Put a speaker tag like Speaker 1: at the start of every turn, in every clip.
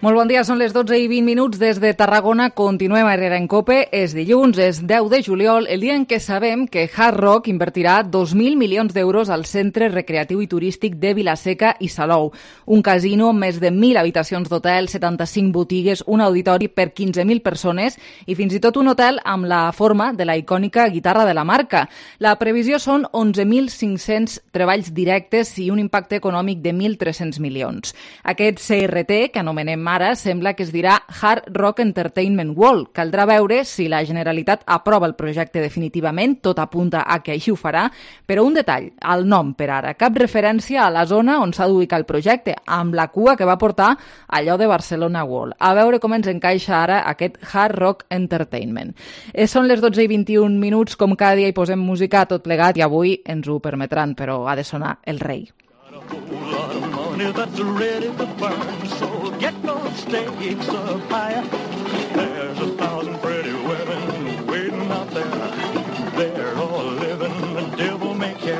Speaker 1: Molt bon dia, són les 12:20 des de Tarragona. Continuem a Herrera en Cope. És dilluns, és 10 de juliol, el dia en què sabem que Hard Rock invertirà 2.000 milions d'euros al centre recreatiu i turístic de Vila-seca i Salou. Un casino amb més de 1.000 habitacions d'hotel, 75 botigues, un auditori per 15.000 persones i fins i tot un hotel amb la forma de la icònica guitarra de la marca. La previsió són 11.500 treballs directes i un impacte econòmic de 1.300 milions. Aquest CRT, que anomenem ara, sembla que es dirà Hard Rock Entertainment World. Caldrà veure si la Generalitat aprova el projecte definitivament, tot apunta a que així ho farà, però un detall, el nom per ara, cap referència a la zona on s'ha d'ubicar el projecte, amb la cua que va portar allò de Barcelona World. A veure com ens encaixa ara aquest Hard Rock Entertainment. Són les 12:21, com cada dia hi posem música a tot plegat i avui ens ho permetran, però ha de sonar el rei.
Speaker 2: That's ready to burn, so get those stakes up higher. There's 1,000 pretty women waiting out there. They're all living the devil may care,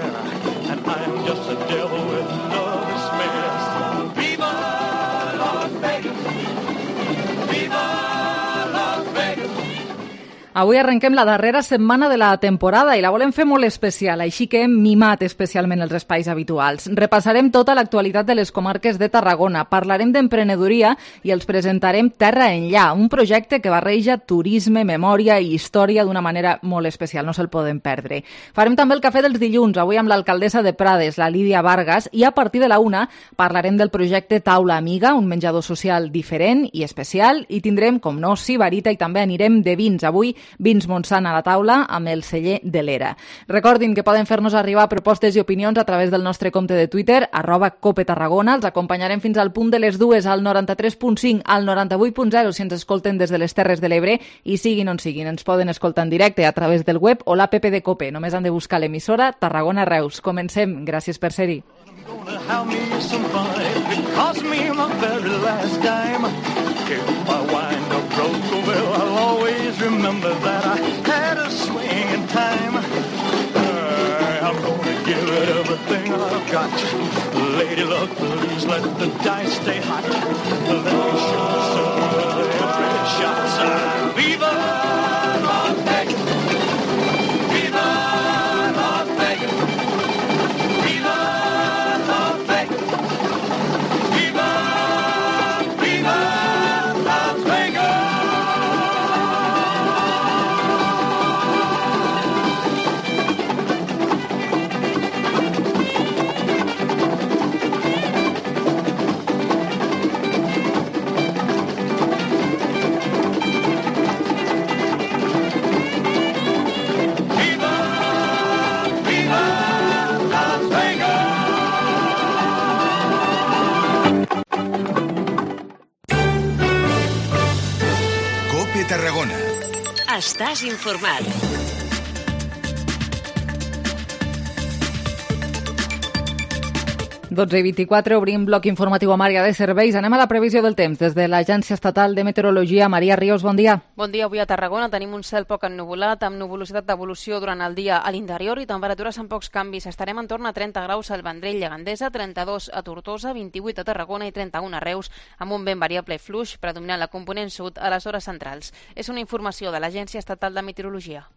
Speaker 2: and I'm just a devil with no despair. Viva Las Vegas! Viva Las Vegas!
Speaker 1: Avui arrenquem la darrera setmana de la temporada i la volem fer molt especial, així que hem mimat especialment els espais habituals. Repassarem tota l'actualitat de les comarques de Tarragona, parlarem d'emprenedoria i els presentarem Terra Enllà, un projecte que barreja turisme, memòria i història d'una manera molt especial, no se'l poden perdre. Farem també el cafè dels dilluns, avui amb l'alcaldessa de Prades, la Lídia Vargas, i a partir de la 1 parlarem del projecte Taula Amiga, un menjador social diferent i especial, i tindrem, com no, Sibarita i també anirem de vins. Avui Vins Montsant a la taula amb el celler de l'Era. Recordin que poden fer-nos arribar propostes i opinions a través del nostre compte de Twitter, @copetarragona. Els acompanyarem fins al punt de les 2, al 93.5, al 98.0 si ens escolten des de les Terres de l'Ebre i siguin on siguin. Ens poden escoltar en directe a través del web o l'app de Cope. Només han de buscar l'emissora Tarragona Reus. Comencem. Gràcies per ser-hi.
Speaker 2: I'll always remember that I had a swing in time. I'm gonna give it everything I've got. Lady luck, please let the dice stay hot. Let me shoot some every shot. Viva Las Vegas! Viva Las Vegas! Viva Las Vegas! Viva, viva Las Vegas!
Speaker 3: Tarragona.
Speaker 4: Estàs informat.
Speaker 1: Dotze i 24, obrim bloc informatiu amb àrea de serveis. Anem a la previsió del temps. Des de l'Agència Estatal de Meteorologia, Maria Ríos, bon dia.
Speaker 5: Bon dia. Avui a Tarragona tenim un cel poc ennuvolat, amb nuvolositat d'evolució durant el dia a l'interior i temperatures amb pocs canvis. Estarem en torn a 30 graus al Vendrell i a Gandesa, 32 a Tortosa, 28 a Tarragona i 31 a Reus, amb un vent variable fluix predominant la component sud a les hores centrals. És una informació de l'Agència Estatal de Meteorologia.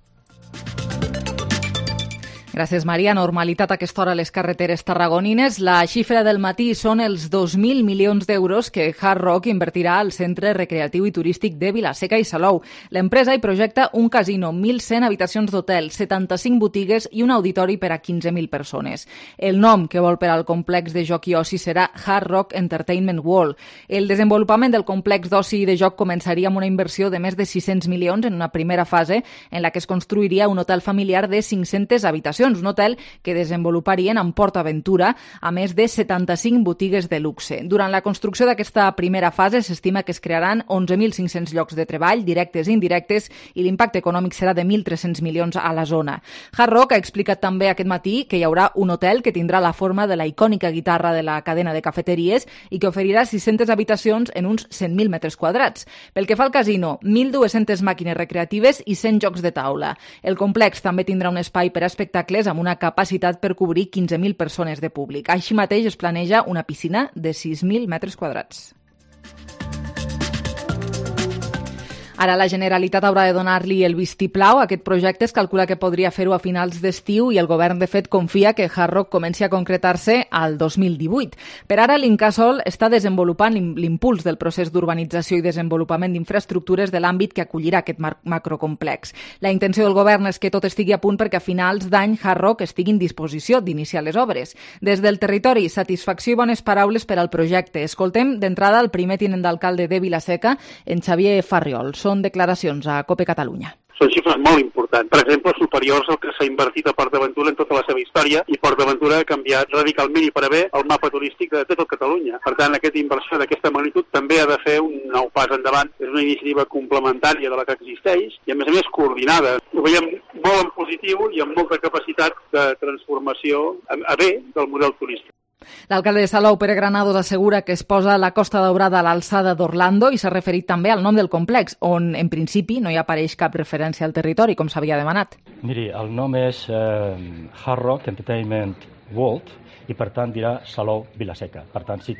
Speaker 1: Gràcies, Maria. Normalitat a aquesta hora a les carreteres tarragonines. La xifra del matí són els 2.000 milions d'euros que Hard Rock invertirà al centre recreatiu i turístic de Vila-seca i Salou. L'empresa hi projecta un casino, 1.100 habitacions d'hotel, 75 botigues i un auditori per a 15.000 persones. El nom que vol per al complex de joc i oci serà Hard Rock Entertainment World. El desenvolupament del complex d'oci i de joc començaria amb una inversió de més de 600 milions en una primera fase en la que es construiria un hotel familiar de 500 habitacions. Un hotel que desenvoluparien en PortAventura, a més de 75 botigues de luxe. Durant la construcció d'aquesta primera fase s'estima que es crearan 11.500 llocs de treball, directes i indirectes, i l'impacte econòmic serà de 1.300 milions a la zona. Hard Rock ha explicat també aquest matí que hi haurà un hotel que tindrà la forma de la icònica guitarra de la cadena de cafeteries i que oferirà 600 habitacions en uns 100.000 metres quadrats. Pel que fa al casino, 1.200 màquines recreatives i 100 jocs de taula. El complex també tindrà un espai per a espectacles amb una capacitat per cobrir 15.000 persones de públic. Així mateix es planeja una piscina de 6.000 metres quadrats. Ara la Generalitat haurà de donar-li el vistiplau a aquest projecte. Es calcula que podria fer-ho a finals d'estiu i el govern, de fet, confia que Hard Rock comenci a concretar-se al 2018. Per ara, l'Incasòl està desenvolupant l'impuls del procés d'urbanització i desenvolupament d'infraestructures de l'àmbit que acollirà aquest macrocomplex. La intenció del govern és que tot estigui a punt perquè a finals d'any Hard Rock estigui en disposició d'iniciar les obres. Des del territori, satisfacció i bones paraules per al projecte. Escoltem d'entrada el primer tinent d'alcalde de Vila-seca, en Xavier Farriol. Són declaracions a COPE Catalunya.
Speaker 3: Són xifres molt importants, per exemple, superiors al que s'ha invertit a Port d'Aventura en tota la seva història, i Port d'Aventura ha canviat radicalment i per a bé el mapa turístic de tot Catalunya. Per tant, aquesta inversió d'aquesta magnitud també ha de fer un nou pas endavant. És una iniciativa complementària de la que existeix i, a més coordinada. Ho veiem molt en positiu i amb molta capacitat de transformació a bé del model turístic.
Speaker 1: L'alcalde de Salou, Pere Granados, assegura que es posa la Costa Daurada a l'alçada d'Orlando i s'ha referit també al nom del complex, on en principi no hi apareix cap referència al territori, com s'havia demanat.
Speaker 6: Miri, el nom és Hard Rock Entertainment World i per tant dirà Salou Vila-seca. Per tant sí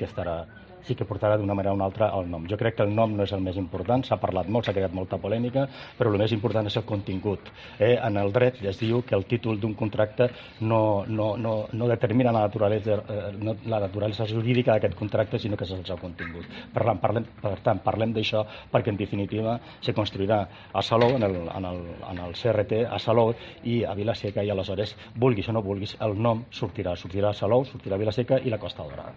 Speaker 6: que portarà d'una manera o una altra el nom. Jo crec que el nom no és el més important, s'ha parlat molt, s'ha creat molta polèmica, però el més important és el contingut. En el dret es diu que el títol d'un contracte no determina la naturalesa jurídica d'aquest contracte, sinó que és el seu contingut. Per tant, parlem d'això perquè en definitiva se construirà a Salou, en el CRT, a Salou i a Vila-seca, i aleshores, vulguis o no vulguis, el nom sortirà a Salou, sortirà a Vila-seca i la Costa Daurada.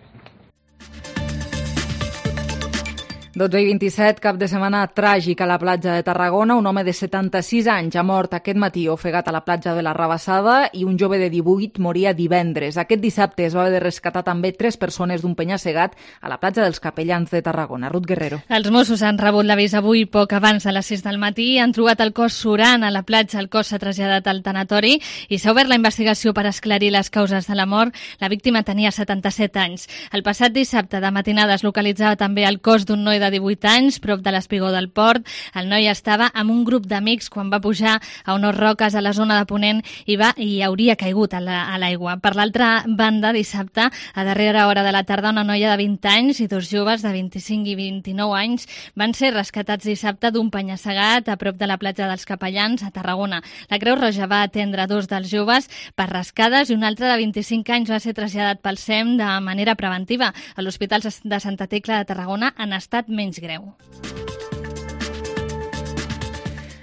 Speaker 1: 12:27, cap de setmana tràgic a la platja de Tarragona. Un home de 76 anys ha mort aquest matí ofegat a la platja de la Rabassada i un jove de 18 moria divendres. Aquest dissabte es va haver de rescatar també 3 persones d'un penya-segat a la platja dels Capellans de Tarragona. Ruth Guerrero.
Speaker 7: Els Mossos han rebut l'avís avui poc abans de les 6 del matí. Han trobat el cos surant a la platja. El cos s'ha traslladat al tanatori i s'ha obert la investigació per esclarir les causes de la mort. La víctima tenia 77 anys. El passat dissabte de matinada es localitzava també el cos d'un noi de 18 anys, prop de l'espigó del port. El noi estava amb un grup d'amics quan va pujar a unes roques a la zona de Ponent i hauria caigut a l'aigua. Per l'altra banda, dissabte, a darrera hora de la tarda, una noia de 20 anys i 2 joves de 25 i 29 anys van ser rescatats dissabte d'un penya-segat a prop de la platja dels Capellans, a Tarragona. La Creu Roja va atendre 2 dels joves per rascades i un altre de 25 anys va ser traslladat pel SEM de manera preventiva. A l'Hospital de Santa Tecla de Tarragona en estat menys greu.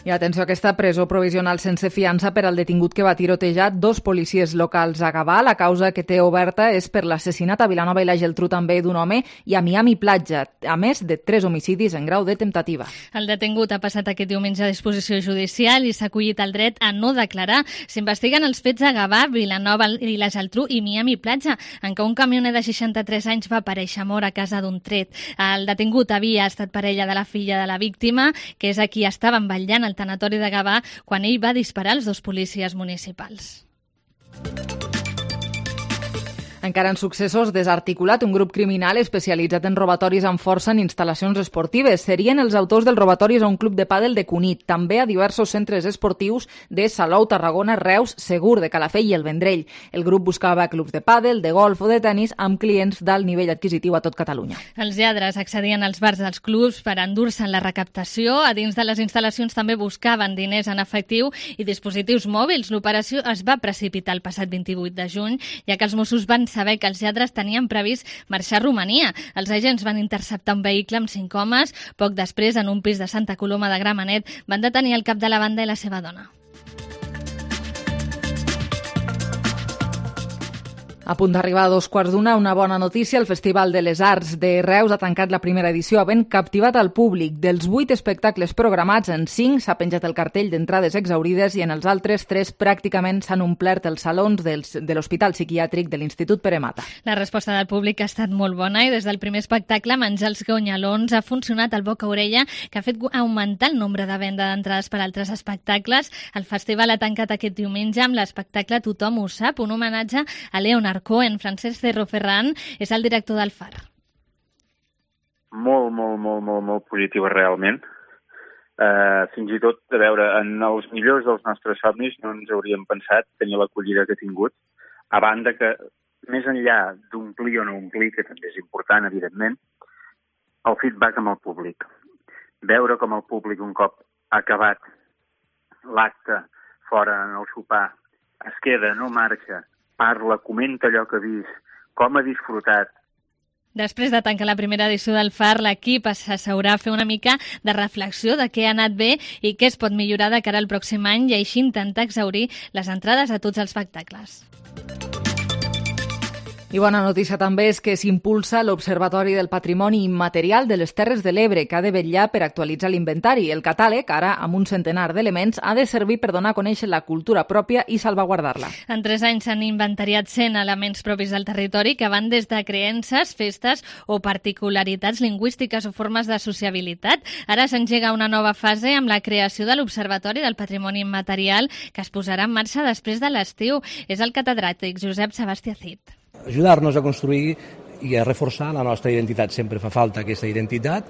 Speaker 1: I atenció a aquesta presó provisional sense fiança per al detingut que va tirotejar 2 policies locals a Gavà. La causa que té oberta és per l'assassinat a Vilanova i la Geltrú també d'un home i a Miami Platja, a més de 3 homicidis en grau de temptativa.
Speaker 7: El detingut ha passat aquest diumenge a disposició judicial i s'ha acollit el dret a no declarar. S'investiguen els fets a Gavà, Vilanova i la Geltrú i Miami Platja, en què un camioner de 63 anys va aparèixer mort a casa d'un tret. El detingut havia estat parella de la filla de la víctima, que és a qui estaven vetllant al tanatori de Gavà quan ell va disparar als 2 policies municipals.
Speaker 1: Encara en successos, desarticulat un grup criminal especialitzat en robatoris amb força en instal·lacions esportives. Serien els autors dels robatoris a un club de pàdel de Cunit, també a diversos centres esportius de Salou, Tarragona, Reus, Segur, de Calafell i el Vendrell. El grup buscava clubs de pàdel, de golf o de tennis amb clients d'alt nivell adquisitiu a tot Catalunya.
Speaker 7: Els lladres accedien als bars dels clubs per endur-se'n la recaptació. A dins de les instal·lacions també buscaven diners en efectiu i dispositius mòbils. L'operació es va precipitar el passat 28 de juny, ja que els Mossos van saber que els lladres tenien previst marxar a Romania. Els agents van interceptar un vehicle amb 5 homes. Poc després, en un pis de Santa Coloma de Gramenet, van detenir el cap de la banda i la seva dona.
Speaker 1: A punt d'arribar a 2:15, una bona notícia. El Festival de les Arts de Reus ha tancat la primera edició havent captivat al públic. Dels 8 espectacles programats, en 5 s'ha penjat el cartell d'entrades exaurides i en els altres 3 pràcticament s'han omplert els salons de l'Hospital Psiquiàtric de l'Institut Pere Mata.
Speaker 7: La resposta del públic ha estat molt bona i des del primer espectacle, Menjar els Gonyalons, ha funcionat al boca-orella, que ha fet augmentar el nombre de venda d'entrades per a altres espectacles. El festival ha tancat aquest diumenge amb l'espectacle Tothom ho sap, un homenatge a Leonard Cohen. Francesc Cerro Ferran és el director del FAR.
Speaker 8: Molt positiva realment. Fins i tot, a veure, en els millors dels nostres somnis no ens hauríem pensat tenir l'acollida que ha tingut, a banda que, més enllà d'omplir o no omplir, que també és important, evidentment, el feedback amb el públic. veure com el públic un cop acabat l'acte fora en el sopar es queda, no marxa, parla, comenta allò que ha vist, com ha disfrutat.
Speaker 7: Després de tancar la primera edició del FAR, l'equip s'asseurà a fer una mica de reflexió de què ha anat bé i què es pot millorar de cara al pròxim any i així intentar exhaurir les entrades a tots els espectacles.
Speaker 1: I bona notícia també és que s'impulsa l'Observatori del Patrimoni Immaterial de les Terres de l'Ebre, que ha de vetllar per actualitzar l'inventari. El catàleg, ara amb un centenar d'elements, ha de servir per donar a conèixer la cultura pròpia i salvaguardar-la.
Speaker 7: En 3 anys s'han inventariat 100 elements propis del territori que van des de creences, festes o particularitats lingüístiques o formes de sociabilitat. Ara s'engega una nova fase amb la creació de l'Observatori del Patrimoni Immaterial que es posarà en marxa després de l'estiu. És el catedràtic Josep Sebastià Cid.
Speaker 9: Ajudar-nos a construir i a reforçar la nostra identitat. Sempre fa falta aquesta identitat,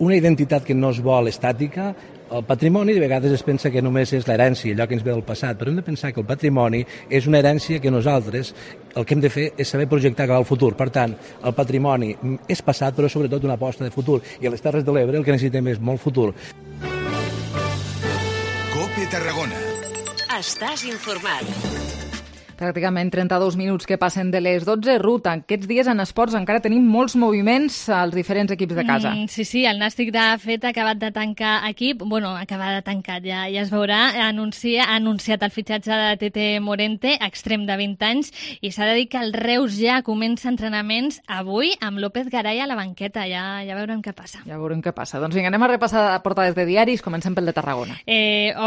Speaker 9: una identitat que no es vol estàtica. El patrimoni de vegades es pensa que només és l'herència, allò que ens ve del passat, però hem de pensar que el patrimoni és una herència que nosaltres el que hem de fer és saber projectar cap al futur. Per tant, el patrimoni és passat, però sobretot una aposta de futur. I a les Terres de l'Ebre el que necessitem és molt futur.
Speaker 10: COPE Tarragona.
Speaker 4: Estàs informat.
Speaker 1: Pràcticament 32 minuts que passen de les 12. Ruth, aquests dies en esports encara tenim molts moviments als diferents equips de casa.
Speaker 7: Sí, el Nàstic de fet ha acabat de tancar equip, acabat de tancar, ja es veurà, ha anunciat el fitxatge de Tete Morente, extrem de 20 anys, i s'ha de dir que el Reus ja comença entrenaments avui amb López Garay a la banqueta, ja veurem què passa.
Speaker 1: Ja veurem què passa. Doncs vinga, anem a repassar portades de diaris, comencem pel de Tarragona.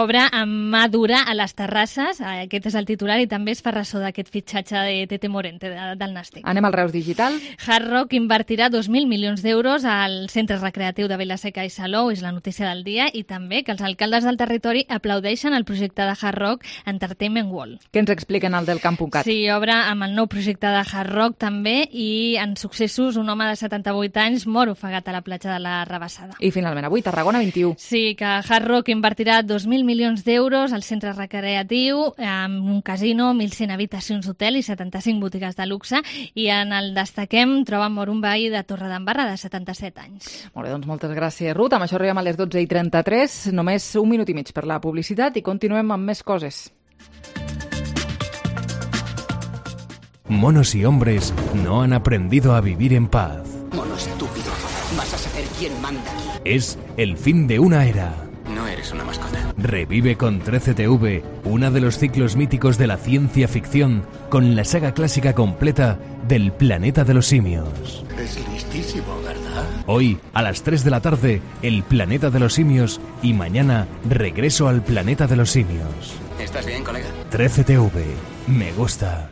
Speaker 7: Obre amb mà dura a les terrasses, aquest és el titular, i també es fa d'aquest fitxatge de Tete Morente del Nàstic.
Speaker 1: Anem al Reus Digital.
Speaker 7: Hard Rock invertirà 2.000 milions d'euros al centre recreatiu de Vila-seca i Salou, és la notícia del dia, i també que els alcaldes del territori aplaudeixen el projecte de Hard Rock Entertainment World.
Speaker 1: Què ens expliquen al del Camp.cat?
Speaker 7: Sí, obre amb el nou projecte de Hard Rock també, i en successos un home de 78 anys mor ofegat a la platja de la Rabassada.
Speaker 1: I finalment avui Tarragona 21.
Speaker 7: Sí, que Hard Rock invertirà 2.000 milions d'euros al centre recreatiu, amb un casino, 1.100 habitacions d'hotel i 75 botigues de luxe, i en el destaquem troben mort un veí de Torredembarra de 77 anys.
Speaker 1: Molt bé, doncs moltes gràcies, Ruth. Amb això arribem a les 12:33, només un minut i mig per la publicitat i continuem amb més coses.
Speaker 11: Monos y hombres no han aprendido a vivir en paz.
Speaker 12: Mono estúpido, vas a saber quién manda aquí.
Speaker 11: Es el fin de una era.
Speaker 12: No eres una mascota.
Speaker 11: Revive con 13TV uno de los ciclos míticos de la ciencia ficción con la saga clásica completa del Planeta de los Simios.
Speaker 12: Es listísimo, ¿verdad?
Speaker 11: Hoy, a las 3 de la tarde, el Planeta de los Simios, y mañana, regreso al Planeta de los Simios.
Speaker 12: ¿Estás bien, colega?
Speaker 11: 13TV. Me gusta.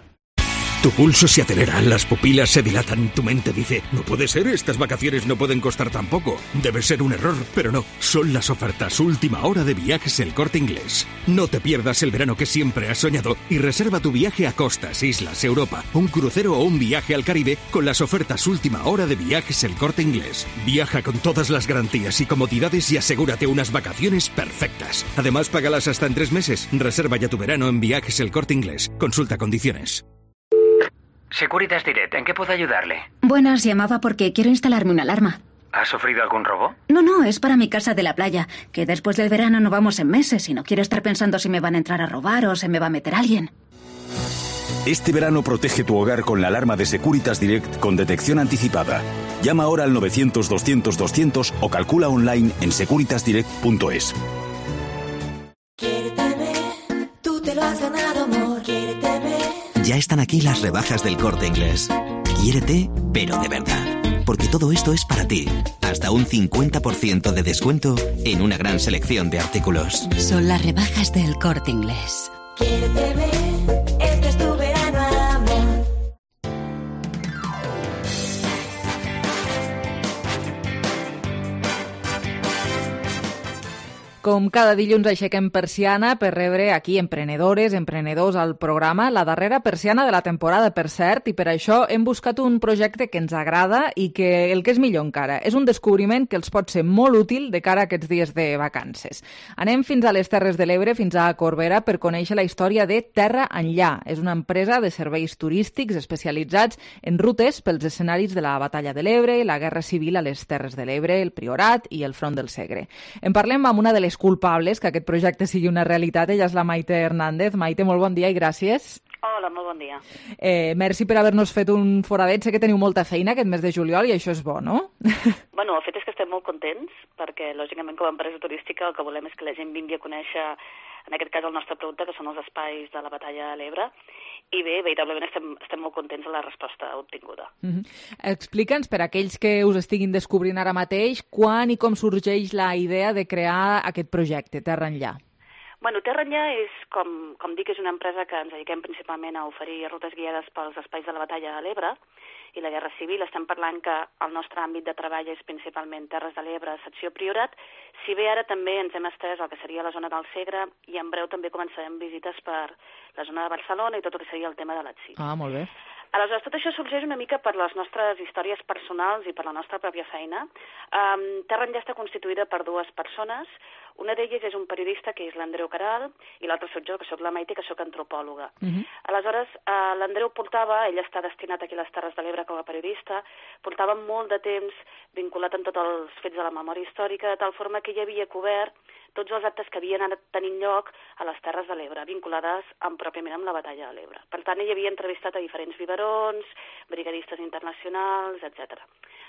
Speaker 13: Tu pulso se acelera, las pupilas se dilatan, tu mente dice, no puede ser, estas vacaciones no pueden costar tan poco. Debe ser un error, pero no, son las ofertas última hora de Viajes El Corte Inglés. No te pierdas el verano que siempre has soñado y reserva tu viaje a costas, islas, Europa, un crucero o un viaje al Caribe con las ofertas última hora de Viajes El Corte Inglés. Viaja con todas las garantías y comodidades y asegúrate unas vacaciones perfectas. Además, págalas hasta en 3 meses. Reserva ya tu verano en Viajes El Corte Inglés. Consulta condiciones.
Speaker 14: Securitas Direct, ¿en qué puedo ayudarle?
Speaker 15: Buenas, llamaba porque quiero instalarme una alarma.
Speaker 14: ¿Ha sufrido algún robo?
Speaker 15: No, es para mi casa de la playa, que después del verano no vamos en meses y no quiero estar pensando si me van a entrar a robar o se me va a meter alguien.
Speaker 16: Este verano protege tu hogar con la alarma de Securitas Direct con detección anticipada. Llama ahora al 900-200-200 o calcula online en securitasdirect.es.
Speaker 17: Quiérteme, tú te lo has ganado, amor, quiérteme.
Speaker 18: Ya están aquí las rebajas del Corte Inglés. Quiérete, pero de verdad. Porque todo esto es para ti. Hasta un 50% de descuento en una gran selección de artículos.
Speaker 19: Son las rebajas del Corte Inglés.
Speaker 17: Quiérteme, este es tu verano, amor.
Speaker 1: Com cada dilluns aixequem persiana per rebre aquí emprenedores, emprenedors al programa, la darrera persiana de la temporada, per cert, i per això hem buscat un projecte que ens agrada i que, el que és millor encara, és un descobriment que els pot ser molt útil de cara a aquests dies de vacances. Anem fins a les Terres de l'Ebre, fins a Corbera, per conèixer la història de Terra Enllà. És una empresa de serveis turístics especialitzats en rutes pels escenaris de la Batalla de l'Ebre, la Guerra Civil a les Terres de l'Ebre, el Priorat i el Front del Segre. En parlem amb una de les culpables que aquest projecte sigui una realitat. Ella és la Maite Hernández. Maite, molt bon dia i gràcies.
Speaker 10: Hola, molt bon dia.
Speaker 1: Merci per haver-nos fet un foradet. Sé que teniu molta feina aquest mes de juliol i això és bo, no?
Speaker 10: Bueno, el fet és que estem molt contents perquè, lògicament, com a empresa turística el que volem és que la gent vingui a conèixer, en aquest cas, el nostre producte, que són els espais de la Batalla de l'Ebre. I bé, veritablement estem molt contents de la resposta obtinguda.
Speaker 1: Explica'ns, per a aquells que us estiguin descobrint ara mateix, quan i com sorgeix la idea de crear aquest projecte, Terra Enllà.
Speaker 10: Bueno, Terra Enllà és, com dic, és una empresa que ens dediquem principalment a oferir rutes guiades pels espais de la Batalla de l'Ebre i la Guerra Civil. Estem parlant que el nostre àmbit de treball és principalment Terres de l'Ebre, secció Priorat, si bé ara també ens hem estès al que seria la zona del Segre i en breu també començarem visites per la zona de Barcelona i tot el que seria el tema de l'Atsí.
Speaker 1: Ah, molt bé.
Speaker 10: Aleshores, tot això sorgeix una mica per les nostres històries personals i per la nostra pròpia feina. Terra Enllà està constituïda per dues persones. Una d'elles és un periodista, que és l'Andreu Caral, i l'altra soc jo, que soc la Maite, que soc antropòloga. Aleshores, l'Andreu ell està destinat aquí a les Terres de l'Ebre com a periodista, portava molt de temps vinculat amb tots els fets de la memòria històrica, de tal forma que ell havia cobert tots els actes que havien anat tenint lloc a les Terres de l'Ebre, vinculades pròpiament amb la Batalla de l'Ebre. Per tant, ell havia entrevistat a diferents biberons, brigadistes internacionals, etc.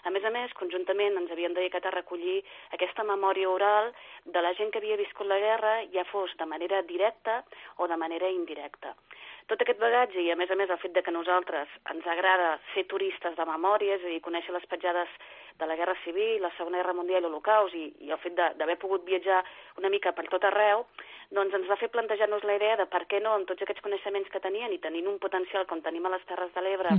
Speaker 10: A més, conjuntament ens havíem dedicat a recollir aquesta memòria oral de la gent que havia viscut la guerra, ja fos de manera directa o de manera indirecta. Tot aquest bagatge i, a més, el fet de que a nosaltres ens agrada ser turistes de memòria, és a dir, conèixer les petjades de la Guerra Civil, la Segona Guerra Mundial i l'Holocaust, i el fet d'haver pogut viatjar una mica per tot arreu, doncs ens va fer plantejar-nos la idea de per què no, amb tots aquests coneixements que tenien i tenint un potencial com tenim a les Terres de l'Ebre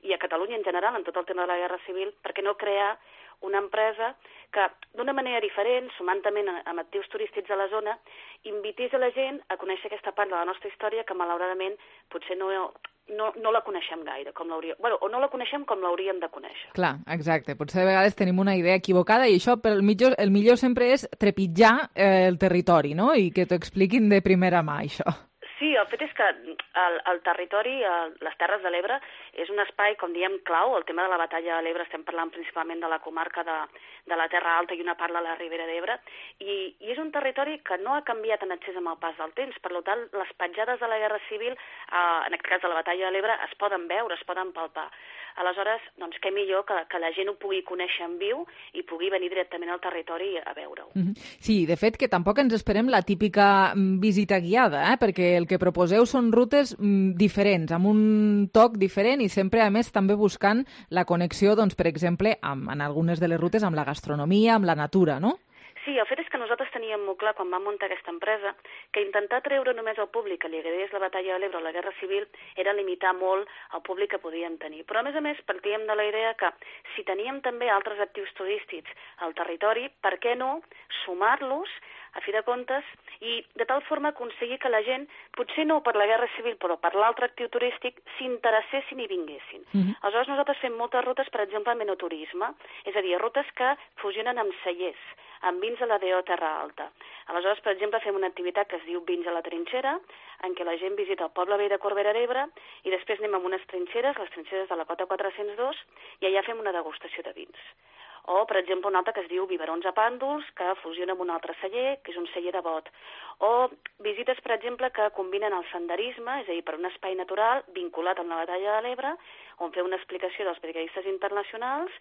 Speaker 10: i a Catalunya en general, en tot el tema de la Guerra Civil, per què no crear una empresa que, d'una manera diferent, sumant també amb actius turístics a la zona, invités a la gent a conèixer aquesta part de la nostra història que, malauradament, potser no la coneixem gaire, o no la coneixem com l'hauríem de conèixer.
Speaker 1: Clar, exacte. Potser de vegades tenim una idea equivocada i això, el millor sempre és trepitjar el territori, no? I que t'ho expliquin de primera mà, això.
Speaker 10: Sí, el fet és que el territori, les Terres de l'Ebre, és un espai, com diem, clau. El tema de la Batalla de l'Ebre estem parlant principalment de la comarca de la Terra Alta i una part de la Ribera d'Ebre, i és un territori que no ha canviat en excés amb el pas del temps. Per tant, les petjades de la Guerra Civil, en aquest cas de la Batalla de l'Ebre, es poden veure, es poden palpar. Aleshores, doncs, què millor que la gent ho pugui conèixer en viu i pugui venir directament al territori a veure-ho.
Speaker 1: Sí, de fet, que tampoc ens esperem la típica visita guiada, perquè el que proposeu són rutes diferents, amb un toc diferent i sempre, a més, també buscant la connexió, doncs, per exemple, en algunes de les rutes amb la gastronomia, amb la natura, no?
Speaker 10: Sí, el fet és que nosaltres teníem molt clar, quan vam muntar aquesta empresa, que intentar treure només al públic que li agradés la Batalla de l'Ebre o la Guerra Civil era limitar molt el públic que podíem tenir. Però, a més, partíem de la idea que si teníem també altres actius turístics al territori, per què no sumar-los, a fi de comptes, i de tal forma aconseguir que la gent, potser no per la Guerra Civil, però per l'altre actiu turístic, s'interessessin i vinguessin. Aleshores, nosaltres fem moltes rutes, per exemple, amb enoturisme, és a dir, rutes que fusionen amb cellers, amb vins a la D.O. Terra Alta. Aleshores, per exemple, fem una activitat que es diu Vins a la Trinxera, en què la gent visita el poble vell de Corbera d'Ebre i després anem a unes trinxeres, les trinxeres de la Cota 402, i allà fem una degustació de vins. O, per exemple, una altra que es diu Biberons a Pàndols, que fusiona amb un altre celler, que és un celler de bot. O visites, per exemple, que combinen el senderisme, és a dir, per un espai natural vinculat amb la Batalla de l'Ebre, on fer una explicació dels brigadistes internacionals,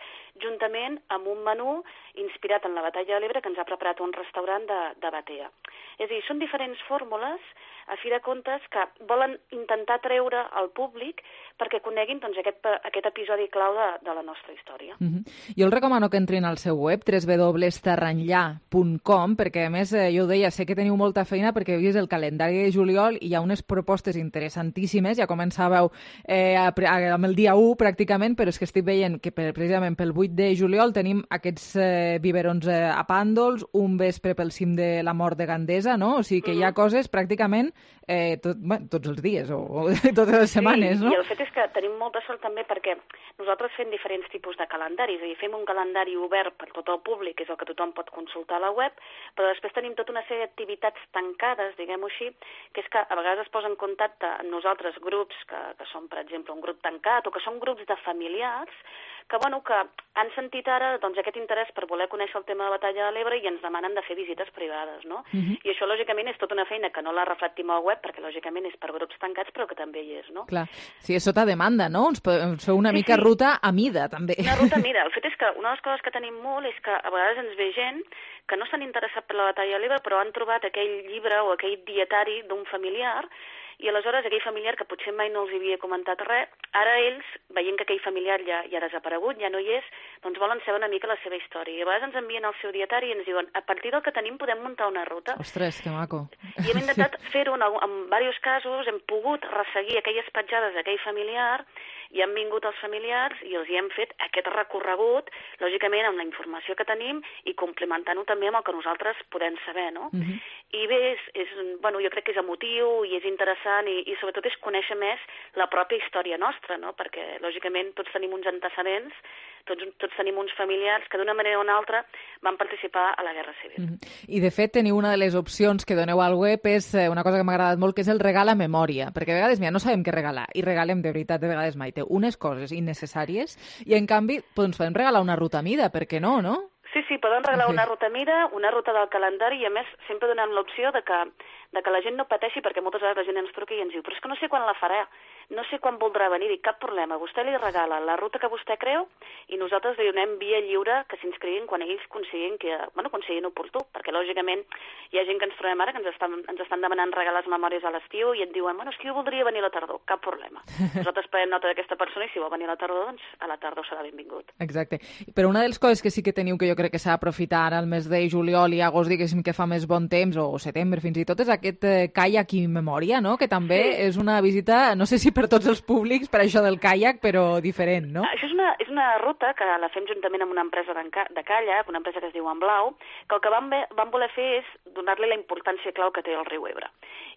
Speaker 10: juntament amb un menú inspirat en la Batalla de l'Ebre que ens ha preparat un restaurant de Batea. És a dir, són diferents fórmules, a fi de comptes, que volen intentar treure al públic perquè coneguin, doncs, aquest episodi clau de la nostra història.
Speaker 1: Jo el recomano que entrin al seu web, www.terranllà.com, perquè a més, jo ho deia, sé que teniu molta feina perquè heu vist el calendari de juliol i hi ha unes propostes interessantíssimes, ja començàveu amb el dia 1 pràcticament, però és que estic veient que precisament pel 8 de juliol tenim aquests biberons a Pàndols, un vespre pel cim de la Mort de Gandesa, no? O sigui que hi ha coses pràcticament tots els dies o totes les setmanes, no?
Speaker 10: Sí, i el fet és que tenim molta sort també perquè nosaltres fem diferents tipus de calendaris, és a dir, fem un calendari obert per tot el públic, és el que tothom pot consultar a la web, però després tenim tota una sèrie d'activitats tancades, diguem-ho així, que és que a vegades es posa en contacte amb nosaltres grups que són, per exemple, un grup tancat o que són grups de familiars que han sentit ara aquest interès per voler conèixer el tema de la batalla de l'Ebre i ens demanen de fer visites privades, no? I això, lògicament, és tota una feina que no la reflectim al web perquè, lògicament, és per grups tancats, però que també hi és, no?
Speaker 1: Clar, sí, és sota demanda, no? Ens feu una mica ruta a mida, també.
Speaker 10: Una ruta a mida. El fet és que una de les coses que tenim molt és que a vegades ens ve gent que no s'han interessat per la batalla de l'Ebre, però han trobat aquell llibre o aquell dietari d'un familiar i aleshores aquell familiar que potser mai no els havia comentat res, ara ells, veient que aquell familiar ja ha desaparegut, ja no hi és, doncs volen saber una mica la seva història. I a vegades ens envien el seu dietari i ens diuen a partir del que tenim podem muntar una ruta.
Speaker 1: Ostres, que maco.
Speaker 10: I hem intentat fer-ho en diversos casos, hem pogut resseguir aquelles petjades d'aquell familiar i han vingut els familiars i els hi hem fet aquest recorregut, lògicament amb la informació que tenim i complementant-ho també amb el que nosaltres podem saber, no? I bé, jo crec que és emotiu i és interessant i sobretot és conèixer més la pròpia història nostra, no? Perquè lògicament tots tenim uns antecedents, tots tenim uns familiars que d'una manera o una altra van participar a la Guerra Civil.
Speaker 1: I de fet teniu una de les opcions que doneu al web és una cosa que m'ha agradat molt, que és el regal a memòria, perquè a vegades no sabem què regalar i regalem de veritat, de vegades Maite, unes coses innecessàries i en canvi doncs podem regalar una ruta a mida, per què no, no?
Speaker 10: Sí, poden regalar una ruta a mida, una ruta del calendari i a més sempre donem l'opció de que la gent no pateixi perquè moltes vegades la gent ens truca i ens diu però és que no sé quan la farà, no sé quan voldrà venir, dic cap problema, vostè li regala la ruta que vostè creu i nosaltres li donem via lliure que s'inscriguin quan ells considerin oportú, perquè lògicament hi ha gent que ens trobem ara que ens estan demanant regalar les memòries a l'estiu i et diuen, és que jo voldria venir a la tardor, cap problema. Nosaltres prenem nota d'aquesta persona i si vol venir a la tardor, doncs a la tardor serà benvingut.
Speaker 1: Exacte. Però una de les coses que sí que teniu que jo crec que s'ha d'aprofitar ara el mes de juliol i agost, diguéssim que fa més bon temps, o setembre fins i tot, és aquest caiac i memòria, no? Que també és una visita, no sé si per tots els públics, per això del caiac, però diferent, no?
Speaker 10: Això és una ruta que la fem juntament amb una empresa de caiac, una empresa que es diu En Blau, que el que vam voler fer és donar-li la importància clau que té el riu Ebre.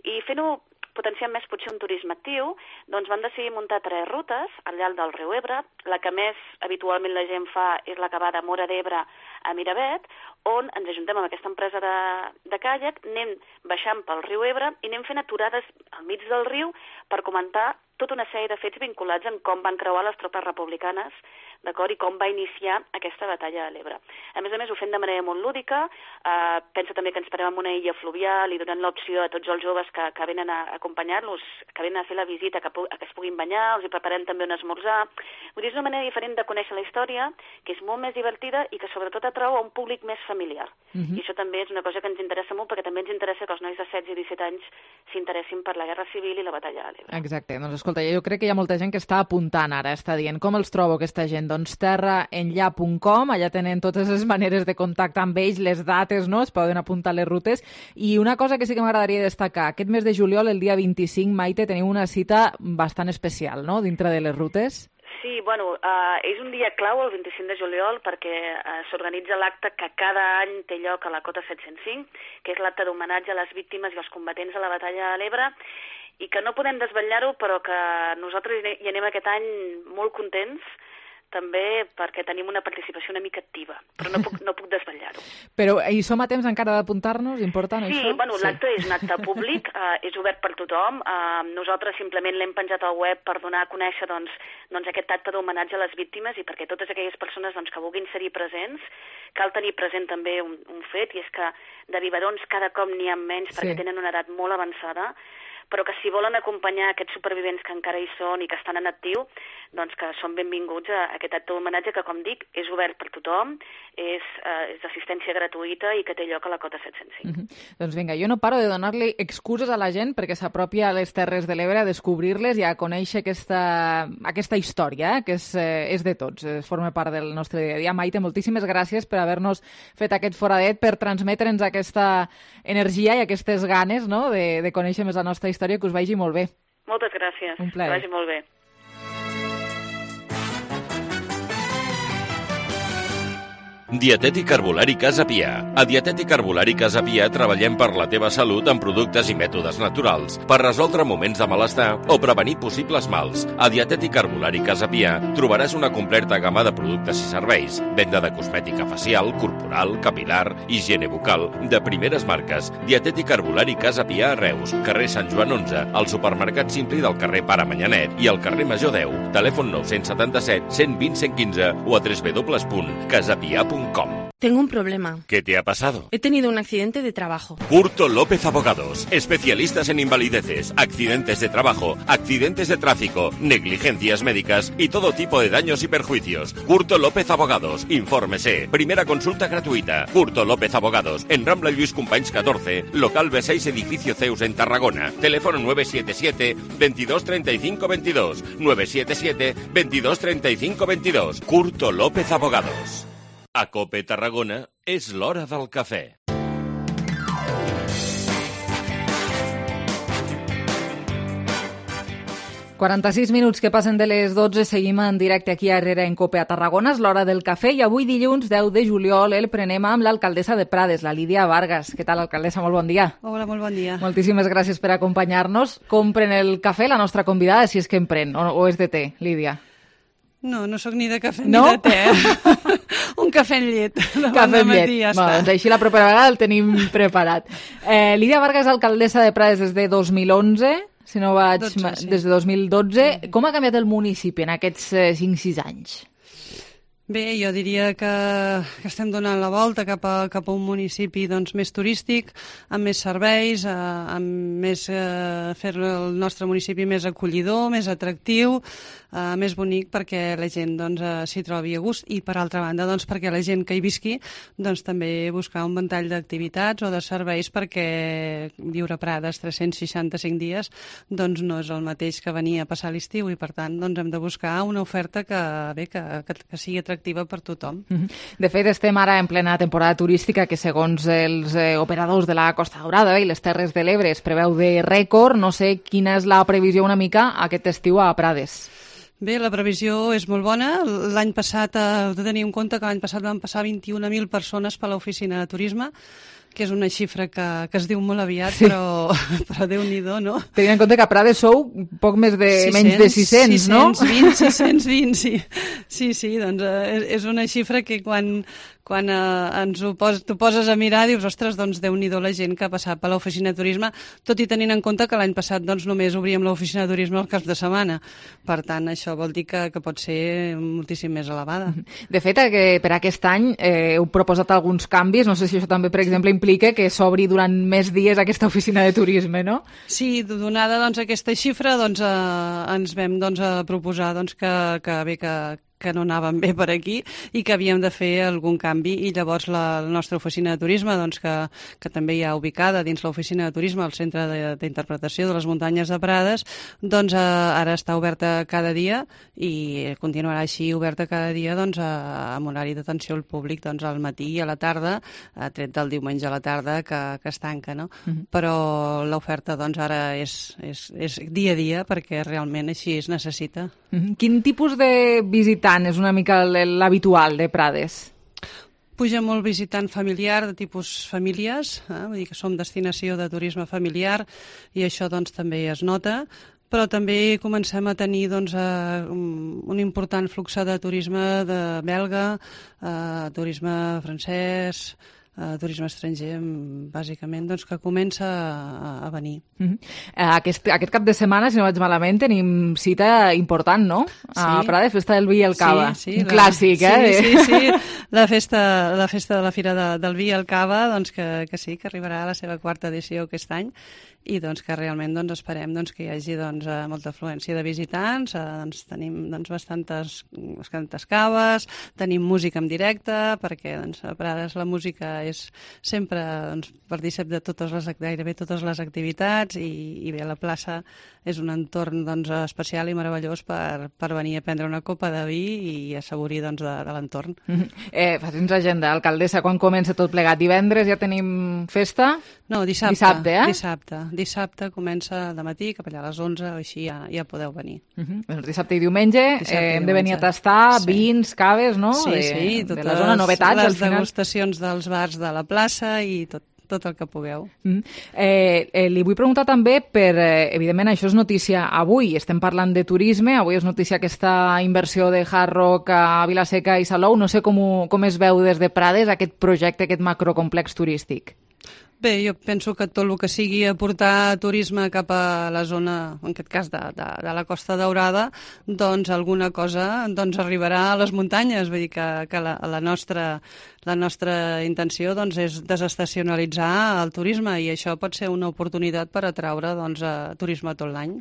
Speaker 10: I fent-ho potenciant més potser un turisme actiu, doncs van decidir muntar 3 rutes al llarg del riu Ebre. La que més habitualment la gent fa és la que va de Móra d'Ebre a Miravet, on ens ajuntem amb aquesta empresa de caiac, anem baixant pel riu Ebre i anem fent aturades al mig del riu per comentar tota una sèrie de fets vinculats en com van creuar les tropes republicanes, d'acord, i com va iniciar aquesta batalla de l'Ebre. A més, ho fem de manera molt lúdica, pensa també que ens parem en una illa fluvial i donem l'opció a tots els joves que venen a acompanyar-los, que venen a fer la visita, que es puguin banyar, els hi preparem també un esmorzar. Vull dir, és una manera diferent de conèixer la història, que és molt més divertida i que sobretot atrau a un públic més familiar. I això també és una cosa que ens interessa molt, perquè també ens interessa que els nois de 16 i 17 anys s'interessin per la Guerra Civil i la batalla de l'Ebre.
Speaker 1: Exacte, doncs escolta, jo crec que hi ha molta gent que està apuntant ara, està dient com els trobo aquesta gent, doncs terraenllà.com, allà tenen totes les maneres de contactar amb ells, les dates, no? Es poden apuntar les rutes, i una cosa que sí que m'agradaria destacar, aquest mes de juliol, el dia 25, Maite, teniu una cita bastant especial, no?, dintre de les rutes.
Speaker 10: Sí, és un dia clau, el 25 de juliol, perquè s'organitza l'acte que cada any té lloc a la Cota 705, que és l'acte d'homenatge a les víctimes i als combatents de la batalla de l'Ebre, i que no podem desvetllar-ho, però que nosaltres hi anem aquest any molt contents, també perquè tenim una participació una mica activa, però no puc desvetllar-ho.
Speaker 1: Però hi som a temps encara d'apuntar-nos? Important,
Speaker 10: això? Sí, l'acte és un acte públic, és obert per tothom. Nosaltres simplement l'hem penjat al web per donar a conèixer doncs, aquest acte d'homenatge a les víctimes i perquè totes aquelles persones que vulguin ser-hi presents, cal tenir present també un fet, i és que de biberons cada cop n'hi ha menys perquè tenen una edat molt avançada, però que si volen acompanyar aquests supervivents que encara hi són i que estan en actiu, doncs que són benvinguts a aquest acte d'homenatge que, com dic, és obert per tothom, és d'assistència gratuïta i que té lloc a la Cota 705.
Speaker 1: Doncs vinga, jo no paro de donar-li excuses a la gent perquè s'apropi a les Terres de l'Ebre a descobrir-les i a conèixer aquesta història, que és de tots, forma part del nostre dia a dia. Maite, moltíssimes gràcies per haver-nos fet aquest foradet, per transmetre'ns aquesta energia i aquestes ganes, no?, de conèixer més la nostra història, que us vagi molt bé.
Speaker 10: Moltes gràcies.
Speaker 1: Un plaer.
Speaker 10: Que vagi molt bé.
Speaker 20: Dietètic Herbolari Casa Pia. A Dietètic Herbolari Casa Pia treballem per la teva salut amb productes i mètodes naturals, per resoldre moments de malestar o prevenir possibles mals. A Dietètic Herbolari Casa Pia trobaràs una completa gamma de productes i serveis, venda de cosmètica facial, corporal, capilar, higiene bucal, de primeres marques. Dietètic Herbolari Casa Pia a Reus, carrer Sant Joan 11, al supermercat Simpli del carrer Pare Manyanet i al carrer Major 10. Telèfon 977 120 115 o a www.casapia.com.
Speaker 21: Tengo un problema.
Speaker 20: ¿Qué te ha pasado?
Speaker 21: He tenido un accidente de trabajo.
Speaker 20: Curto López Abogados, especialistas en invalideces, accidentes de trabajo, accidentes de tráfico, negligencias médicas y todo tipo de daños y perjuicios. Curto López Abogados, infórmese. Primera consulta gratuita. Curto López Abogados, en Rambla Lluís Companys 14, local B6, edificio Zeus en Tarragona. Teléfono 977 22 35 22. 977 22 35 22. Curto López Abogados. A COPE Tarragona és l'hora del cafè.
Speaker 1: «46 minuts que passen de les 12, seguim en directe aquí a Herrera en COPE a Tarragona, és l'hora del cafè i avui dilluns 10 de juliol el prenem amb l'alcaldessa de Prades, la Lídia Vargas. Què tal, alcaldessa? Molt bon dia.
Speaker 22: Hola, molt bon dia.
Speaker 1: Moltíssimes gràcies per acompanyar-nos. Com pren el cafè la nostra convidada, si és que en pren, o és de té, Lídia?
Speaker 22: No, no sóc ni de cafè
Speaker 1: no?
Speaker 22: ni de té. Un cafè amb llet.
Speaker 1: Cafè amb llet.
Speaker 22: Ja
Speaker 1: bueno, doncs així la propera vegada el tenim preparat. Lídia Vargas, alcaldessa de Prades des de 2011, si no vaig...
Speaker 22: 12, sí.
Speaker 1: Des de 2012. Com ha canviat el municipi en aquests 5-6 anys?
Speaker 22: Bé, jo diria que estem donant la volta cap a un municipi doncs, més turístic, amb més serveis, amb més fer el nostre municipi més acollidor, més atractiu, més bonic perquè la gent doncs, s'hi trobi a gust i, per altra banda, doncs, perquè la gent que hi visqui doncs, també buscar un ventall d'activitats o de serveis perquè viure a Prades 365 dies doncs, no és el mateix que venir a passar l'estiu i, per tant, doncs, hem de buscar una oferta que sigui atractiva per tothom.
Speaker 1: De fet, estem ara en plena temporada turística que, segons els operadors de la Costa Daurada i les Terres de l'Ebre, es preveu de rècord. No sé quina és la previsió una mica aquest estiu a Prades.
Speaker 22: Bé, la previsió és molt bona. L'any passat, heu de tenir en compte que l'any passat van passar 21.000 persones per l'oficina de turisme, que és una xifra que es diu molt aviat, sí. però Déu-n'hi-do, no?
Speaker 1: Tenint en compte que a Prades sou poc menys de 600, no?
Speaker 22: 620, sí, doncs és una xifra que quan t'ho poses a mirar dius, ostres, doncs Déu-n'hi-do la gent que ha passat per l'oficina de turisme, tot i tenint en compte que l'any passat doncs, només obríem l'oficina de turisme al cap de setmana. Per tant, això vol dir que pot ser moltíssim més elevada.
Speaker 1: De fet, per aquest any heu proposat alguns canvis, no sé si això també, per exemple, implica que s'obri durant més dies aquesta oficina de turisme, no?
Speaker 22: Sí, donada doncs, aquesta xifra, doncs, ens vam proposar doncs, que no anàvem bé per aquí i que havíem de fer algun canvi, i llavors la nostra oficina de turisme, doncs, que també hi ha ubicada dins l'oficina de turisme al Centre d'Interpretació de les Muntanyes de Prades, doncs ara està oberta cada dia i continuarà així oberta cada dia doncs, amb horari d'atenció al públic doncs, al matí i a la tarda, tret del diumenge a la tarda que es tanca, no? Però l'oferta doncs, ara és dia a dia perquè realment així es necessita.
Speaker 1: Quin tipus de visitant és una mica l'habitual de Prades?
Speaker 22: Puja molt visitant familiar, de tipus famílies, vull dir que som destinació de turisme familiar i això doncs, també es nota, però també comencem a tenir doncs, un important flux de turisme de belga, turisme francès, turisme estranger, bàsicament, doncs, que comença a venir.
Speaker 1: Aquest cap de setmana, si no vaig malament, tenim cita important, no? A Prades, festa del vi i el cava.
Speaker 22: Sí,
Speaker 1: un clàssic,
Speaker 22: Sí. La festa de la Fira del Vi i el Cava, doncs que sí, que arribarà a la seva 4ª edició aquest any, i doncs, que realment doncs, esperem doncs, que hi hagi doncs, molta afluència de visitants, doncs, tenim doncs, bastantes caves, tenim música en directe, perquè doncs, a Prades la música és sempre doncs, partícip de gairebé totes les activitats i bé, la plaça és un entorn doncs, especial i meravellós per venir a prendre una copa de vi i assaborir doncs, de l'entorn.
Speaker 1: Faci'ns agenda, alcaldessa, quan comença tot plegat? Divendres ja tenim festa?
Speaker 22: No, dissabte.
Speaker 1: Dissabte,
Speaker 22: Dissabte comença de matí, cap allà a les 11, o així ja podeu venir.
Speaker 1: Doncs dissabte i diumenge hem de venir a tastar vins, caves, no?
Speaker 22: Sí,
Speaker 1: de la zona, novetats.
Speaker 22: Les degustacions dels bars de la plaça i tot el que pugueu.
Speaker 1: Li vull preguntar també per, evidentment, això és notícia avui, estem parlant de turisme, avui és notícia aquesta inversió de Hard Rock a Vila-seca i Salou, no sé com es veu des de Prades aquest projecte, aquest macrocomplex turístic.
Speaker 22: Bé, jo penso que tot el que sigui aportar turisme cap a la zona, en aquest cas de la Costa Daurada, doncs alguna cosa doncs, arribarà a les muntanyes. Vull dir que la nostra intenció doncs, és desestacionalitzar el turisme i això pot ser una oportunitat per atraure doncs, turisme tot l'any.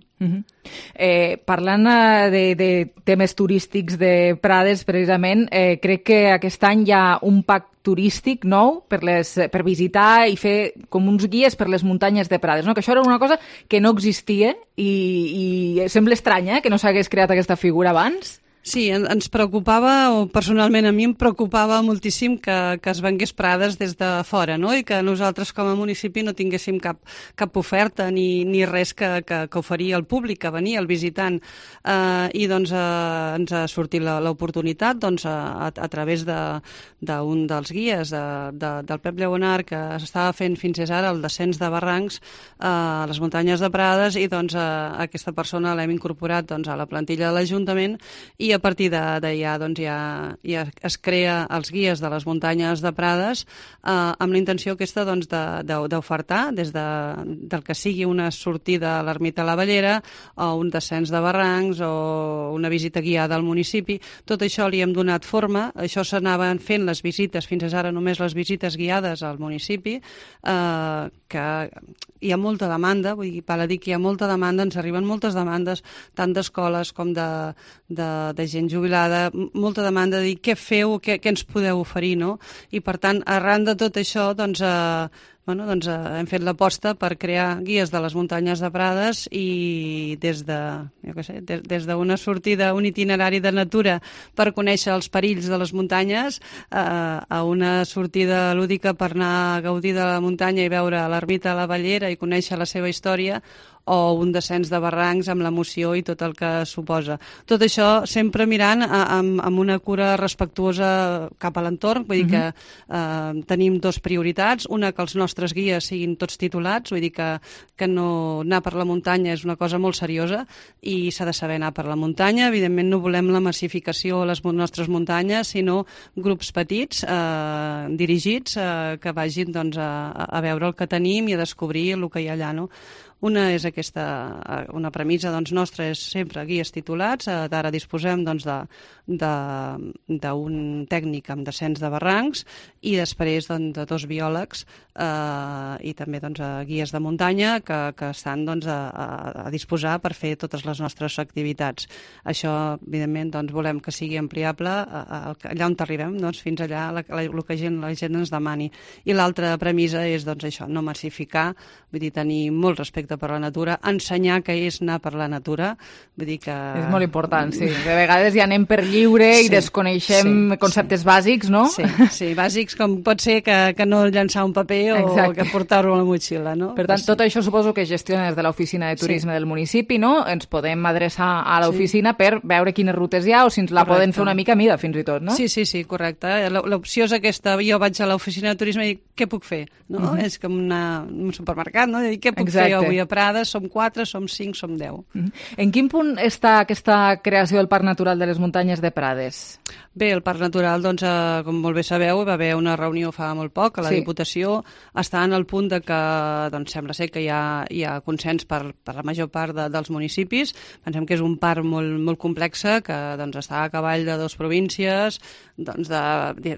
Speaker 1: Parlant de temes turístics de Prades, precisament, crec que aquest any hi ha un pacte turístic nou per visitar i fer com uns guies per les muntanyes de Prades, no? Que això era una cosa que no existia i sembla estranya que no s'hagués creat aquesta figura abans.
Speaker 22: Sí, ens preocupava, o personalment a mi em preocupava moltíssim que es vengués Prades des de fora, no? I que nosaltres com a municipi no tinguéssim cap oferta ni res que oferir al públic, que venia, al visitant. I doncs ens ha sortit l'oportunitat doncs, a través d'un dels guies del Pep Lleonard, que s'estava fent fins ara el descens de barrancs a les muntanyes de Prades, i doncs aquesta persona l'hem incorporat doncs, a la plantilla de l'Ajuntament, i a partir d'allà doncs, ja es crea els guies de les muntanyes de Prades amb la intenció aquesta doncs, d'ofertar des del que sigui una sortida a l'ermita a la Bellera o un descens de barrancs o una visita guiada al municipi. Tot això li hem donat forma, això s'anaven fent les visites, fins ara només les visites guiades al municipi, que hi ha molta demanda, vull dir, val a dir que hi ha molta demanda, ens arriben moltes demandes, tant d'escoles com de gent jubilada, molta demanda de dir què feu, què ens podeu oferir, no? I per tant, arran de tot això, doncs, hem fet l'aposta per crear guies de les muntanyes de Prades i des d'una sortida, un itinerari de natura per conèixer els perills de les muntanyes, a una sortida lúdica per anar a gaudir de la muntanya i veure l'ermita a la Bellera i conèixer la seva història, o un descens de barrancs amb l'emoció i tot el que suposa. Tot això sempre mirant amb una cura respectuosa cap a l'entorn, vull dir que tenim dues prioritats, una que els nostres guies siguin tots titulats, vull dir que no anar per la muntanya és una cosa molt seriosa i s'ha de saber anar per la muntanya. Evidentment no volem la massificació a les nostres muntanyes, sinó grups petits, dirigits, que vagin doncs, a veure el que tenim i a descobrir el que hi ha allà, no? Una és una premissa doncs, nostra és sempre guies titulats. Ara disposem doncs, d'un tècnic amb descens de barrancs i després doncs, de dos biòlegs i també doncs, guies de muntanya que estan doncs, a disposar per fer totes les nostres activitats. Això, evidentment, doncs, volem que sigui ampliable allà on arribem, doncs, fins allà el que la gent ens demani. I l'altra premissa és doncs, això, no massificar, vull dir, tenir molt respecte per la natura, ensenyar què és anar per la natura, vull dir que...
Speaker 1: És molt important, sí. De vegades ja anem per lliure i desconeixem conceptes bàsics, no?
Speaker 22: Sí, bàsics com pot ser que no llançar un paper o que portar-ho a la motxilla, no?
Speaker 1: Per tant, tot això suposo que gestiona des de l'oficina de turisme del municipi, no? Ens podem adreçar a l'oficina per veure quines rutes hi ha o si ens la poden fer una mica a mida, fins i tot, no?
Speaker 22: Sí, correcte. L'opció és aquesta. Jo vaig a l'oficina de turisme i dic, què puc fer? És com un supermercat, no? Què puc fer avui a Prades? Som 4, som 5, som 10.
Speaker 1: En quin punt està aquesta creació del Parc Natural de les Muntanyes de Prades?
Speaker 22: Bé, el Parc Natural, doncs, com molt bé sabeu, va haver una reunió fa molt poc a la Diputació. Està en el punt de que doncs, sembla ser que hi ha consens per la major part dels municipis. Pensem que és un parc molt complex, que doncs, està a cavall de 2 províncies, doncs, de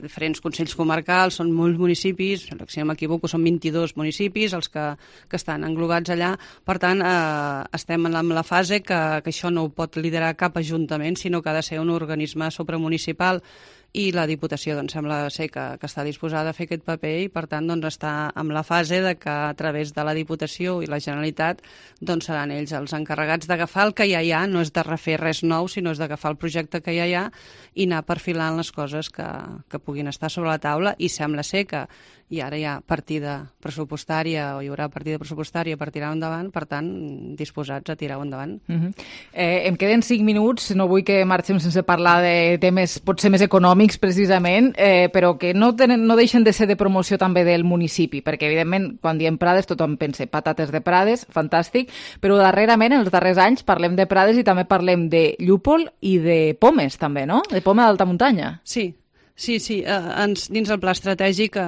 Speaker 22: diferents consells comarcals, són molts municipis, si no m'equivoco són 22 municipis els que estan englobats allà, allà. Per tant, estem en la fase que això no ho pot liderar cap ajuntament, sinó que ha de ser un organisme supramunicipal, i la Diputació doncs, sembla ser que està disposada a fer aquest paper i, per tant, doncs, està en la fase de que a través de la Diputació i la Generalitat doncs, seran ells els encarregats d'agafar el que ja hi ha, no és de refer res nou, sinó és d'agafar el projecte que ja hi ha i anar perfilant les coses que puguin estar sobre la taula, i sembla ser que i ara hi ha partida pressupostària o hi haurà partida pressupostària per tirar endavant, per tant, disposats a tirar-ho endavant.
Speaker 1: Em queden 5 minuts, no vull que marxem sense parlar de temes potser més econòmics precisament, però que no deixen de ser de promoció també del municipi, perquè evidentment quan diem Prades tothom pensa patates de Prades, fantàstic, però darrerament, en els darrers anys, parlem de Prades i també parlem de llúpol i de pomes també, no? De poma d'alta muntanya.
Speaker 22: Sí. Sí, dins el pla estratègic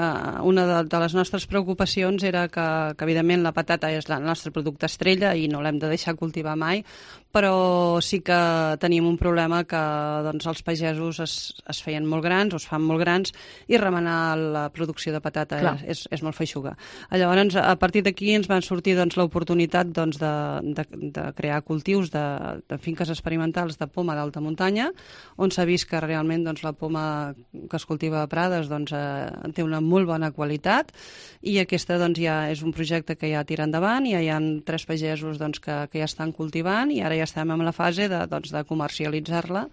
Speaker 22: una de les nostres preocupacions era que evidentment la patata és el nostre producte estrella i no l'hem de deixar cultivar mai, però sí que tenim un problema que doncs, els pagesos es feien molt grans, o es fan molt grans, i remenar la producció de patata és molt feixuga. Llavors, a partir d'aquí ens van sortir doncs, l'oportunitat doncs, de crear cultius de finques experimentals de poma d'alta muntanya, on s'ha vist que realment doncs, la poma que es cultiva a Prades doncs, té una molt bona qualitat, i aquesta doncs, ja és un projecte que ja tira endavant, ja hi ha 3 pagesos doncs, que ja estan cultivant, i ara ja estem en la fase de comercialitzar-la,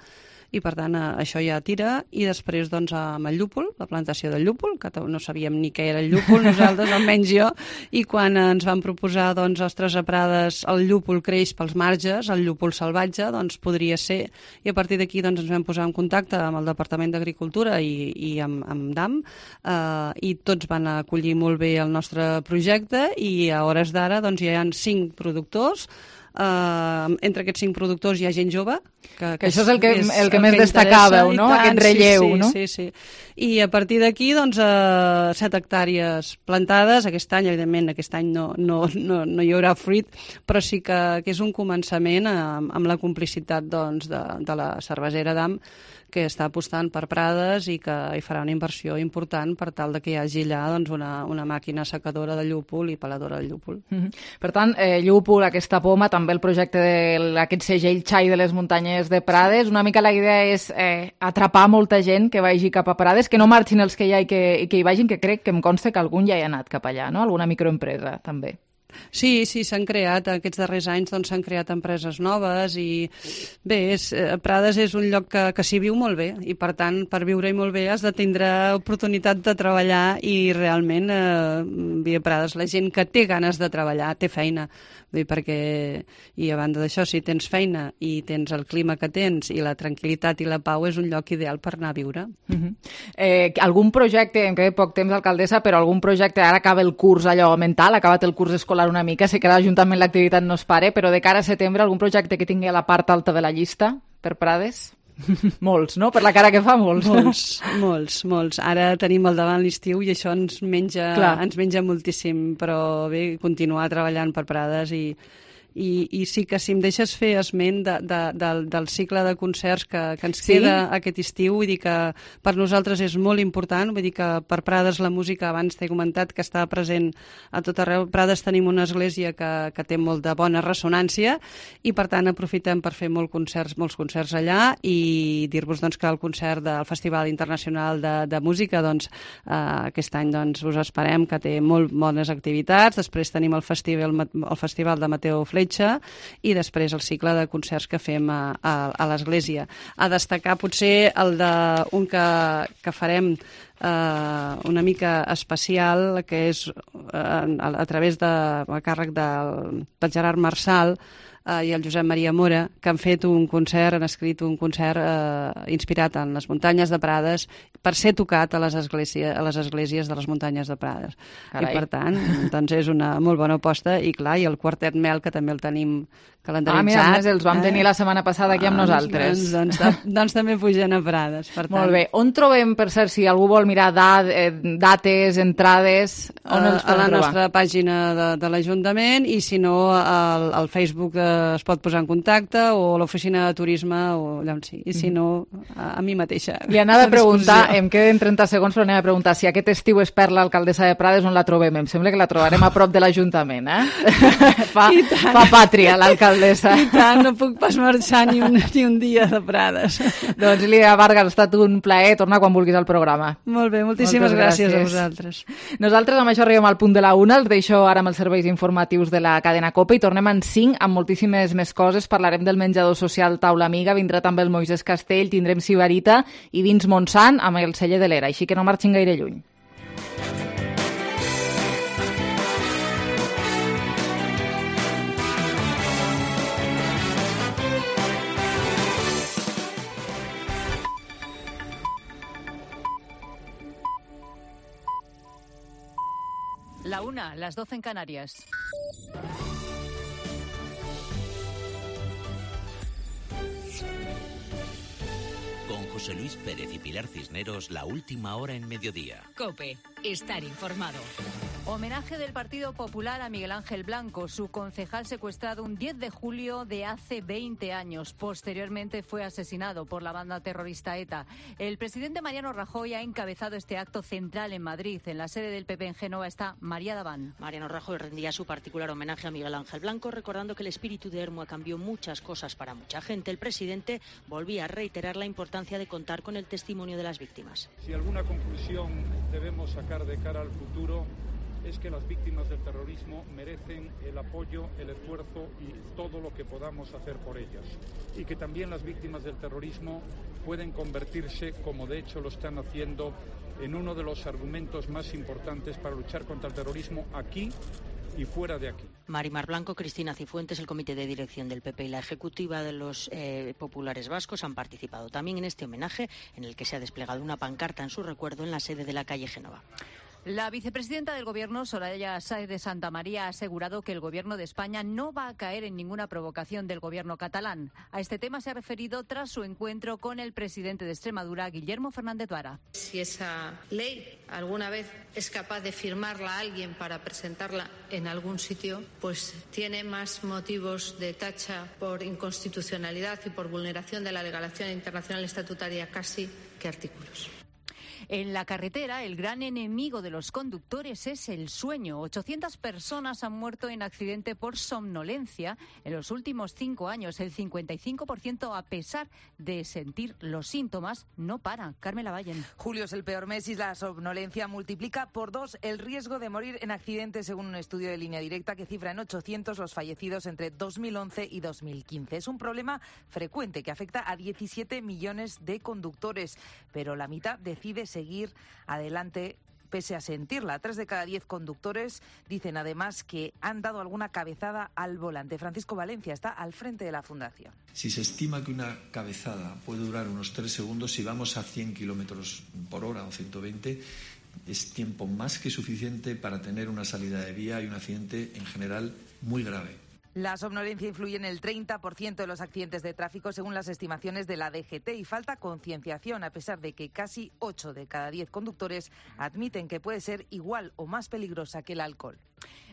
Speaker 22: i per tant això ja tira. I després doncs, amb el llúpol, la plantació del llúpol, que no sabíem ni què era el llúpol nosaltres, almenys jo, i quan ens van proposar doncs, ostres, a Prades el llúpol creix pels marges, el llúpol salvatge doncs podria ser, i a partir d'aquí doncs, ens vam posar en contacte amb el Departament d'Agricultura i amb DAM, i tots van acollir molt bé el nostre projecte, i a hores d'ara doncs, ja hi ha 5 productors. Entre aquests 5 productors hi ha gent jove, que
Speaker 1: això és el que més destacàveu, no? Aquest relleu, no?
Speaker 22: Sí. I a partir d'aquí, doncs, 7 hectàrees plantades. Aquest any no hi haurà fruit, però sí que és un començament amb la complicitat doncs, de la cervesera DAM, que està apostant per Prades i que hi farà una inversió important per tal de que hi hagi allà doncs, una màquina assecadora de llúpol i peladora de llúpol.
Speaker 1: Per tant, llúpol, aquesta poma, també el projecte d'aquest segell xai de les muntanyes de Prades, una mica la idea és atrapar molta gent que vagi cap a Prades, que no marxin els que hi ha i que hi vagin, que crec que em consta que algun ja hi ha anat cap allà, no? Alguna microempresa, també.
Speaker 22: Sí, s'han creat, aquests darrers anys doncs, s'han creat empreses noves i bé, Prades és un lloc que s'hi viu molt bé i per tant, per viure-hi molt bé has de tindre oportunitat de treballar i realment a Prades la gent que té ganes de treballar té feina, i a banda d'això, si tens feina i tens el clima que tens i la tranquil·litat i la pau, és un lloc ideal per anar a viure.
Speaker 1: Algun projecte, em queda poc temps, alcaldessa, però algun projecte, ara acaba el curs allò mental, ha acabat el curs escolar una mica, sé que a l'Ajuntament l'activitat no es pare, però de cara a setembre algun projecte que tingui a la part alta de la llista per Prades? Molts, no? Per la cara que fa, molts.
Speaker 22: Molts. Ara tenim al davant l'estiu i això ens menja moltíssim, però bé, continuar treballant per Prades i sí que si em deixes fer esment del cicle de concerts que ens queda aquest estiu, vull dir que per nosaltres és molt important, vull dir que per Prades la música, abans t'he comentat que està present a tot arreu. Prades tenim una església que té molt de bona ressonància i per tant aprofitem per fer molts concerts allà i dir-vos doncs, que el concert del Festival Internacional de Música doncs, aquest any doncs, us esperem, que té molt bones activitats. Després tenim el Festival de Mateo Fletxa i després el cicle de concerts que fem a l'església. A destacar potser un que farem una mica especial, que és a través a càrrec del Gerard Marçal i el Josep Maria Mora, que han fet un concert, han escrit un concert inspirat en les muntanyes de Prades per ser tocat a les esglésies de les muntanyes de Prades. Carai. I per tant, doncs és una molt bona aposta i clar, i el Quartet Mel, que també el tenim calendaritzat.
Speaker 1: Mira, els vam tenir la setmana passada aquí amb nosaltres.
Speaker 22: Doncs també pugen a Prades. Per tant.
Speaker 1: Molt bé. On trobem, per cert, si algú vol mirar dates, entrades, on els podem trobar?
Speaker 22: A la nostra pàgina de l'Ajuntament i si no al Facebook es pot posar en contacte, o a l'oficina de turisme, o allà on sigui. I si no, a mi mateixa.
Speaker 1: Li anava a preguntar, em queden 30 segons, però anem a preguntar si aquest estiu és per l'alcaldessa de Prades, on la trobem? Em sembla que la trobarem a prop de l'Ajuntament, fa pàtria, l'alcaldessa.
Speaker 22: I tant, no puc pas marxar ni un dia de Prades.
Speaker 1: Doncs, Lídia Vargas, ha estat un plaer. Torna quan vulguis al programa.
Speaker 22: Molt bé, moltíssimes gràcies a vosaltres.
Speaker 1: Nosaltres amb això arribem al punt de la 1. Els deixo ara amb els serveis informatius de la cadena COPE i tornem en 5 amb moltíssimes més coses. Parlarem del menjador social Taula Amiga, vindrà també el Moisès Castell, tindrem Sibarita i dins Montsant amb el celler de l'Era, així que no marxin gaire lluny.
Speaker 2: La 1, las 12 en Canarias.
Speaker 5: Con José Luis Pérez y Pilar Cisneros, la última hora en mediodía.
Speaker 2: COPE, estar informado. Homenaje del Partido Popular a Miguel Ángel Blanco, su concejal secuestrado un 10 de julio de hace 20 años. Posteriormente fue asesinado por la banda terrorista ETA. El presidente Mariano Rajoy ha encabezado este acto central en Madrid. En la sede del PP en Génova está María Daván.
Speaker 23: Mariano Rajoy rendía su particular homenaje a Miguel Ángel Blanco, recordando que el espíritu de Ermua cambió muchas cosas para mucha gente. El presidente volvía a reiterar la importancia de contar con el testimonio de las víctimas.
Speaker 24: Si alguna conclusión debemos sacar de cara al futuro, es que las víctimas del terrorismo merecen el apoyo, el esfuerzo y todo lo que podamos hacer por ellas. Y que también las víctimas del terrorismo pueden convertirse, como de hecho lo están haciendo, en uno de los argumentos más importantes para luchar contra el terrorismo aquí y fuera de aquí.
Speaker 23: Marimar Blanco, Cristina Cifuentes, el comité de dirección del PP y la ejecutiva de los populares vascos han participado también en este homenaje, en el que se ha desplegado una pancarta en su recuerdo en la sede de la calle Génova.
Speaker 2: La vicepresidenta del Gobierno, Soraya Sáez de Santamaría, ha asegurado que el Gobierno de España no va a caer en ninguna provocación del Gobierno catalán. A este tema se ha referido tras su encuentro con el presidente de Extremadura, Guillermo Fernández Vara.
Speaker 25: Si esa ley alguna vez es capaz de firmarla alguien para presentarla en algún sitio, pues tiene más motivos de tacha por inconstitucionalidad y por vulneración de la legislación internacional estatutaria casi que artículos.
Speaker 2: En la carretera, el gran enemigo de los conductores es el sueño. 800 personas han muerto en accidente por somnolencia en los últimos 5 años. El 55%, a pesar de sentir los síntomas, no para. Carmen Lavallen.
Speaker 26: Julio es el peor mes y la somnolencia multiplica por 2 el riesgo de morir en accidentes, según un estudio de Línea Directa que cifra en 800 los fallecidos entre 2011 y 2015. Es un problema frecuente que afecta a 17 millones de conductores, pero la mitad decide seguir adelante pese a sentirla. 3 de cada 10 conductores dicen además que han dado alguna cabezada al volante. Francisco Valencia está al frente de la Fundación.
Speaker 27: Si se estima que una cabezada puede durar unos 3 segundos, si vamos a 100 kilómetros por hora o 120, es tiempo más que suficiente para tener una salida de vía y un accidente en general muy grave.
Speaker 26: La somnolencia influye en el 30% de los accidentes de tráfico, según las estimaciones de la DGT, y falta concienciación, a pesar de que casi 8 de cada 10 conductores admiten que puede ser igual o más peligrosa que el alcohol.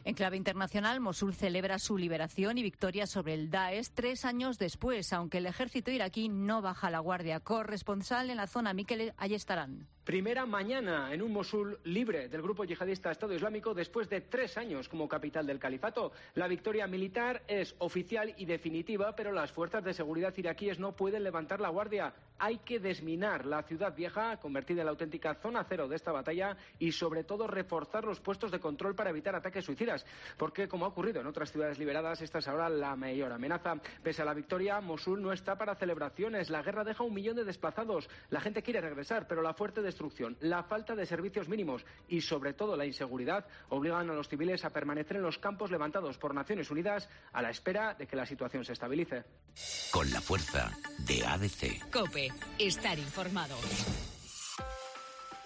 Speaker 2: En clave internacional, Mosul celebra su liberación y victoria sobre el Daesh 3 años después, aunque el ejército iraquí no baja la guardia. Corresponsal en la zona, Miquel Ayestarán.
Speaker 28: Primera mañana en un Mosul libre del grupo yihadista Estado Islámico después de 3 años como capital del califato. La victoria militar es oficial y definitiva, pero las fuerzas de seguridad iraquíes no pueden levantar la guardia. Hay que desminar la ciudad vieja, convertida en la auténtica zona cero de esta batalla, y sobre todo reforzar los puestos de control para evitar ataques suicidas. Porque, como ha ocurrido en otras ciudades liberadas, esta es ahora la mayor amenaza. Pese a la victoria, Mosul no está para celebraciones. La guerra deja 1 millón de desplazados. La gente quiere regresar, pero la fuerte destrucción, la falta de servicios mínimos y, sobre todo, la inseguridad obligan a los civiles a permanecer en los campos levantados por Naciones Unidas a la espera de que la situación se estabilice.
Speaker 5: Con la fuerza de ADC.
Speaker 2: COPE. Estar informado.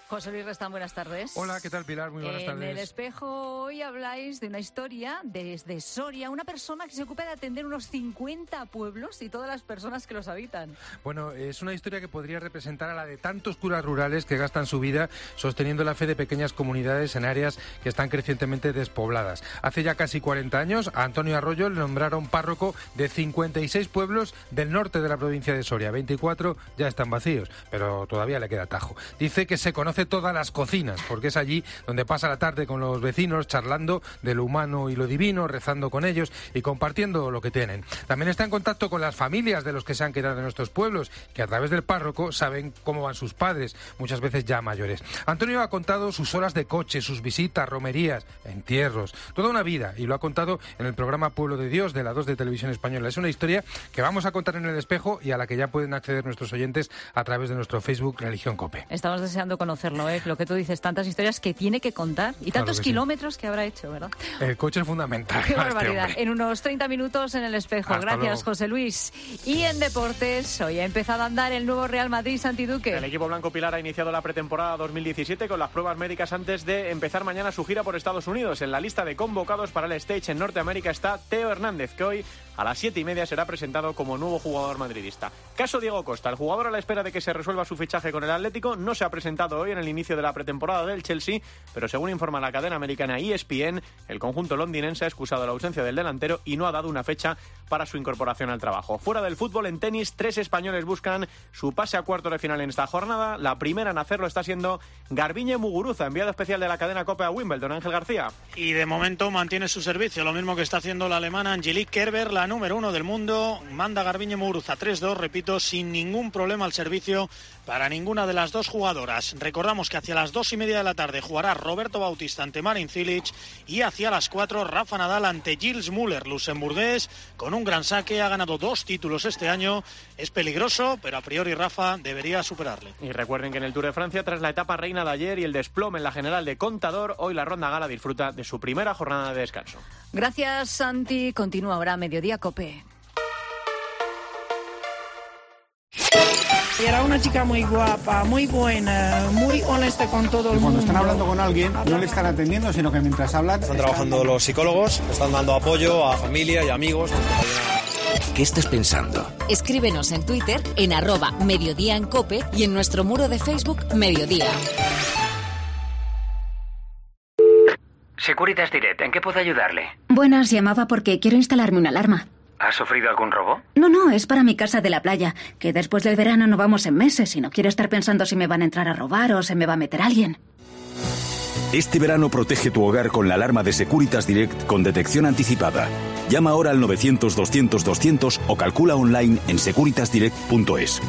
Speaker 2: José Luis Restán, buenas tardes.
Speaker 3: Hola, ¿qué tal, Pilar? Muy buenas tardes.
Speaker 2: En El Espejo hoy habláis de una historia desde Soria, una persona que se ocupa de atender unos 50 pueblos y todas las personas que los habitan.
Speaker 3: Bueno, es una historia que podría representar a la de tantos curas rurales que gastan su vida sosteniendo la fe de pequeñas comunidades en áreas que están crecientemente despobladas. Hace ya casi 40 años, a Antonio Arroyo le nombraron párroco de 56 pueblos del norte de la provincia de Soria. 24 ya están vacíos, pero todavía le queda tajo. Dice que se conoce todas las cocinas, porque es allí donde pasa la tarde con los vecinos, charlando de lo humano y lo divino, rezando con ellos y compartiendo lo que tienen. También está en contacto con las familias de los que se han quedado en nuestros pueblos, que a través del párroco saben cómo van sus padres, muchas veces ya mayores. Antonio ha contado sus horas de coche, sus visitas, romerías, entierros, toda una vida, y lo ha contado en el programa Pueblo de Dios de la 2 de Televisión Española. Es una historia que vamos a contar en El Espejo y a la que ya pueden acceder nuestros oyentes a través de nuestro Facebook Religión COPE.
Speaker 2: Estamos deseando conocerlo, lo que tú dices, tantas historias que tiene que contar y tantos kilómetros que habrá hecho, ¿verdad?
Speaker 3: El coche es fundamental.
Speaker 2: Qué barbaridad. En unos 30 minutos en El Espejo.
Speaker 3: Hasta
Speaker 2: Gracias,
Speaker 3: luego.
Speaker 2: José Luis. Y en deportes, hoy ha empezado a andar el nuevo Real Madrid, Santi Duque.
Speaker 4: El equipo blanco Pilar ha iniciado la pretemporada 2017 con las pruebas médicas antes de empezar mañana su gira por Estados Unidos. En la lista de convocados para el stage en Norteamérica está Teo Hernández, que hoy a las 7:30 será presentado como nuevo jugador madridista. Caso Diego Costa, el jugador a la espera de que se resuelva su fichaje con el Atlético, no se ha presentado hoy en el inicio de la pretemporada del Chelsea, pero según informa la cadena americana ESPN, el conjunto londinense ha excusado la ausencia del delantero y no ha dado una fecha para su incorporación al trabajo. Fuera del fútbol, en tenis, 3 españoles buscan su pase a cuartos de final en esta jornada. La primera en hacerlo está siendo Garbiñe Muguruza, enviado especial de la cadena COPE a Wimbledon. Ángel García.
Speaker 6: Y de momento mantiene su servicio, lo mismo que está haciendo la alemana Angelique Kerber, la número 1 del mundo. Manda Garbiñe Muguruza 3-2, repito, sin ningún problema al servicio para ninguna de las dos jugadoras. Recordamos que hacia las 2:30 de la tarde jugará Roberto Bautista ante Marin Cilic y hacia las 4 Rafa Nadal ante Gilles Müller, luxemburgués, con un gran saque, ha ganado 2 títulos este año, es peligroso, pero a priori Rafa debería superarle.
Speaker 4: Y recuerden que en el Tour de Francia, tras la etapa reina de ayer y el desplome en la general de Contador, hoy la Ronda Gala disfruta de su primera jornada de descanso.
Speaker 2: Gracias, Santi. Continúa ahora Mediodía COPE.
Speaker 7: Era una chica muy guapa, muy buena, muy honesta con todo el mundo.
Speaker 8: Cuando están hablando con alguien, no le están atendiendo, sino que mientras hablan...
Speaker 9: Están trabajando los psicólogos, están dando apoyo a familia y amigos.
Speaker 5: ¿Qué estás pensando?
Speaker 19: Escríbenos en Twitter en @Mediodía en COPE y en nuestro muro de Facebook Mediodía.
Speaker 14: Securitas Direct, ¿en qué puedo ayudarle?
Speaker 15: Buenas, llamaba porque quiero instalarme una alarma.
Speaker 14: ¿Ha sufrido algún robo?
Speaker 15: No, es para mi casa de la playa, que después del verano no vamos en meses y no quiero estar pensando si me van a entrar a robar o se me va a meter alguien.
Speaker 16: Este verano protege tu hogar con la alarma de Securitas Direct con detección anticipada. Llama ahora al 900-200-200 o calcula online en securitasdirect.es.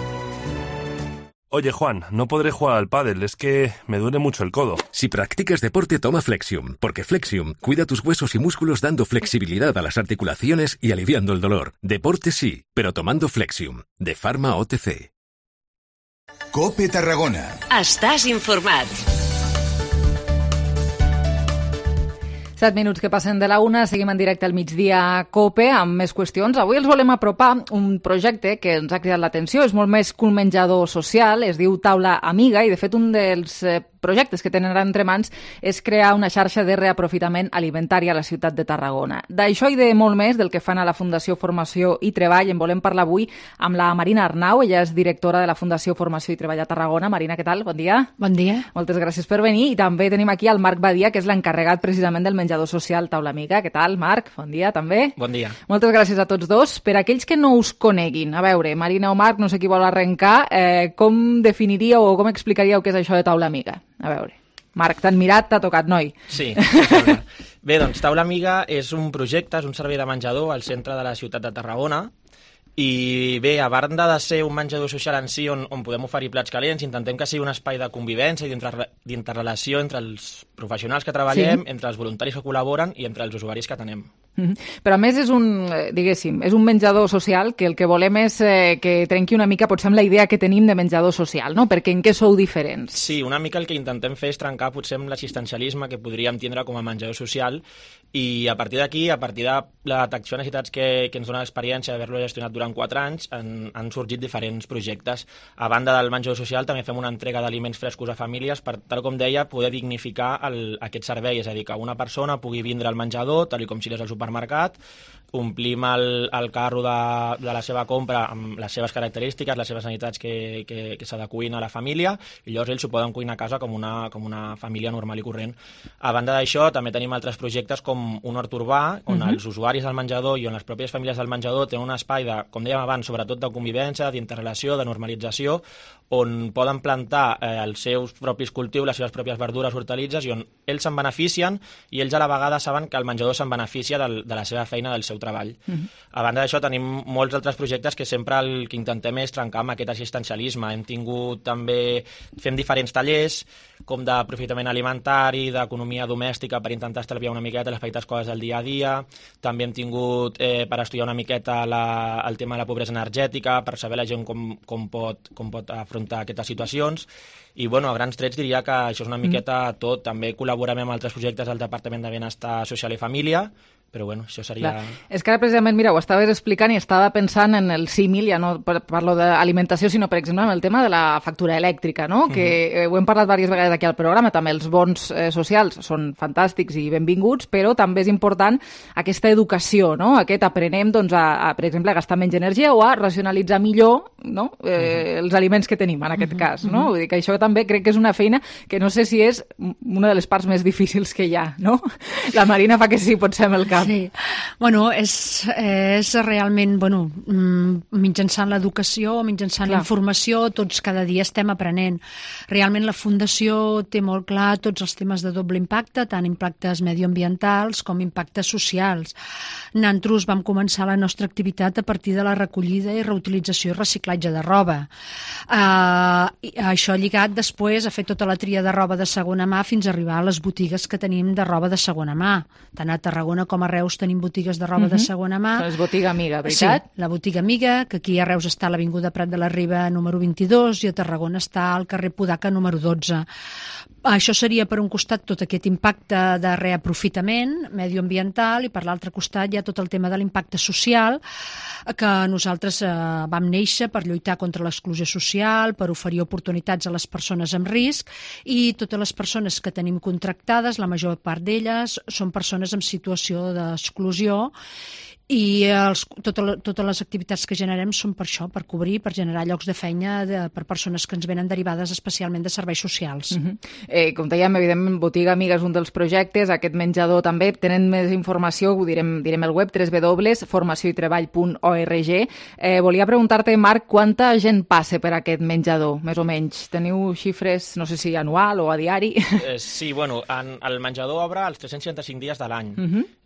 Speaker 11: Oye, Juan, no podré jugar al pádel, es que me duele mucho el codo.
Speaker 13: Si practicas deporte, toma Flexium, porque Flexium cuida tus huesos y músculos dando flexibilidad a las articulaciones y aliviando el dolor. Deporte sí, pero tomando Flexium, de Pharma OTC.
Speaker 12: COPE Tarragona.
Speaker 19: Estàs informat.
Speaker 1: 7 minuts que passen de la 1, seguim en directe al migdia COPE amb més qüestions. Avui els volem apropar un projecte que ens ha cridat l'atenció, és molt més que un menjador social, es diu Taula Amiga i de fet un dels projectes que tenen ara entre mans és crear una xarxa de reaprofitament alimentari a la ciutat de Tarragona. D'això i de molt més del que fan a la Fundació Formació i Treball en volem parlar avui amb la Marina Arnau, ella és directora de la Fundació Formació i Treball a Tarragona. Marina, què tal? Bon dia.
Speaker 29: Bon dia.
Speaker 1: Moltes gràcies per venir i també tenim aquí el Marc Badia, que és l'encarregat precisament del menjador social Taula Amiga. Què tal, Marc? Bon dia, també.
Speaker 30: Bon dia.
Speaker 1: Moltes gràcies a tots dos. Per aquells que no us coneguin, a veure, Marina o Marc, no sé qui vol arrencar, com definiríeu o com explicaríeu què és això de Taula Amiga? A veure, Marc, t'han mirat, t'ha tocat, noi.
Speaker 30: Sí. Bé, doncs Taula Amiga és un projecte, és un servei de menjador al centre de la ciutat de Tarragona i bé, a banda de ser un menjador social en si on podem oferir plats calents, intentem que sigui un espai de convivència i d'interrelació entre els professionals que treballem, entre els voluntaris que col·laboren i entre els usuaris que tenem.
Speaker 1: Però a més és un menjador social que el que volem és que trenqui una mica, potser, amb la idea que tenim de menjador social, no? Perquè en què sou diferents?
Speaker 30: Sí, una mica el que intentem fer és trencar potser amb l'assistencialisme que podríem tindre com a menjador social, i a partir d'aquí, a partir de la detecció de necessitats que ens dona l'experiència d'haver-lo gestionat durant 4 anys, han sorgit diferents projectes. A banda del menjador social també fem una entrega d'aliments frescos a famílies per, tal com deia, poder dignificar aquest servei, és a dir, que una persona pugui vindre al menjador, tal com si anés al supermercat, omplim el carro de la seva compra amb les seves característiques, les seves necessitats que s'adequin a la família, i llavors ells s'ho poden cuinar a casa com una família normal i corrent. A banda d'això, també tenim altres projectes com un hort urbà, on els usuaris del menjador i on les pròpies famílies del menjador tenen un espai de, com dèiem abans, sobretot de convivència, d'interrelació, de normalització, on poden plantar els seus propis cultius, les seves pròpies verdures, hortalitzes, i on ells se'n beneficien i ells a la vegada saben que el menjador se'n beneficia de la seva feina, del seu treball. A banda d'això, tenim molts altres projectes que sempre el que intentem és trencar amb aquest assistencialisme. Fem diferents tallers, com d'aprofitament alimentari, d'economia domèstica, per intentar estalviar una miqueta les petites coses del dia a dia. També hem tingut per estudiar una miqueta el tema de la pobresa energètica, per saber la gent com pot afrontar aquestes situacions. I, bueno, a grans trets diria que això és una miqueta tot. També col·laborem amb altres projectes del Departament de Benestar Social i Família, però bueno, això seria...
Speaker 1: Clar. És que ara precisament, mira, ho estaves explicant i estava pensant en el símil, ja no parlo d'alimentació, sinó, per exemple, en el tema de la factura elèctrica, no? Que ho hem parlat diverses vegades aquí al programa, també els bons socials són fantàstics i benvinguts, però també és important aquesta educació, no? Aquest aprenem, doncs, per exemple, a gastar menys energia o a racionalitzar millor, no? Els aliments que tenim, en aquest cas, no? Vull dir que això també crec que és una feina que no sé si és una de les parts més difícils que hi ha, no? La Marina fa que sí, potser amb el cap.
Speaker 10: Sí, bueno, és realment, bueno, mitjançant l'educació, mitjançant la informació, tots cada dia estem aprenent. Realment la Fundació té molt clar tots els temes de doble impacte, tant impactes medioambientals com impactes socials. Nosaltres vam començar la nostra activitat a partir de la recollida i reutilització i reciclatge de roba. Això lligat després a fer tota la tria de roba de segona mà fins a arribar a les botigues que tenim de roba de segona mà. Tant a Tarragona com a Reus tenim botigues de roba de segona mà.
Speaker 1: És botiga amiga, veritat?
Speaker 10: Sí, la botiga amiga, que aquí a Reus està a l'Avinguda Prat de la Riba número 22 i a Tarragona està al carrer Podaca número 12. Això seria per un costat tot aquest impacte de reaprofitament medioambiental i per l'altre costat hi ha tot el tema de l'impacte social, que nosaltres vam néixer per lluitar contra l'exclusió social, per oferir oportunitats a les persones amb risc, i totes les persones que tenim contractades, la major part d'elles són persones en situació d'exclusió, i totes les activitats que generem són per això, per cobrir, per generar llocs de feina per persones que ens venen derivades especialment de serveis socials.
Speaker 1: Com dèiem, evidentment, Botiga Amiga és un dels projectes, aquest menjador també. Tenen més informació, ho direm el web, www.formacioitreball.org. Volia preguntar-te, Marc, quanta gent passa per aquest menjador, més o menys? Teniu xifres, no sé si anual o a diari?
Speaker 30: Sí, bueno, el menjador obre els 365 dies de l'any.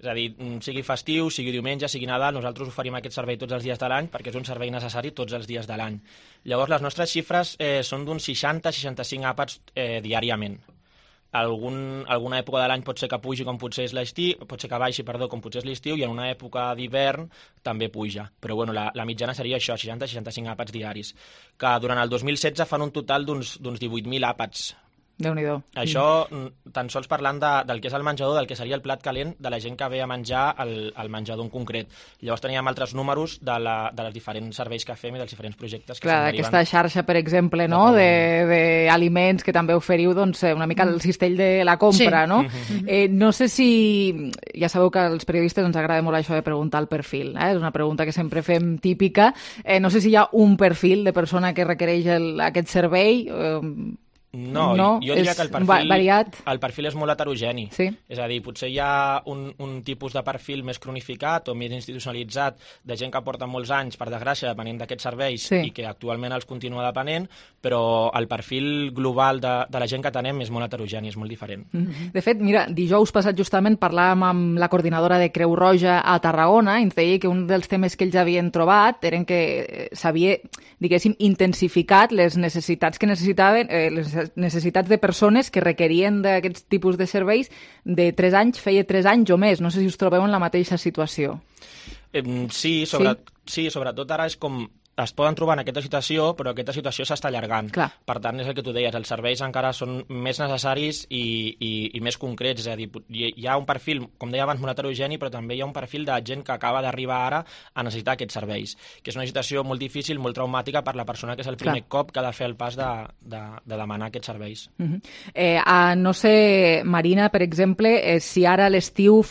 Speaker 30: És a dir, sigui festiu, sigui diumenge, sigui Nadal, nosaltres oferim aquest servei tots els dies de l'any perquè és un servei necessari tots els dies de l'any. Llavors, les nostres xifres són d'uns 60-65 àpats diàriament. Alguna època de l'any pot ser que pugi com potser és l'estiu, pot ser que baixi, com potser és l'estiu, i en una època d'hivern també puja. Però bueno, la mitjana seria això, 60-65 àpats diaris, que durant el 2016 fan un total d'uns 18.000 àpats.
Speaker 1: Déu-n'hi-do.
Speaker 30: Això, tan sols parlant del que és el menjador, del que seria el plat calent de la gent que ve a menjar al menjador en concret. Llavors teníem altres números de les diferents serveis que fem i dels diferents projectes que se'n deriven.
Speaker 1: Aquesta xarxa, per exemple, no? D'aliments que també oferiu, doncs, una mica el cistell de la compra, no? No sé si... Ja sabeu que als periodistes ens agrada molt això de preguntar el perfil, és una pregunta que sempre fem típica. No sé si hi ha un perfil de persona que requereix aquest servei.
Speaker 30: No, jo diria que el perfil és molt heterogeni.
Speaker 1: Sí.
Speaker 30: És a dir, potser hi ha un tipus de perfil més cronificat o més institucionalitzat de gent que porta molts anys, per desgràcia, depenent d'aquests serveis i que actualment els continua depenent, però el perfil global de la gent que tenem és molt heterogeni, és molt diferent.
Speaker 1: De fet, mira, dijous passat justament parlàvem amb la coordinadora de Creu Roja a Tarragona i ens deia que un dels temes que ells havien trobat eren que s'havia, diguéssim, intensificat les necessitats que necessitaven, les necessitats de persones que requerien d'aquests tipus de serveis de 3 anys, feia 3 anys o més. No sé si us trobeu en la mateixa situació.
Speaker 30: Sí, sobretot ara és com es poden trobar en aquesta situació, però aquesta situació s'està allargant.
Speaker 1: Clar.
Speaker 30: Per tant, és el que tu deies, els serveis encara són més necessaris i més concrets. És a dir, hi ha un perfil, com deia abans, molt heterogeni, però també hi ha un perfil de gent que acaba d'arribar ara a necessitar aquests serveis, que és una situació molt difícil, molt traumàtica per la persona que és el primer cop que ha de fer el pas de demanar aquests serveis.
Speaker 1: No sé, Marina, per exemple, si ara a l'estiu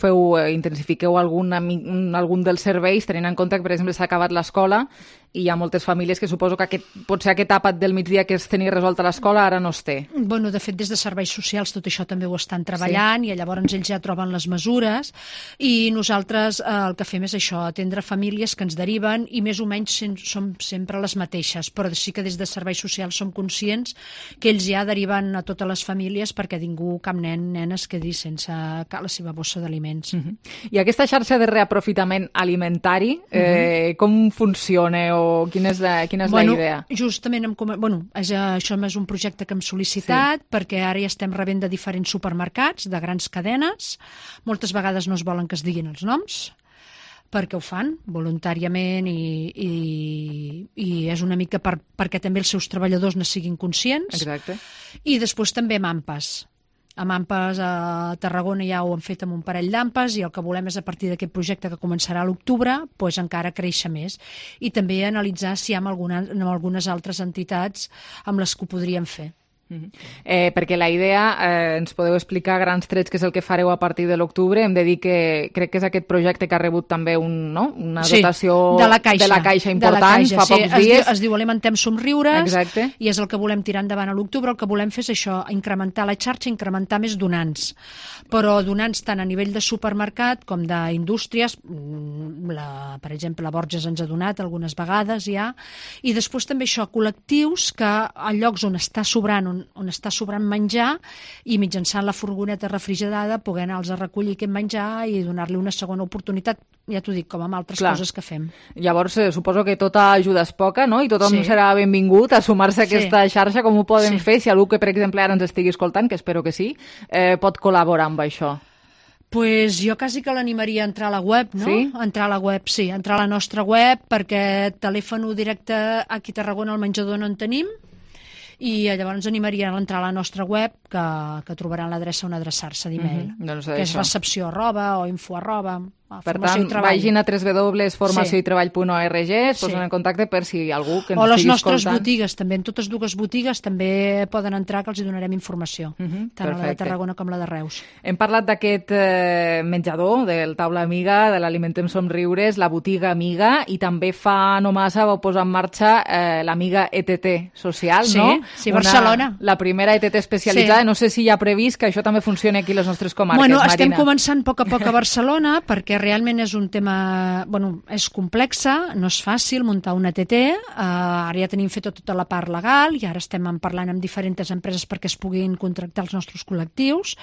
Speaker 1: intensifiqueu algun dels serveis, tenint en compte que, per exemple, s'ha acabat l'escola i hi ha moltes famílies que suposo que potser aquest àpat del migdia que es tenia resolt a l'escola ara no es té.
Speaker 10: Bueno, de fet, des de serveis socials tot això també ho estan treballant, i llavors ells ja troben les mesures, i nosaltres el que fem és això, atendre famílies que ens deriven, i més o menys som sempre les mateixes, però sí que des de serveis socials som conscients que ells ja deriven a totes les famílies perquè ningú, cap nen, nena, es quedi sense la seva bossa d'aliments.
Speaker 1: I aquesta xarxa de reaprofitament alimentari, com funciona o quina és la idea?
Speaker 10: Justament, això és un projecte que hem sol·licitat perquè ara ja estem rebent de diferents supermercats, de grans cadenes. Moltes vegades no es volen que es diguin els noms, perquè ho fan voluntàriament i és una mica perquè també els seus treballadors ne siguin conscients.
Speaker 1: Exacte.
Speaker 10: I després també amb AMPAs. Amb AMPAs a Tarragona ja ho han fet amb un parell d'AMPAs, i el que volem és, a partir d'aquest projecte que començarà a l'octubre, encara créixer més. I també analitzar si hi ha algunes altres entitats amb les que ho podríem fer.
Speaker 1: Perquè la idea, ens podeu explicar grans trets què és el que fareu a partir de l'octubre. Hem de dir que crec que és aquest projecte que ha rebut també una dotació
Speaker 10: de la Caixa
Speaker 1: important fa pocs dies.
Speaker 10: Es diu Alimentem Somriures.
Speaker 1: Exacte.
Speaker 10: I és el que volem tirar endavant a l'octubre. El que volem fer és això, incrementar la xarxa, incrementar més donants. Però donants tant a nivell de supermercat com d'indústries, per exemple, la Borges ens ha donat algunes vegades ja, i després també això, col·lectius que a llocs on està sobrant menjar, i mitjançant la furgoneta refrigerada poder anar-los a recollir aquest menjar i donar-li una segona oportunitat, ja t'ho dic, com amb altres coses que fem.
Speaker 1: Llavors, suposo que tota ajuda és poca, no? I tothom serà benvingut a sumar-se a aquesta xarxa. Com ho podem fer? Si algú que, per exemple, ara ens estigui escoltant, que espero que sí, pot col·laborar amb això.
Speaker 10: Pues jo quasi que l'animaria a entrar a la web, no?
Speaker 1: Sí?
Speaker 10: Entrar a la web, sí. Entrar a la nostra web, perquè telèfon directe aquí a Tarragona al menjador no en tenim, i llavors animaria a entrar a la nostra web, que trobaran l'adreça on adreçar-se d'e-mail, que és recepció @ o info @.
Speaker 1: Per tant, vagin a www.formacióitreball.org, es posen en contacte per si algú que ens estigui escoltant.
Speaker 10: O les nostres botigues, també, en totes dues botigues també poden entrar, que els hi donarem informació, tant a la de Tarragona com la de Reus.
Speaker 1: Hem parlat d'aquest menjador, del Taula Amiga, de l'Alimentem Somriures, la botiga Amiga, i també fa no massa vau posar en marxa l'Amiga ETT Social, no?
Speaker 10: Sí, Barcelona.
Speaker 1: La primera ETT especialitzada. No sé si hi ha previst que això també funcioni aquí a les nostres comarques, Marina.
Speaker 10: Estem començant a poc a Barcelona, perquè realment és un tema, és complexa, no és fàcil muntar una ETT, ara ja tenim fet tota la part legal i ara estem parlant amb diferents empreses perquè es puguin contractar els nostres col·lectius,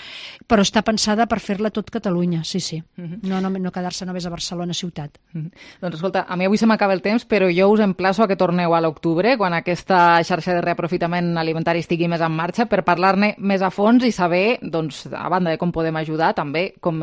Speaker 10: però està pensada per fer-la tot Catalunya, sí. No quedar-se només a Barcelona ciutat.
Speaker 1: Doncs escolta, a mi avui se m'acaba el temps, però jo us emplaço a que torneu a l'octubre, quan aquesta xarxa de reaprofitament alimentari estigui més en marxa, per parlar-ne més a fons i saber, doncs, a banda de com podem ajudar, també com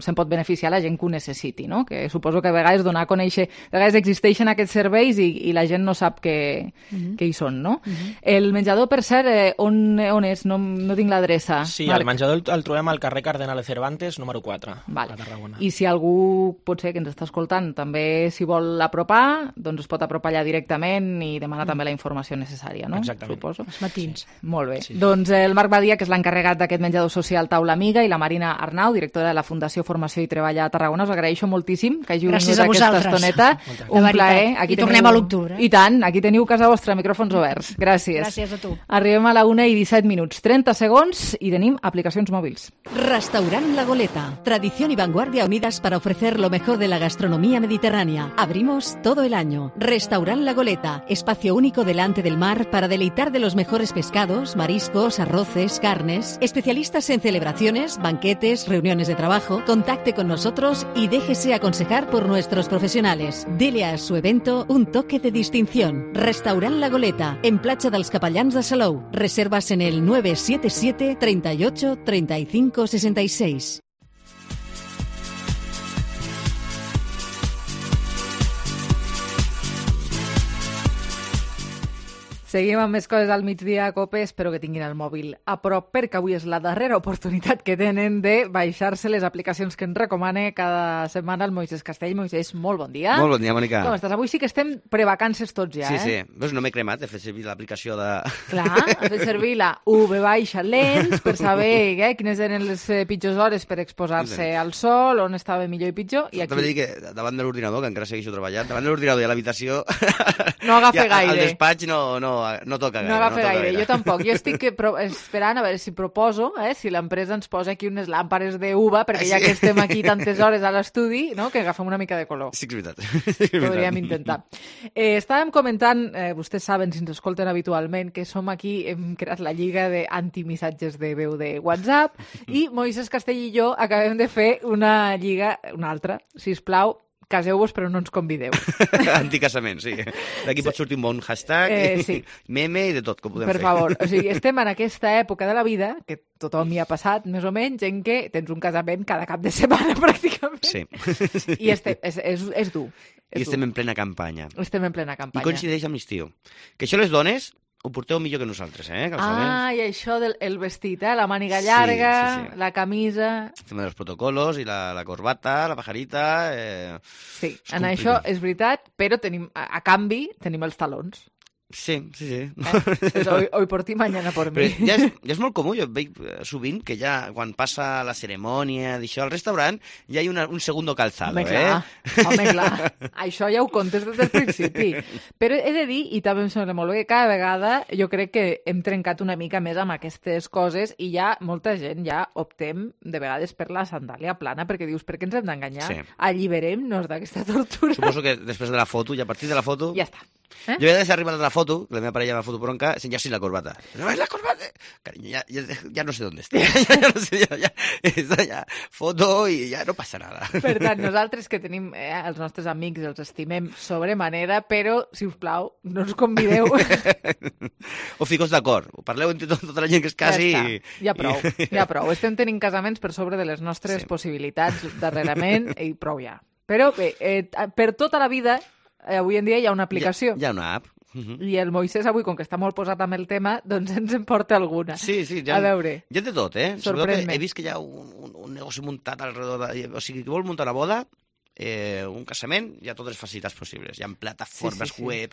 Speaker 1: se'n pot beneficiar la gent que ho necessiti, no? Que suposo que a vegades donar a conèixer, a vegades existeixen aquests serveis i la gent no sap que hi són, no? El menjador, per cert, on és? No tinc l'adreça.
Speaker 30: Sí, el menjador el trobem al carrer Cardenal de Cervantes, número 4, a Tarragona.
Speaker 1: I si algú, potser que ens està escoltant, també s'hi vol apropar, doncs es pot apropar allà directament i demanar també la informació necessària, no?
Speaker 30: Exactament.
Speaker 1: Suposo.
Speaker 10: Els matins.
Speaker 1: Molt bé. Doncs el Marc Badia, que és l'encarregat d'aquest menjador social Taula Amiga, i la Marina Arnau, directora de la Fundació Formació i Treball a Tarragona, us agraeixo moltíssim que hàgiu vingut aquesta estoneta. Un plaer.
Speaker 10: I tornem a l'octubre.
Speaker 1: I tant, aquí teniu casa vostra, micròfons oberts. Gràcies.
Speaker 10: Gràcies a tu.
Speaker 1: Arribem a la 1:17, 30 segons, i tenim aplicacions mòbils.
Speaker 19: Restaurant La Goleta. Tradición y vanguardia unidas para ofrecer lo mejor de la gastronomía mediterránea. Abrimos todo el año. Restaurant La Goleta. Espacio único delante del mar para deleitar de los mejores pescados, mariscos, arroces, carnes. Especialistas en celebraciones, banquetes, reuniones de trabajo. Contacte con nosotros nosotros y déjese aconsejar por nuestros profesionales. Dele a su evento un toque de distinción. Restaurant La Goleta, en Platja dels Capellans de Salou. Reservas en el 977 38 35 66.
Speaker 1: Seguim amb més coses al migdia a COPE, espero que tinguin el mòbil a prop, perquè avui és la darrera oportunitat que tenen de baixar-se les aplicacions que ens recomana cada setmana el Moisés Castell. Moisés, molt bon dia.
Speaker 17: Molt bon dia, Mònica.
Speaker 1: Com estàs? Avui sí que estem prevacances tots ja,
Speaker 17: Sí. Veus, no m'he cremat, he fet servir l'aplicació de...
Speaker 1: Clar, has fet servir la V-Lens per saber quines eren les pitjors hores per exposar-se al sol, on estava millor i pitjor. I aquí...
Speaker 17: També dic que davant de l'ordinador, que encara segueixo treballant, davant de l'ordinador i a l'habitació...
Speaker 1: No agafa gaire.
Speaker 17: Al despatx no toca gaire.
Speaker 1: No agafa gaire, jo tampoc. Jo estic esperant a veure si proposo, si l'empresa ens posa aquí unes làmpades d'uva, perquè ja que estem aquí tantes hores a l'estudi, no, que agafem una mica de color.
Speaker 17: Sí, és veritat.
Speaker 1: Podríem intentar. Estàvem comentant, vostès saben, si ens escolten habitualment, que som aquí, hem creat la lliga d'antimissatges de veu de WhatsApp, i Moisés Castell i jo acabem de fer una lliga, una altra, sisplau, caseu-vos però no ens convideu.
Speaker 17: Anticasament, sí. D'aquí pot sortir un bon hashtag,
Speaker 1: sí.
Speaker 17: Meme i de tot que podem fer.
Speaker 1: Per favor, o sigui, estem en aquesta època de la vida, que tothom hi ha passat, més o menys, en què tens un casament cada cap de setmana, pràcticament.
Speaker 17: Sí.
Speaker 1: I és dur.
Speaker 17: I estem en plena campanya.
Speaker 1: Estem en plena campanya.
Speaker 17: I coincideix amb l'estiu. Que això les dones ho porteu millor que nosaltres,
Speaker 1: i això del vestit, la màniga llarga, sí. La camisa...
Speaker 17: El tema dels protocolos i la corbata, la pajarita...
Speaker 1: Sí, en això és veritat, però a canvi tenim els talons.
Speaker 17: Sí.
Speaker 1: Hoy por ti, mañana por mi.
Speaker 17: Ja és molt comú, jo veig sovint que ja quan passa la cerimònia d'això al restaurant ja hi ha un segundo calzado,
Speaker 1: Home, clar. Això ja ho contes des del principi. Però he de dir, i també em sembla molt bé, que cada vegada jo crec que hem trencat una mica més amb aquestes coses i ja molta gent ja optem de vegades per la sandàlia plana, perquè dius, per què ens hem d'enganyar?
Speaker 17: Sí.
Speaker 1: Alliberem-nos d'aquesta tortura.
Speaker 17: Suposo que després de la foto, i a partir de la foto...
Speaker 1: Ja està.
Speaker 17: Jo he d'arribar a la foto, que la meva parella va foto bronca, ja sin la corbata. No, es la corbata! Carinyo, ya no sé dónde está. Ya no sé, ya foto i ja no passa nada.
Speaker 1: Per tant, nosaltres que tenim els nostres amics, els estimem sobremanera, però, si us plau, no ens convideu.
Speaker 17: O ficos d'acord. Parleu entre tota la gent que es casi...
Speaker 1: Ja prou. Estem tenint casaments per sobre de les nostres possibilitats darrerament i prou ja. Però bé, per tota la vida... Avui en dia hi ha una aplicació.
Speaker 17: Hi ha una app.
Speaker 1: I el Moisés avui, com que està molt posat amb el tema, doncs ens en porta alguna.
Speaker 17: Sí,
Speaker 1: a veure.
Speaker 17: Hi ha de tot, Sorprèn-me. He vist que hi ha un negoci muntat alrededor O sigui, qui vol muntar una boda, un casament, hi ha totes les facilitats possibles. Hi ha plataformes web,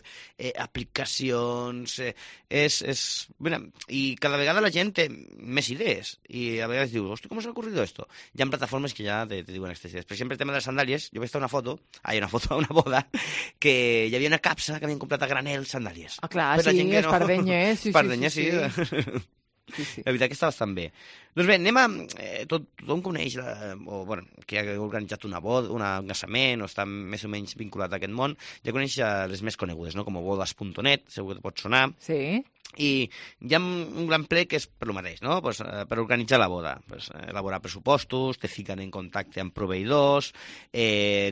Speaker 17: aplicacions... I cada vegada la gent té més idees. I a vegades diu, hosti, com s'ha ocurrido esto? Hi ha plataformes que ja te diuen aquestes idees. Per exemple, el tema de les sandàlies, jo vaig estar una foto a una boda, que hi havia una capsa que havien comprat a granel sandàlies.
Speaker 1: Ah, clar, sí, espardenyes.
Speaker 17: Espardenyes, sí. La veritat que està bastant bé. Doncs bé, anem a... Tothom coneix, que ha organitzat una boda, un casament, o està més o menys vinculat a aquest món, ja coneix les més conegudes, no? Com bodas.net, segur que te pot sonar.
Speaker 1: Sí.
Speaker 17: I hi ha un gran ple que és per lo mateix, no? Pues, per organitzar la boda. Pues, elaborar pressupostos, te fiquen en contacte amb proveïdors,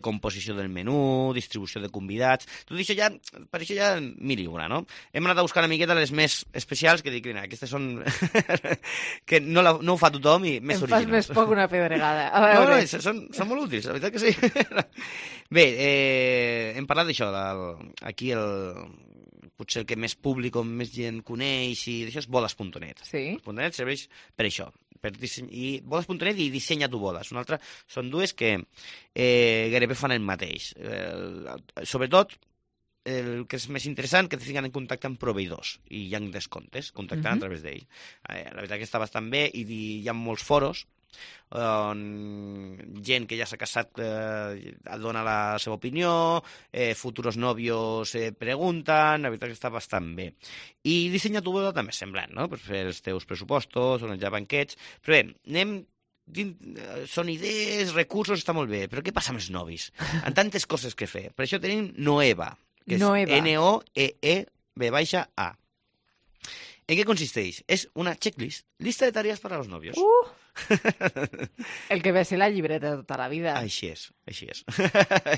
Speaker 17: composició del menú, distribució de convidats... Tot això ja, per això ja mil i una, no? Hem anat a buscar una miqueta les més especials, que dic, aquestes són... que no ho fa tothom i més originals.
Speaker 1: Em fas més poc una pedregada.
Speaker 17: No, són molt útils, la veritat que sí. Bé, hem parlat d'això, aquí potser el que més públic o més gent coneix i d'això és bodas.net.
Speaker 1: Sí.
Speaker 17: Bodas.net serveix per això. I bodas.net i Dissenya tu boda. Són dues que gairebé fan el mateix. Sobretot, el que és més interessant, que te fiquen en contacte amb proveïdors i hi ha descomptes, contactant a través d'ell. La veritat que està bastant bé i hi ha molts foros on gent que ja s'ha casat dona la seva opinió, futuros novios pregunten, la veritat que està bastant bé. I Dissenya tu boda també és semblant, no? Per fer els teus pressupostos, organitzar banquets, però bé, són idees, recursos, està molt bé, però què passa amb els novis? En tantes coses que fer. Per això tenim Noeva, que és Noeeba. ¿En qué consisteix? És una checklist, lista de tareas para los novios.
Speaker 1: El que ve ser la llibreta de tota la vida.
Speaker 17: Així és.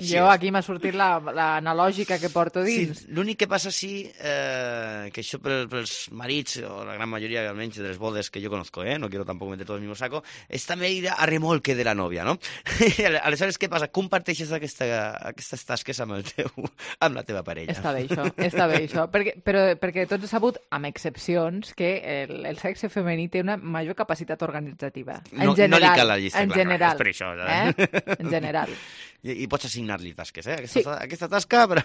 Speaker 1: Jo aquí m'ha sortit l'analògica que porto dins.
Speaker 17: Sí, l'únic que passa que això pels marits, o la gran majoria almenys de les bodes que jo conozco, no quiero tampoco meter todo el mismo saco, és també ir a remolque de la nòvia, no? Aleshores, què passa? Comparteixes aquestes tasques amb la teva parella.
Speaker 1: Està bé això. Perquè tots he sabut, amb excepcions, que el sexe femení té una major capacitat organitzativa. En general.
Speaker 17: No li cal la llista,
Speaker 1: en
Speaker 17: clar,
Speaker 1: general.
Speaker 17: és per això.
Speaker 1: En general.
Speaker 17: I pots assignar-li tasques, Aquesta tasca per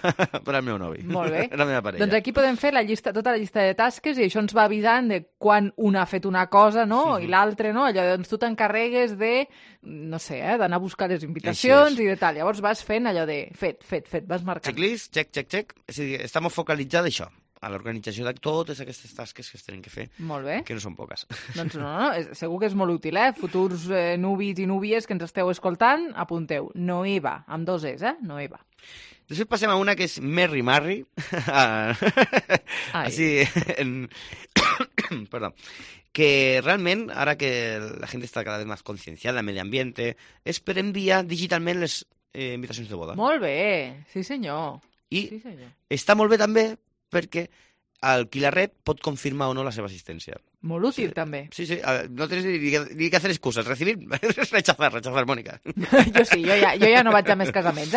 Speaker 17: al meu novi.
Speaker 1: Molt bé.
Speaker 17: La meva parella.
Speaker 1: Doncs aquí podem fer tota la llista de tasques i això ens va avisant de quan una ha fet una cosa, no? I l'altra, no? Allò, doncs tu t'encarregues de, no sé, d'anar a buscar les invitacions i de tal. Llavors vas fent allò de fet, vas marcant.
Speaker 17: Checklist, check. És a dir, estem focalitzats això, a l'organització de totes aquestes tasques que es tenen que fer.
Speaker 1: Molt bé.
Speaker 17: Que no són poques.
Speaker 1: Doncs no, segur que és molt útil, Futurs nuvis i núvies que ens esteu escoltant, apunteu. Noeva, amb 2 Es, Noeva.
Speaker 17: Després passem a una que és Merry Marry. Perdó. Que realment, ara que la gent està cada vegada més concienciada del medi ambiente, és per enviar digitalment les invitacions de boda.
Speaker 1: Molt bé, sí senyor.
Speaker 17: I està molt bé també perquè el qui la rep pot confirmar o no la seva assistència.
Speaker 1: Molt útil, també.
Speaker 17: Sí, no tens ni que hacer excusas. Recibir, rechazar, Mónica.
Speaker 1: Jo sí, jo ja no vaig a més casaments,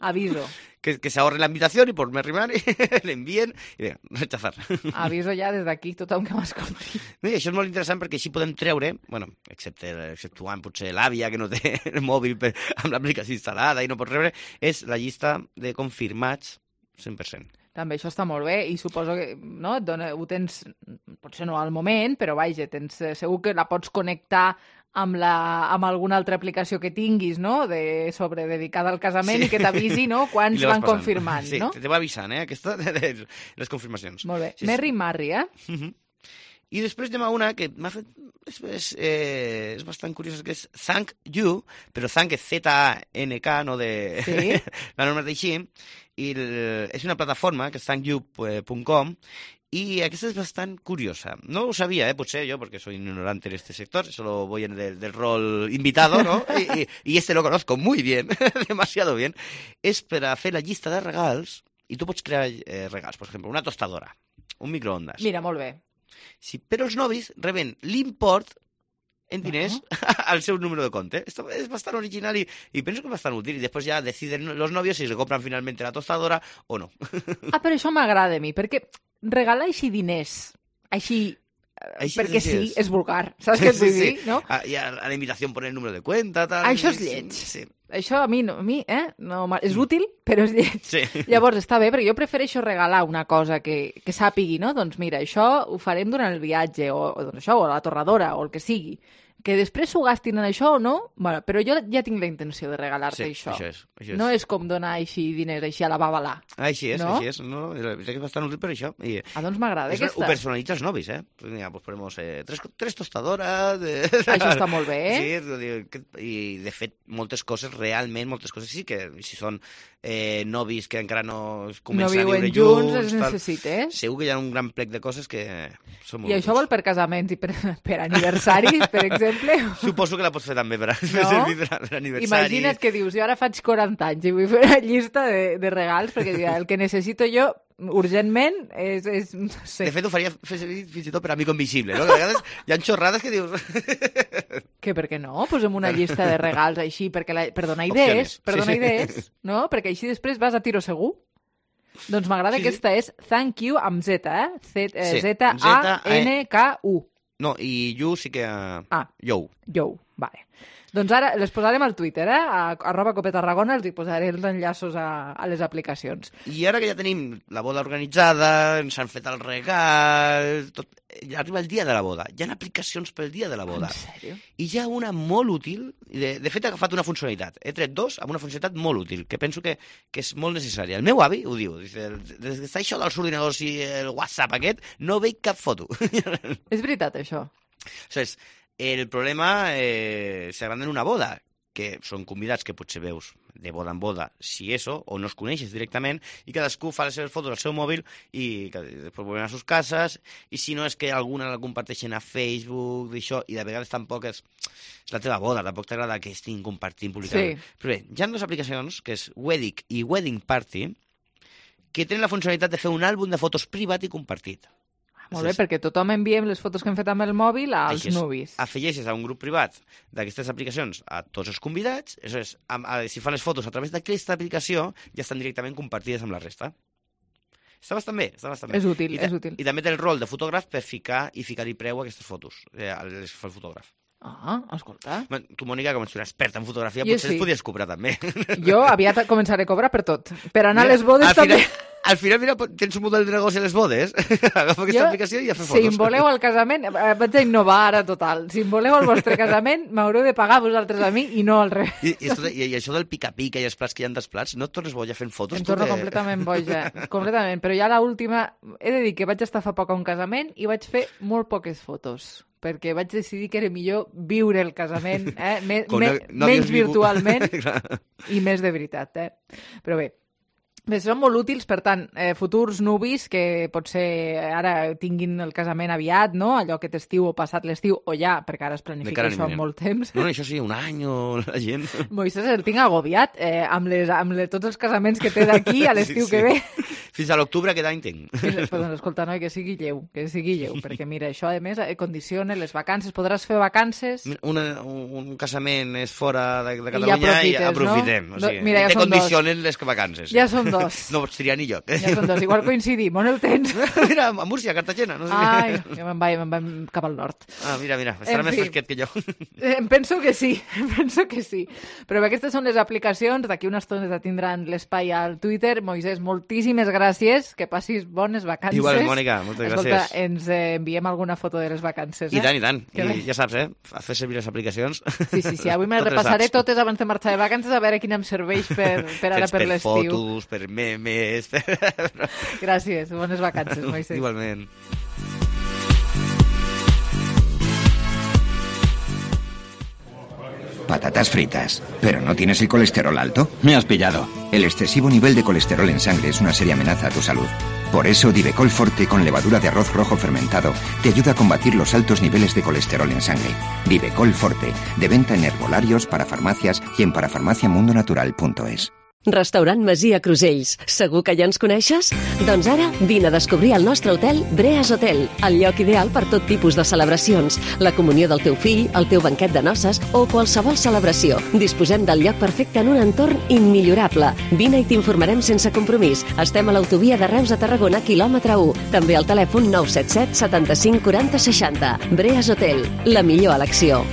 Speaker 1: aviso.
Speaker 17: Que se ahorre la invitación y por Merry Marry le envíen i rechazar.
Speaker 1: Aviso ja des d'aquí tothom que m'escolti.
Speaker 17: I això és molt interessant perquè així podem treure, bueno, exceptuant potser l'àvia que no té el mòbil amb l'aplicació instal·lada i no pot rebre, és la llista de confirmats 100%.
Speaker 1: També això està molt bé i suposo que ho tens, potser no al moment, però vaja, segur que la pots connectar amb alguna altra aplicació que tinguis, no?, dedicada al casament i que t'avisi, no?, quants van confirmant, no?
Speaker 17: Sí, te va avisant, aquesta, les confirmacions.
Speaker 1: Molt bé. Merry Marry,
Speaker 17: I després anem a una que m'ha fet... És bastant curiosa, que és Thank You, però Thank és Z-A-N-K, no de...
Speaker 1: Sí?
Speaker 17: La norma d'així. I és una plataforma, que és thankyou.com, y aquesta és bastant curiosa. No ho sabia, potser jo, perquè soy ignorante en este sector, solo voy en del rol invitado, ¿no? y este lo conozco muy bien, demasiado bien. És per a fer la llista de regals, i tu pots crear regals, per exemple, una tostadora, un microondas.
Speaker 1: Mira, molt bé.
Speaker 17: Sí, però els novis reben l'import en diners al seu número de compte. Esto es bastant original y penso que és bastant útil. I després ja deciden los novios si se compran finalmente la tostadora o no.
Speaker 1: Però això m'agrada a mi, perquè regalar així diners, així perquè sí, és vulgar. Saps què et vull dir, no?
Speaker 17: I a la invitació poner el número de cuenta, tal...
Speaker 1: Això és lleig. Sí. Això a mi és útil, però és lleig.
Speaker 17: Sí.
Speaker 1: Llavors està bé, perquè jo prefereixo regalar una cosa que sàpigui, no? Doncs mira, això ho farem durant el viatge, o la torradora, o el que sigui. Que després s'ho gastin en això o no, bueno, però jo ja tinc la intenció de regalar-te això.
Speaker 17: Això és.
Speaker 1: No és com donar així diners així a la babalà.
Speaker 17: Així és,
Speaker 1: no?
Speaker 17: Així és. No? És bastant útil per això.
Speaker 1: Doncs m'agrada aquesta.
Speaker 17: Ho personalitza els novis, Pues mira, pues ponemos tres tostadoras...
Speaker 1: Això està molt bé,
Speaker 17: Sí, i de fet, moltes coses sí que si són novis que encara no comencen a viure
Speaker 1: junts, els necessites.
Speaker 17: Segur que hi ha un gran plec de coses que són molt
Speaker 1: útils. I això vol per casaments i per aniversaris, per exemple?
Speaker 17: Suposo que la pots fer també per aniversaris.
Speaker 1: Imagina't que dius, jo ara faig 40 anys i vull fer una llista de regals, perquè el que necessito jo urgentment és no sé.
Speaker 17: De fet, ho faria fins i tot per amigo invisible, no? Que a vegades hi ha xorrades que dius...
Speaker 1: Que per què no? Posem una llista de regals així per donar idees, no? Perquè així després vas a tiro segur. Doncs m'agrada aquesta és Thank You amb Z, Z-A-N-K-U.
Speaker 17: No, i You sí que... Yo,
Speaker 1: vale. Doncs ara les posarem al Twitter, a @copetarragona, els hi posaré els enllaços a les aplicacions.
Speaker 17: I ara que ja tenim la boda organitzada, ens han fet el regal, arriba el dia de la boda. Hi ha aplicacions pel dia de la boda.
Speaker 1: En sèrio?
Speaker 17: I hi ha una molt útil, de fet he agafat una funcionalitat, he tret dos amb una funcionalitat molt útil, que penso que és molt necessària. El meu avi ho diu, des que està això dels ordinadors i el WhatsApp aquest, no veig cap foto.
Speaker 1: És veritat, això.
Speaker 17: El problema s'agranda en una boda, que són convidats que potser veus de boda en boda, si eso, o no es coneixes directament, i cadascú fa les seves fotos al seu mòbil i després volen a sus cases, i si no és que alguna la comparteixen a Facebook, d'això, i de vegades tampoc és la teva boda, tampoc t'agrada que estiguin compartint, publicant. Sí. Però bé, hi ha dues aplicacions, que és Wedding i Wedding Party, que tenen la funcionalitat de fer un àlbum de fotos privat i compartit.
Speaker 1: Molt bé, perquè tothom enviem les fotos que hem fet amb el mòbil als nuvis.
Speaker 17: Afegeixes a un grup privat d'aquestes aplicacions a tots els convidats, si fan les fotos a través d'aquesta aplicació, ja estan directament compartides amb la resta. Està bastant bé, està bastant bé.
Speaker 1: És útil, és útil.
Speaker 17: I també té el rol de fotògraf per ficar-hi preu a aquestes fotos, les fa el fotògraf.
Speaker 1: Ah, escolta.
Speaker 17: Tu, Mònica, com ets una experta en fotografia, potser les podies cobrar també.
Speaker 1: Jo aviat començaré a cobrar per tot. Per anar a les bodes també.
Speaker 17: Al final, mira, tens un model de negoci a les bodes. Agafa aquesta aplicació i ja fer fotos.
Speaker 1: Si em voleu al casament, vaig a innovar ara total. Si em voleu al vostre casament, m'haureu de pagar vosaltres a mi i no al revés.
Speaker 17: I això del pica-pica i els plats que hi ha dels plats, no et tornes boja fent fotos?
Speaker 1: Em torno completament boja, completament. Però ja l'última, he de dir que vaig estar fa poc a un casament i vaig fer molt poques fotos, perquè vaig decidir que era millor viure el casament, menys virtualment i més de veritat. Però bé, són molt útils, per tant, futurs nuvis que potser ara tinguin el casament aviat, no? Allò que t'estiu o passat l'estiu, o ja, perquè ara es planifica això amb molt temps.
Speaker 17: No, això sí, un any o la gent...
Speaker 1: Moisés el tinc agobiat amb tots els casaments que té d'aquí a l'estiu que ve.
Speaker 17: Fins a l'octubre aquest any tinc.
Speaker 1: Doncs escolta, noi, que sigui lleu, perquè mira, això a més condiciona les vacances, podràs fer vacances...
Speaker 17: Un casament és fora de Catalunya i aprofitem.
Speaker 1: No? Mira, ja
Speaker 17: te condicionen les vacances.
Speaker 1: Ja són dos.
Speaker 17: No pots triar ni lloc.
Speaker 1: Ja són dos, igual coincidim, on el tens?
Speaker 17: Mira, a Múrcia, a Cartagena. No sé.
Speaker 1: Ai, jo me'n vaig cap al nord.
Speaker 17: Mira, estarà més fresquet que jo.
Speaker 1: Penso que sí. Però aquestes són les aplicacions, d'aquí una estona tindran l'espai al Twitter. Moisés, moltíssimes gràcies, que passis bones vacances.
Speaker 17: Igual, Mònica, moltes gràcies.
Speaker 1: Escolta, ens enviem alguna foto de les vacances.
Speaker 17: I tant. I ja saps, a fer servir les aplicacions.
Speaker 1: Sí, avui me repassaré totes abans de marxar de vacances a veure quina em serveix per ara per l'estiu.
Speaker 17: Per fotos, per memes...
Speaker 1: Gràcies, bones vacances, Moisés.
Speaker 17: Igualment.
Speaker 12: Patatas fritas. ¿Pero no tienes el colesterol alto?
Speaker 18: Me has pillado.
Speaker 12: El excesivo nivel de colesterol en sangre es una seria amenaza a tu salud. Por eso, Divecol Forte con levadura de arroz rojo fermentado te ayuda a combatir los altos niveles de colesterol en sangre. Divecol Forte, de venta en herbolarios, parafarmacias y en parafarmaciamundonatural.es.
Speaker 19: Restaurant Masia Crusells. Segur que ja ens coneixes? Doncs ara vine a descobrir el nostre hotel Breas Hotel, el lloc ideal per tot tipus de celebracions, la comunió del teu fill, el teu banquet de noces o qualsevol celebració. Disposem del lloc perfecte en un entorn immillorable. Vine i t'informarem sense compromís. Estem a l'autovia de Reus a Tarragona, quilòmetre 1. També al telèfon 977 75 40 60. Breas Hotel, la millor elecció.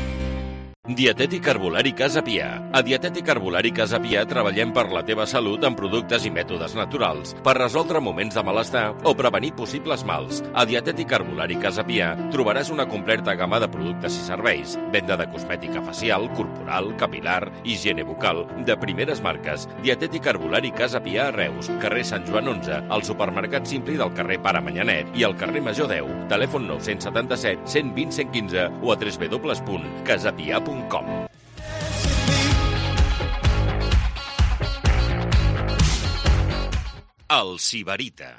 Speaker 20: Dietètic Herbolari Casa Pia. A Dietètic Herbolari Casa Pia treballem per la teva salut amb productes i mètodes naturals per resoldre moments de malestar o prevenir possibles mals. A Dietètic Herbolari Casa Pia trobaràs una completa gamma de productes i serveis, venda de cosmètica facial, corporal, capilar, higiene bucal, de primeres marques. Dietètic Herbolari Casa Pia a Reus, carrer Sant Joan 11, al supermercat Simpli del carrer Pare Manyanet i al carrer Major 10. Telèfon 977 120 115 o a www.casapia.com. El Sibarita.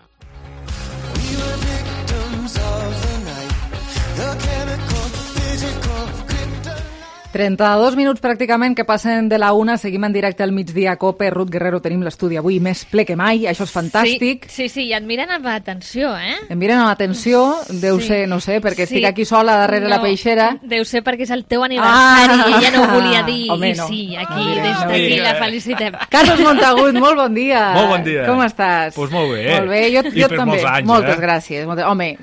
Speaker 1: 32 minuts pràcticament que passen de la 1, seguim en directe al migdia a COPE. Ruth Guerrero, tenim l'estudi avui més ple que mai, això és fantàstic.
Speaker 21: Sí, i et miren amb atenció,
Speaker 1: Em miren amb atenció, deu ser, no sé, perquè estic aquí sola darrere la peixera.
Speaker 21: Deu ser perquè és el teu aniversari i ella no ho volia dir.
Speaker 1: Home,
Speaker 21: I sí, aquí, des d'aquí la felicitem.
Speaker 1: Carlos Montagut, molt bon dia.
Speaker 22: Molt bon dia.
Speaker 1: Com estàs?
Speaker 22: Doncs molt bé.
Speaker 1: Molt bé, jo també.
Speaker 22: Molts anys,
Speaker 1: moltes gràcies. Home,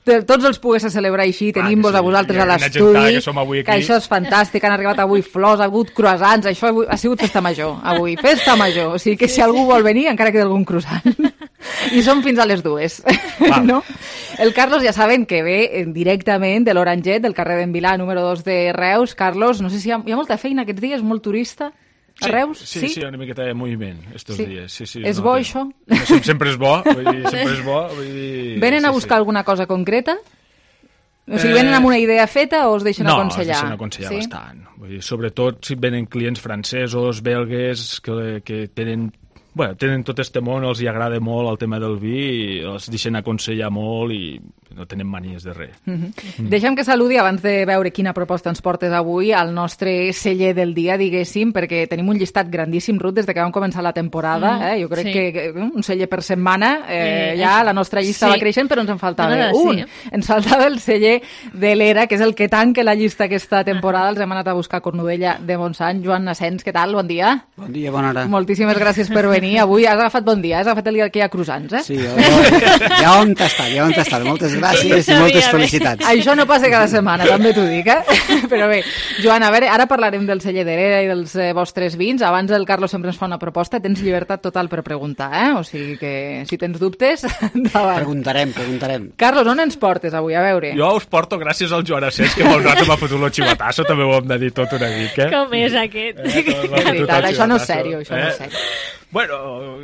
Speaker 1: tots els pogués celebrar així, tenim-vos a vosaltres a l'estudi, que això és fantàstic, han arribat avui flors, ha hagut croissants, això ha sigut festa major, avui, festa major, o sigui que si algú vol venir encara queda algun croissant, i som fins a les 2, no? El Carlos ja saben que ve directament de l'Oranget, del carrer d'en Vilà, número 2 de Reus. Carlos, no sé si hi ha molta feina aquests dies, molt turista. A Reus?
Speaker 22: Sí, una miqueta de moviment estos dies. Sí,
Speaker 1: és bo, això?
Speaker 22: Sempre és bo, sempre és bo.
Speaker 1: Venen a buscar alguna cosa concreta? O sigui, venen amb una idea feta o es deixen aconsellar?
Speaker 22: No, es deixen aconsellar bastant. Vull dir, sobretot si venen clients francesos, belgues, que tenen tot este món, els hi agrada molt el tema del vi, i els deixen aconsellar molt i no tenen manies de res.
Speaker 1: Deixa'm que saludi abans de veure quina proposta ens portes avui al nostre celler del dia, diguéssim, perquè tenim un llistat grandíssim, Ruth, des de que vam començar la temporada. Jo crec que un celler per setmana, ja la nostra llista va creixent, però ens en faltava un. Ens faltava el celler de l'Era, que és el que tanca la llista aquesta temporada. Els hem anat a buscar a Cornudella de Montsant. Joan Nassens, què tal? Bon dia.
Speaker 8: Bon dia, bona hora.
Speaker 1: Moltíssimes gràcies per venir. Avui has agafat bon dia, has agafat el dia que hi ha croissants,
Speaker 8: Sí, ja on t'està. Moltes gràcies i moltes felicitats.
Speaker 1: Això no passa cada setmana, també t'ho dic, Però bé, Joan, a veure, ara parlarem del celler de l'Era i dels vostres vins. Abans el Carlos sempre ens fa una proposta, tens llibertat total per preguntar, O sigui que si tens dubtes, endavant.
Speaker 8: Preguntarem.
Speaker 1: Carlos, on ens portes avui? A veure.
Speaker 22: Jo us porto gràcies al Joan Asens, que molt rato m'ha fotut el xivatasso, també ho hem de dir tot una mica.
Speaker 21: Com és aquest?
Speaker 1: Això no és sèrio, això no és sèrio.
Speaker 22: Bueno,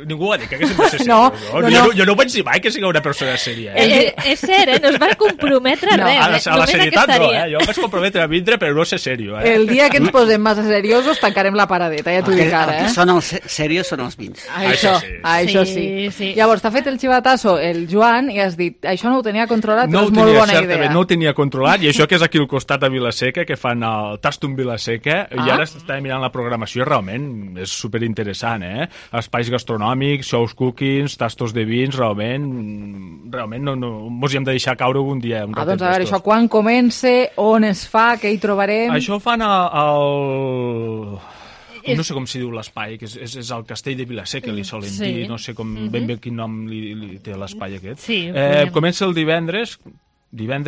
Speaker 22: ningú ha dit que haguéssim de ser
Speaker 1: No,
Speaker 22: seriós. Jo no ho vaig dir mai que sigui una persona sèria.
Speaker 21: És cert, no es va comprometre a res.
Speaker 22: A la serietat no, Jo em vaig comprometre a vindre, però no ser serio.
Speaker 1: El dia que ens posem massa seriosos tancarem la paradeta, ja t'ho dic ara.
Speaker 8: El que són els serios són els vins.
Speaker 1: Això sí. Llavors, t'ha fet el xivatasso el Joan i has dit, això no ho tenia controlat, però és molt bona idea.
Speaker 22: No ho tenia controlat, i això que és aquí al costat a Vilaseca, que fan el Tastum Vilaseca, i ara estava mirant la programació, realment és superinteressant, espais gastronòmics, shows cookings, tastos de vins, realment no mos hi hem de deixar caure algun dia.
Speaker 1: Doncs a veure, això quan comença, on es fa, què hi trobarem?
Speaker 22: Això ho fan al... No sé com s'hi diu l'espai, que és el castell de Vilaseca, li solen dir, no sé ben bé quin nom li té l'espai aquest. Comença el divendres,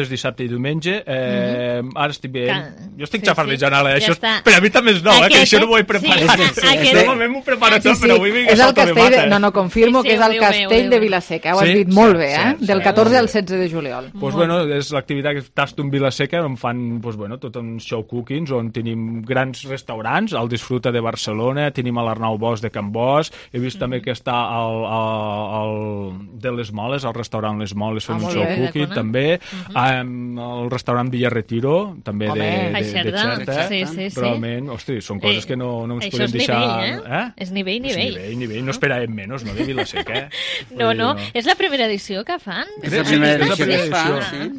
Speaker 22: dissabte i diumenge. Ara estic bé. Jo estic xafardejant ara, això, però a mi també és nou, que això no m'ho he preparat. Normalment m'ho preparo tot, però avui vinc a salto de mata.
Speaker 1: No, confirmo que és el castell de Vilaseca, ho has dit molt bé, del 14 al 16 de juliol.
Speaker 22: Doncs bueno, és l'activitat que Tastum Vilaseca, on fan tot un show cookings, on tenim grans restaurants, el Disfruta de Barcelona, tenim l'Arnau Bosch de Can Bosch, he vist també que està el de les Moles, el restaurant Les Moles fent un show cooking, també. El restaurant Villa Retiro, també de Xerta. Realment, hosti, són coses que no ens podem deixar...
Speaker 21: És nivell.
Speaker 22: És nivell, no esperàvem menys, no, de Vilaseca,
Speaker 21: No, és la primera edició que fan.
Speaker 8: És la primera edició que es fa.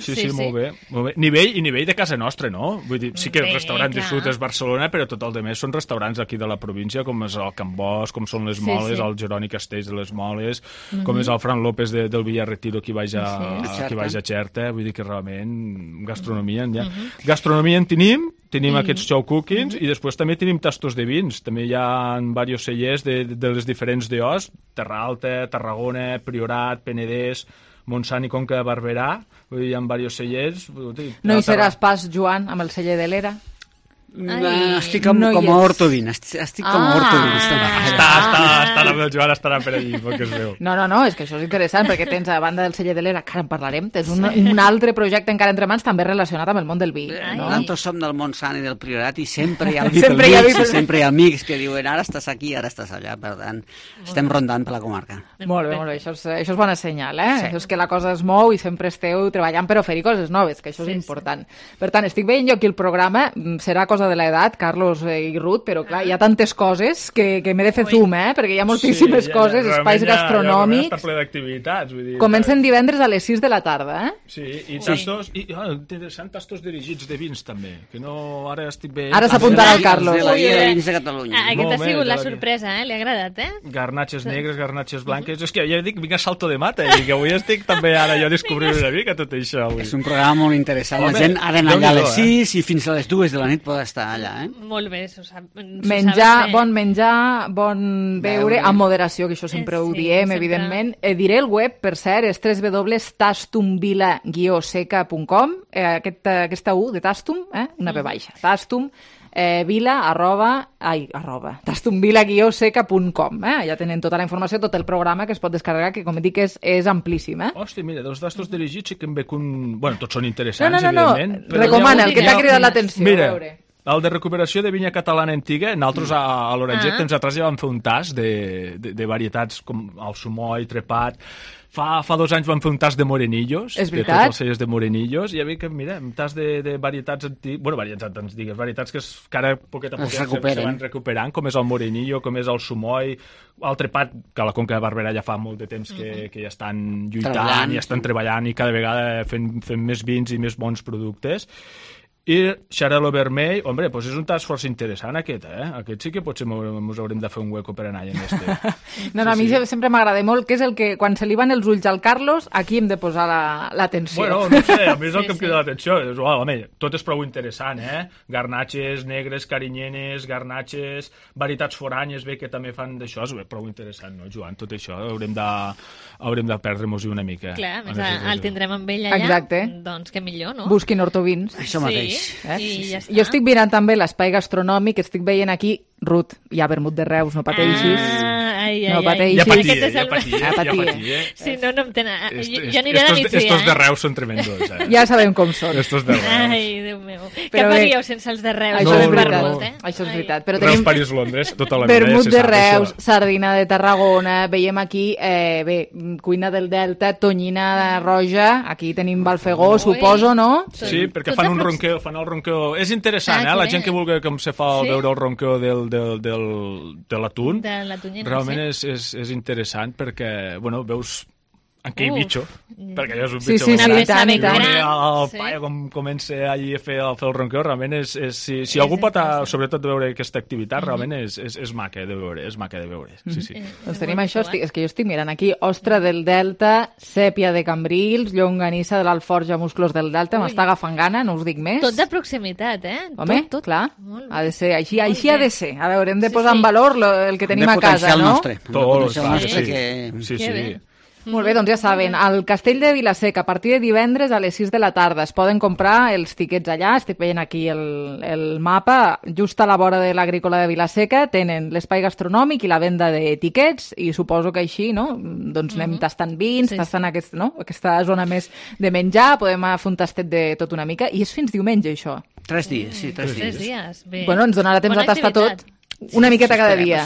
Speaker 22: Sí, molt bé. Nivell de casa nostra, no? Vull dir, sí que el restaurant Disfrutes Barcelona, però tot el de més són restaurants aquí de la província, com és el Can Bosch, com són les Moles, el Jeroni Castells de les Moles, com és el Fran López del Villa Retiro, que vaig a Xerta. Vull dir que realment gastronomia en tenim aquests show cookings i després també tenim tastos de vins. També hi ha diversos cellers de les diferents DOs, Terra Alta, Tarragona, Priorat, Penedès, Montsant i Conca de Barberà. Vull dir, hi ha diversos cellers.
Speaker 1: No hi seràs pas, Joan, amb el celler de l'Era?
Speaker 8: Estic com a ortovin. Estic com a ortovin.
Speaker 22: Està la meva Joan, estarà per allí, perquè es veu.
Speaker 1: No, és que això és interessant, perquè tens, a banda del celler de l'Era, que ara en parlarem, tens un altre projecte encara entre mans, també relacionat amb el món del vi.
Speaker 8: Nosaltres som del Montsant i del Priorat i sempre hi ha el vi pel mig, i sempre hi ha amics que diuen ara estàs aquí, ara estàs allà, per tant, estem rondant per la comarca.
Speaker 1: Molt bé, això és bona senyal, Això és que la cosa es mou i sempre esteu treballant per oferir coses noves, que això és important. Per tant, estic veient jo aquí el programa, serà cosa de l'edat, Carlos i Ruth, però clar, hi ha tantes coses que m'he de fer zoom, perquè hi ha moltíssimes coses, espais gastronòmics.
Speaker 22: Ja està ple d'activitats.
Speaker 1: Comencen divendres a les 6 de la tarda,
Speaker 22: Sí, i tastos, interessant, tastos dirigits de vins també, que no, ara estic bé...
Speaker 1: Ara s'apuntarà el Carlos.
Speaker 8: De la Guia de Vins de Catalunya.
Speaker 21: Aquesta ha sigut la sorpresa, li ha agradat,
Speaker 22: Garnatxes negres, garnatxes blanques, és que ja dic, vinc a salto de mata, i que avui estic també ara jo descobrint una mica tot això.
Speaker 8: És un programa molt interessant, la gent ha d'anar allà a les 6 i fins a les 2 de la nit pot estar allà.
Speaker 21: Molt bé,
Speaker 1: bon menjar, bon beure, amb moderació, que això sempre ho diem, evidentment. Diré el web, per cert, és www.tastumvila-seca.com, aquesta U de Tastum, una P baixa, Tastum, tastumvila-seca.com. Ja tenen tota la informació, tot el programa que es pot descarregar, que com dic és amplíssim.
Speaker 22: Hòstia, mira, dels tastos dirigits sí que em veig un... Bueno, tots són interessants, evidentment.
Speaker 1: Recomana, el que t'ha cridat l'atenció.
Speaker 22: Mira, El de recuperació de vinya catalana antiga, nosaltres a l'Oranget temps atrás ja vam fer un tas de varietats com el Sumoy, Trepat. Fa 2 anys vam fer un tas de morenillos.
Speaker 1: És veritat?
Speaker 22: De tots els cellers de morenillos. I hi havia que, mira, un tas de varietats antigues... Bueno, varietats antigues, varietats que ara poquet a poquet se van recuperant, com és el morenillo, com és el Sumoy, el Trepat, que a la Conca de Barberà ja fa molt de temps que ja estan lluitant i estan treballant i cada vegada fent més vins i més bons productes. I Xarel·lo Vermell, hombre, doncs és un tas força interessant aquest, Aquest sí que potser ens haurem de fer un hueco per anar en este.
Speaker 1: No, a mi sempre m'agrada molt, que és el que, quan se li van els ulls al Carlos, aquí hem de posar l'atenció.
Speaker 22: Bueno, no sé, a mi és el que em crida l'atenció. Home, tot és prou interessant, Garnatxes, negres, carinyenes, garnatxes, varietats foranyes, bé, que també fan d'això, és prou interessant, no, Joan? Tot això haurem de perdre-nos-hi una mica.
Speaker 21: Clar, el tindrem amb ell allà.
Speaker 1: Exacte.
Speaker 21: Doncs que millor, no?
Speaker 1: Busquin Hortovins.
Speaker 8: Això mateix.
Speaker 21: I ja està.
Speaker 1: Jo estic mirant també l'espai gastronòmic, estic veient aquí, Ruth, hi ha vermut de Reus, no pateixis. No pateixis.
Speaker 22: Ja patia.
Speaker 21: Sí, no em tenen... Jo aniré de migdia,
Speaker 22: Estos de Reus són tremendos,
Speaker 1: Ja sabem com són.
Speaker 22: Estos de Reus.
Speaker 21: Ai, Déu meu. Què faríeu sense els de Reus?
Speaker 1: Això és veritat.
Speaker 22: Reus, París, Londres, tota la vida.
Speaker 1: Vermut de Reus, sardina de Tarragona, veiem aquí, cuina del Delta, tonyina roja, aquí tenim Balfegó, suposo, no?
Speaker 22: Sí, perquè fan el ronqueo. És interessant, la gent que vulgui com se fa veure el ronqueo de l'atún, realment és interessant perquè, bueno, veus en què hi bitxo, perquè allò és un bitxo. El paio com comença allí a fer el ronqueo, realment si algú pot sobretot veure aquesta activitat, realment és maca de veure,
Speaker 1: Doncs tenim això, és que jo estic mirant aquí, ostra del Delta, sèpia de Cambrils, llonganissa de l'Alforja, musclos del Delta, m'està agafant gana, no us dic més.
Speaker 21: Tot de proximitat,
Speaker 1: Home, clar, ha de ser, així ha de ser. A veure, hem de posar en valor el que tenim a casa, no?
Speaker 22: Tot, sí.
Speaker 1: Molt bé, doncs ja saben, al Castell de Vila-seca, a partir de divendres a les 6 de la tarda, es poden comprar els tiquets allà, estic veient aquí el mapa, just a la vora de l'Agrícola de Vila-seca, tenen l'espai gastronòmic i la venda de tiquets, i suposo que així, no?, doncs anem tastant vins, tastant aquesta zona més de menjar, podem fer un tastet de tot una mica, i és fins diumenge, això.
Speaker 8: 3 dies, sí, 3
Speaker 21: dies.
Speaker 1: Bueno, ens donarà temps a tastar tot. Una miqueta cada dia.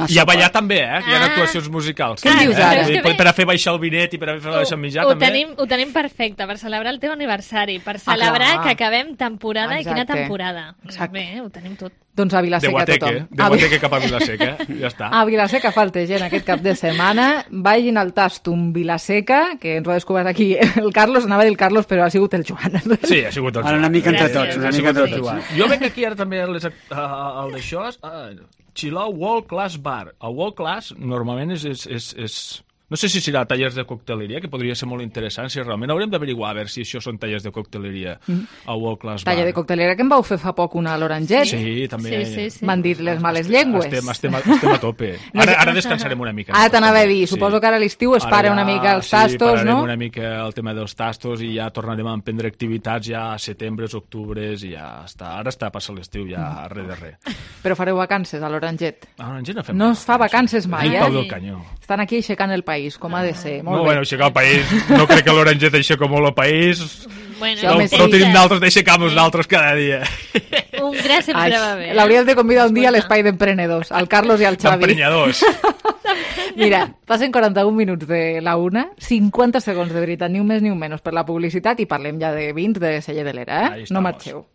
Speaker 22: I a ballar també, que hi ha actuacions musicals.
Speaker 1: Què dius ara?
Speaker 22: Per a fer baixar el vinet i per a fer baixar el mitjà, també.
Speaker 21: Ho tenim perfecte, per celebrar el teu aniversari, per celebrar que acabem temporada i quina temporada. Bé, ho tenim tot.
Speaker 1: Doncs a Vila-seca tothom.
Speaker 22: De Guateque cap a Vila-seca, ja està.
Speaker 1: A Vila-seca falta gent aquest cap de setmana. Vagin al Tastum Vila-seca, que ens ho ha descobert aquí el Carlos, anava a dir el Carlos, però ha sigut el Joan.
Speaker 22: Sí, ha sigut el Joan.
Speaker 8: Una mica entre tots.
Speaker 22: Jo venc aquí ara també el d'això, Chilau World Class Bar. El World Class normalment és no sé si serà tallers de cocteleria, que podria ser molt interessant, si realment haurem d'averiguar a veure si això són tallers de cocteleria al World Class Bar.
Speaker 1: Taller de cocteleria que en vau fer fa poc una a l'Oranget.
Speaker 22: Sí, també.
Speaker 1: M'han dit les males llengües.
Speaker 22: Estem a tope. Ara descansarem una mica.
Speaker 1: Ara t'anava a dir, suposo que ara a l'estiu es para una mica els tastos, no?
Speaker 22: Sí, pararem una mica el tema dels tastos i ja tornarem a emprendre activitats ja a setembre, octubre, i ja està. Ara està passant l'estiu ja res de res.
Speaker 1: Però fareu vacances a l'Oranget?
Speaker 22: A l'Oranget no fem
Speaker 1: no es fa vacances mai,
Speaker 22: Pau del Canyó.
Speaker 1: Estan aquí aixecant el país, com ha de ser.
Speaker 22: No, bueno, aixecar el país, no crec que l'Oranget aixeca molt el país.
Speaker 21: Bueno,
Speaker 22: no tenim d'altres d'aixecar-nos d'altres cada dia.
Speaker 21: Un gra sempre va bé.
Speaker 1: L'hauries de convidar un dia a l'espai d'emprenedors, al Carlos i al Xavi.
Speaker 22: D'emprenyadors.
Speaker 1: Mira, passen 41 minuts de la una, 50 segons de veritat, ni un més ni un menys per la publicitat, i parlem ja de vins de Celler de l'Era, No marxeu.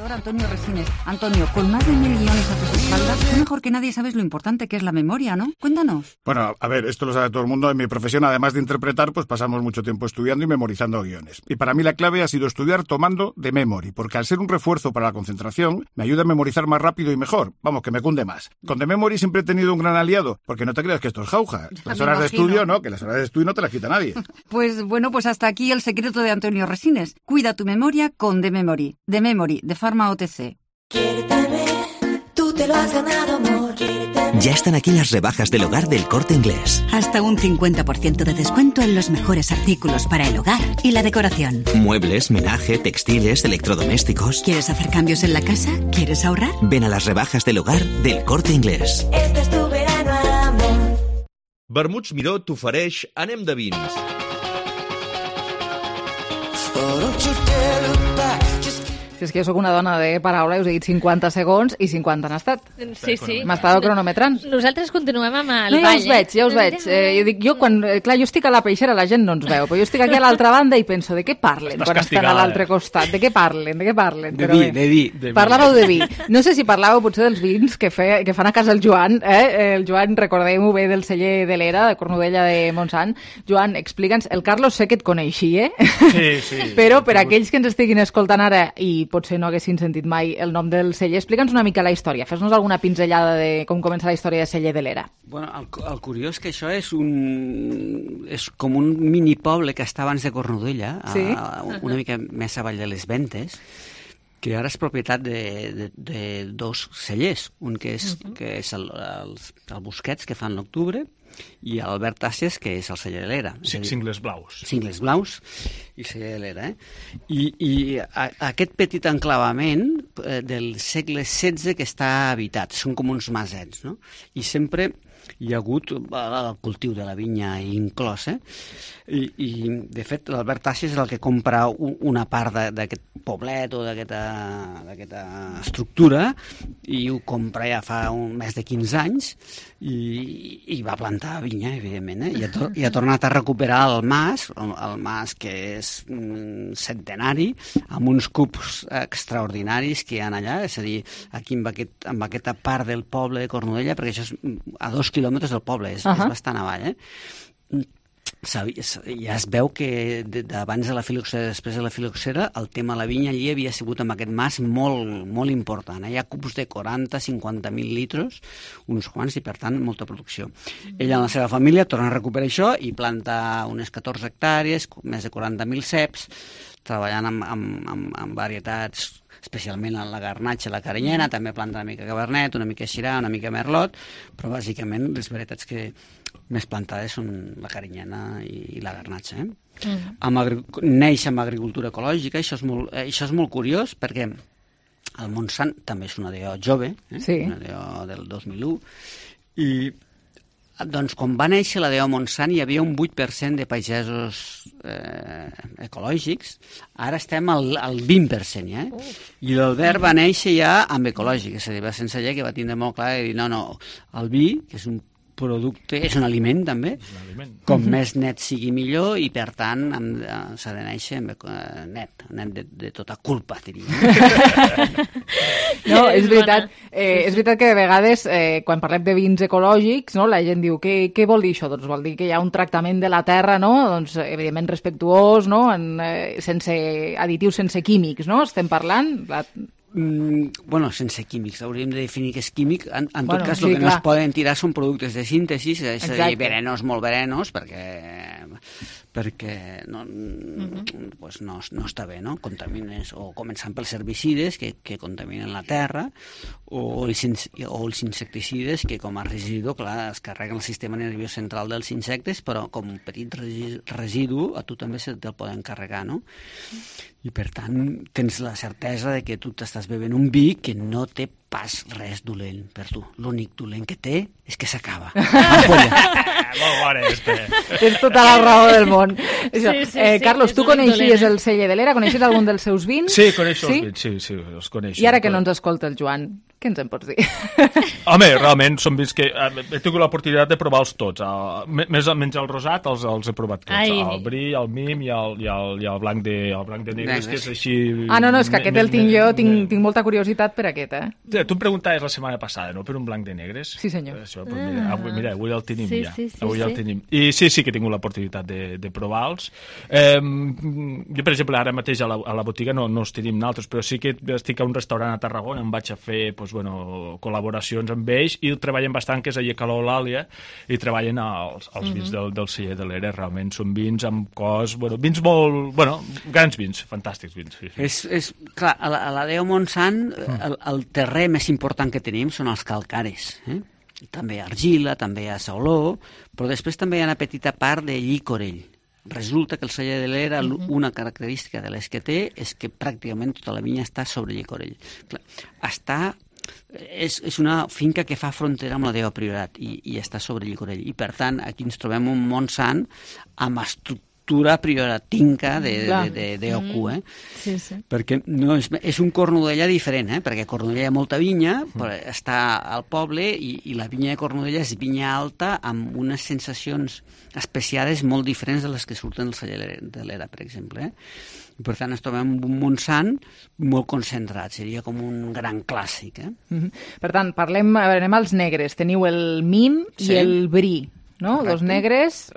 Speaker 3: Antonio Resines. Antonio, con más de 1000 guiones a tus espaldas, tú mejor que nadie sabes lo importante que es la memoria, ¿no? Cuéntanos.
Speaker 6: Bueno, a ver, esto lo sabe todo el mundo. En mi profesión, además de interpretar, pues pasamos mucho tiempo estudiando y memorizando guiones. Y para mí la clave ha sido estudiar tomando The Memory, porque al ser un refuerzo para la concentración, me ayuda a memorizar más rápido y mejor. Vamos, que me cunde más. Con The Memory siempre he tenido un gran aliado, porque no te creas que esto es jauja. Las horas de estudio, no, que las horas de estudio no te las quita nadie.
Speaker 3: Pues bueno, pues hasta aquí el secreto de Antonio Resines. Cuida tu memoria con The Memory. The Memory, de Pharma OTC.
Speaker 18: Tú te lo has ganado, amor.
Speaker 5: Ya están aquí las rebajas del hogar del Corte Inglés.
Speaker 18: Hasta un 50% de descuento en los mejores artículos para el hogar y la decoración.
Speaker 5: Muebles, menaje, textiles, electrodomésticos.
Speaker 18: ¿Quieres hacer cambios en la casa? ¿Quieres ahorrar?
Speaker 5: Ven a las rebajas del hogar del Corte Inglés.
Speaker 18: Este es tu verano, amor.
Speaker 23: Vermuts Miró t'ofereix Anem de vins.
Speaker 1: Si és que jo sóc una dona de paraula, us he dit 50 segons i 50 han estat.
Speaker 21: Sí.
Speaker 1: M'estava cronometrant.
Speaker 21: Nosaltres continuem amb el
Speaker 1: ball. Ja us veig. Jo estic a la peixera, la gent no ens veu, però jo estic aquí a l'altra banda i penso, de què parlen quan estan a l'altre costat? De què parlen?
Speaker 8: De vi.
Speaker 1: Parlàveu de vi. No sé si parlàveu potser dels vins que fan a casa el Joan. El Joan, recordem-ho bé, del celler de l'Era, de Cornudella de Montsant. Joan, explica'ns, el Carlos sé que et coneixia,
Speaker 22: Sí.
Speaker 1: Però per aquells que ens estiguin escoltant ara i potser no haguessin sentit mai el nom del celler, explica'ns una mica la història. Fes-nos alguna pinzellada de com comença la història de celler de l'Era.
Speaker 8: Bueno, el curiós que això és com un minipoble que està abans de Cornudella, una mica més avall de les Ventes, que ara és propietat de dos cellers, un que és el Busquets, que fan l'octubre, i Albert Tasses, que és el celler de l'Era.
Speaker 22: Cingles blaus.
Speaker 8: Cingles blaus i celler de l'Era. I aquest petit enclavament del segle XVI que està habitat, són com uns masets, no? I sempre hi ha hagut el cultiu de la vinya inclòs, i de fet l'Albert Tasses és el que compra una part d'aquest poblet o d'aquesta estructura, i ho compra ja fa més de 15 anys i va plantar vinya, evidentment, i ha tornat a recuperar el mas que és centenari, amb uns cubs extraordinaris que hi ha allà, és a dir, aquí en aquesta part del poble de Cornudella, perquè això és a 2 quilòmetres del poble, és bastant avall, ja es veu que abans de la filoxera, després de la filoxera, el tema de la vinya allí havia sigut amb aquest mas molt, molt important. Hi ha cubs de 40-50.000 litres, uns quants, i per tant molta producció. Ella amb la seva família torna a recuperar això i planta unes 14 hectàrees, més de 40.000 ceps, treballant amb varietats, especialment en la garnatxa i la carinyena, també planta una mica cabernet, una mica syrah, una mica merlot, però bàsicament les varietats que més plantades són la carinyena i la garnatxa. Neix amb agricultura ecològica, això és molt curiós, perquè el Montsant també és una DO jove, una DO del 2001, i doncs quan va néixer la DO Montsant hi havia un 8% de pagesos ecològics, ara estem al 20%, i l'Albert va néixer ja amb ecològic, és a dir, va sense llei, que va tindre molt clar de dir, no, el vi, que és un producte, és un aliment també, com més net sigui millor, i per tant s'ha de néixer net de tota culpa, diria.
Speaker 1: No, és veritat que de vegades quan parlem de vins ecològics, la gent diu, què vol dir això? Doncs vol dir que hi ha un tractament de la terra, doncs evidentment respectuós, sense additius, sense químics, estem parlant...
Speaker 8: Bueno, sense químics, hauríem de definir què és químic. En tot cas, el que no es poden tirar són productes de síntesi, és a dir, venenos, molt venenos, perquè no està bé, no? Contamines, o començant pels herbicides que contaminen la terra, o els insecticides que com a residu, clar, es carreguen el sistema nerviós central dels insectes, però com un petit residu a tu també se te'l poden carregar, no? I per tant tens la certesa de que tu t'estàs bevent un vi que no té pas res dolent per tu. L'únic dolent que té és que s'acaba.
Speaker 22: Molt bona,
Speaker 1: Tens tota la raó del món. Carlos, tu coneixies el celler de l'Era? Coneixies algun dels seus vins?
Speaker 22: Sí, coneixo els vins, sí, els coneixo.
Speaker 1: I ara que no ens escolta el Joan, què ens en pots dir?
Speaker 22: Home, realment són vins que he tingut l'oportunitat de provar-los tots. Més o menys el rosat els he provat tots. El bri, el mim i el blanc de negres, que és així...
Speaker 1: No, és que aquest el tinc jo, tinc molta curiositat per aquest,
Speaker 22: Tu em preguntaves la setmana passada, no?, per un blanc de negres.
Speaker 1: Sí, senyor.
Speaker 22: Això, mira, avui el tenim ja. Avui el tenim. I sí que he tingut l'oportunitat de provar-los. Jo, per exemple, ara mateix a la botiga no els tenim naltres, però sí que estic a un restaurant a Tarragona, em vaig a fer col·laboracions amb ells, i treballen bastant, que és allà a Calou l'Àlia, i treballen els vins del celler de l'Era. Realment són vins amb cos... Vins molt... grans vins, fantàstics vins.
Speaker 8: És clar, a la DO Montsant el terrer més important que tenim són els calcares. També hi ha argila, també hi ha sauló, però després també hi ha una petita part de llicorell. Resulta que el celler de l'Era, una característica de les que té és que pràcticament tota la vinya està sobre llicorell. És una finca que fa frontera amb la DO Priorat i està sobre llicorell. I per tant, aquí ens trobem un Montsant amb estructura estructura prioratinca d'OQ,
Speaker 21: Sí, sí.
Speaker 8: perquè no, és un Cornudella diferent, perquè a Cornudella hi ha molta vinya, però està al poble i la vinya de Cornudella és vinya alta amb unes sensacions especiades molt diferents de les que surten del celler de l'Era, per exemple. I per tant ens trobem un Montsant molt concentrat, seria com un gran clàssic.
Speaker 1: Per tant, anem als negres. Teniu el Mim i el Brie, no?
Speaker 8: Correcte.
Speaker 1: Dos negres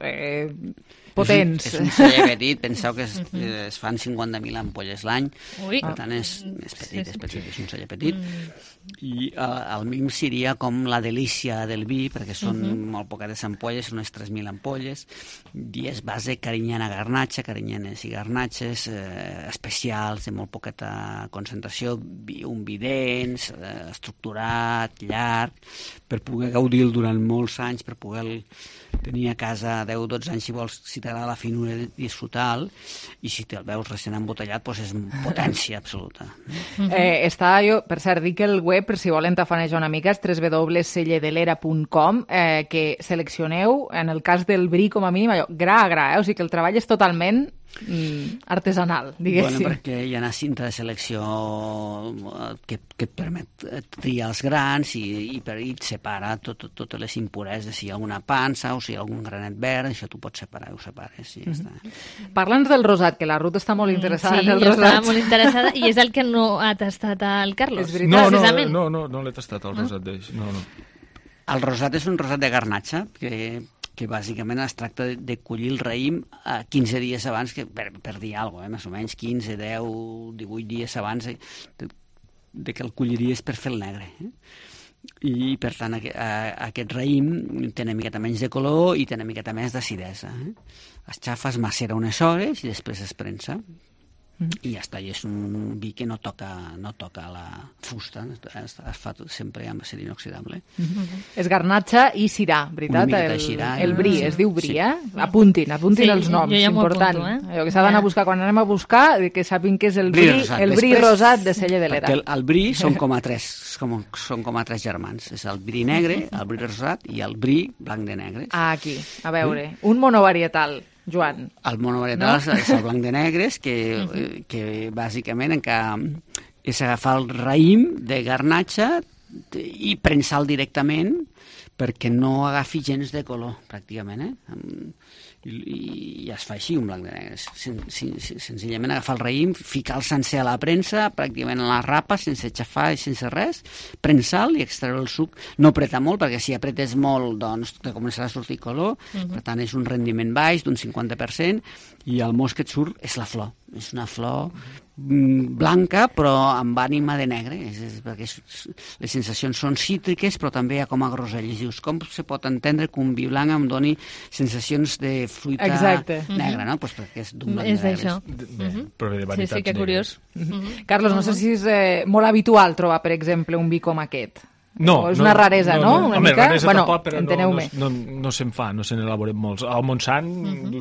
Speaker 1: potents.
Speaker 8: És un celler petit, penseu que es fan 50.000 ampolles l'any, per tant és petit, és un celler petit. I el Mim seria com la delícia del vi, perquè són molt poquetes ampolles, són unes 3.000 ampolles, i és base carinyana garnatxa, carinyanes i garnatxes especials, de molt poqueta concentració, un vi dens, estructurat, llarg, per poder gaudir-lo durant molts anys, per poder tenir a casa 10-12 anys, si vols, si t'agrada la finura, disfrutar-lo, i si te'l veus recent embotellat, doncs és potència absoluta.
Speaker 1: Està, jo, per cert, dic que el web, per si volen tafanejar una mica, és www.selledelera.com, que seleccioneu, en el cas del Brie, com a mínim, allò, gra a gra, o sigui que el treball és totalment artesanal, diguéssim.
Speaker 8: Bueno, perquè hi ha una cinta de selecció que et permet triar els grans i et separa totes les impureses, si hi ha alguna pansa o si hi ha algun granet verd, això tu pots separar, ho separes i ja està.
Speaker 1: Parla'ns del rosat, que la Ruth està molt interessada en el rosat.
Speaker 21: Sí, estava molt interessada, i és el que no ha tastat el Carlos, precisament.
Speaker 22: No l'he tastat, el rosat d'ells. No.
Speaker 8: El rosat és un rosat de garnatxa, que bàsicament es tracta de collir el raïm 15 dies abans, per dir alguna cosa, més o menys 15, 10, 18 dies abans de que el colliries per fer el negre. I, per tant, aquest raïm té una miqueta menys de color i té una miqueta més d'acidesa. Es xafa, es macera unes hores i després es prensa. I ja està, i és un vi que no toca la fusta, es fa sempre amb acer inoxidable.
Speaker 1: És garnatxa i cirà, veritat?
Speaker 8: Una miqueta de cirà.
Speaker 1: El Brie, es diu Brie, Apuntin els noms, important. Allò que s'ha d'anar a buscar, quan anem a buscar, que sàpim que és el Brie rosat de Celler de l'Era.
Speaker 8: Perquè el Brie són com a tres germans. És el Brie negre, el Brie rosat i el Brie blanc de negres.
Speaker 1: Aquí, a veure, un monovarietal. Joan.
Speaker 8: El monovarietal és el blanc de negres, que bàsicament és agafar el raïm de garnatxa i prensar-lo directament perquè no agafi gens de color, pràcticament. I es fa així, un blanc de negres. Senzillament agafar el raïm, ficar-lo sencer a la premsa, pràcticament a la rapa, sense xafar i sense res, prensar-lo i extreure el suc. No apretar molt, perquè si apretes molt, doncs te començarà a sortir color. Per tant, és un rendiment baix d'un 50%, i el mos que et surt és la flor. És una flor blanca, però amb ànima de negre, perquè les sensacions són cítriques, però també hi ha com a grosell. I dius, com se pot entendre que un vi blanc em doni sensacions de fruita negra, no? Pues perquè és d'un blanc de negres.
Speaker 21: Sí, que curiós.
Speaker 1: Carlos, no sé si és molt habitual trobar, per exemple, un vi com aquest.
Speaker 22: No,
Speaker 1: és una raresa, no? Una
Speaker 22: home,
Speaker 1: mica?
Speaker 22: raresa tampoc, però
Speaker 1: no
Speaker 22: se'n fa, no se n'elaboren molts. Al Montsant,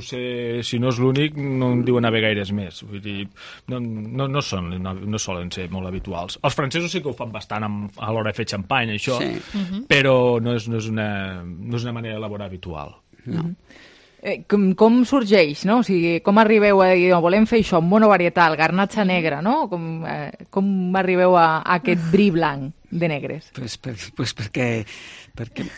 Speaker 22: si no és l'únic, no en diuen haver gaires més. Vull dir, no solen ser molt habituals. Els francesos sí que ho fan bastant a l'hora de fer xampany, això, però no és una manera d'elaborar habitual.
Speaker 8: No.
Speaker 1: Com sorgeix, no? O sigui, com arribeu a dir, volem fer això, monovarietal, garnatxa negra, no? Com arribeu a aquest bri blanc de negres?
Speaker 8: Pues perquè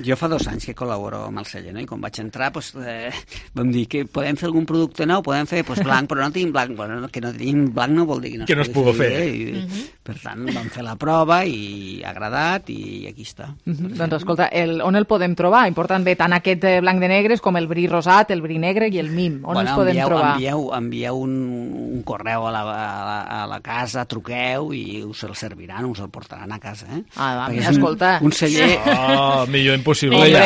Speaker 8: jo fa 2 anys que col·laboro amb el celler, no? I quan vaig entrar vam dir que podem fer algun producte nou, podem fer blanc, però no tenim blanc. Bueno, que no tenim blanc no vol dir que no es pugui fer. Per tant, vam fer la prova i ha agradat i aquí està.
Speaker 1: Doncs escolta, on el podem trobar? Important bé, tant aquest blanc de negres com el bri rosat, el bri negre i el Mim. On els podem trobar?
Speaker 8: Envieu un correu a la casa, truqueu i us el serviran, us el portaran a casa.
Speaker 1: Escolta.
Speaker 8: Un celler...
Speaker 22: Millor impossible ja.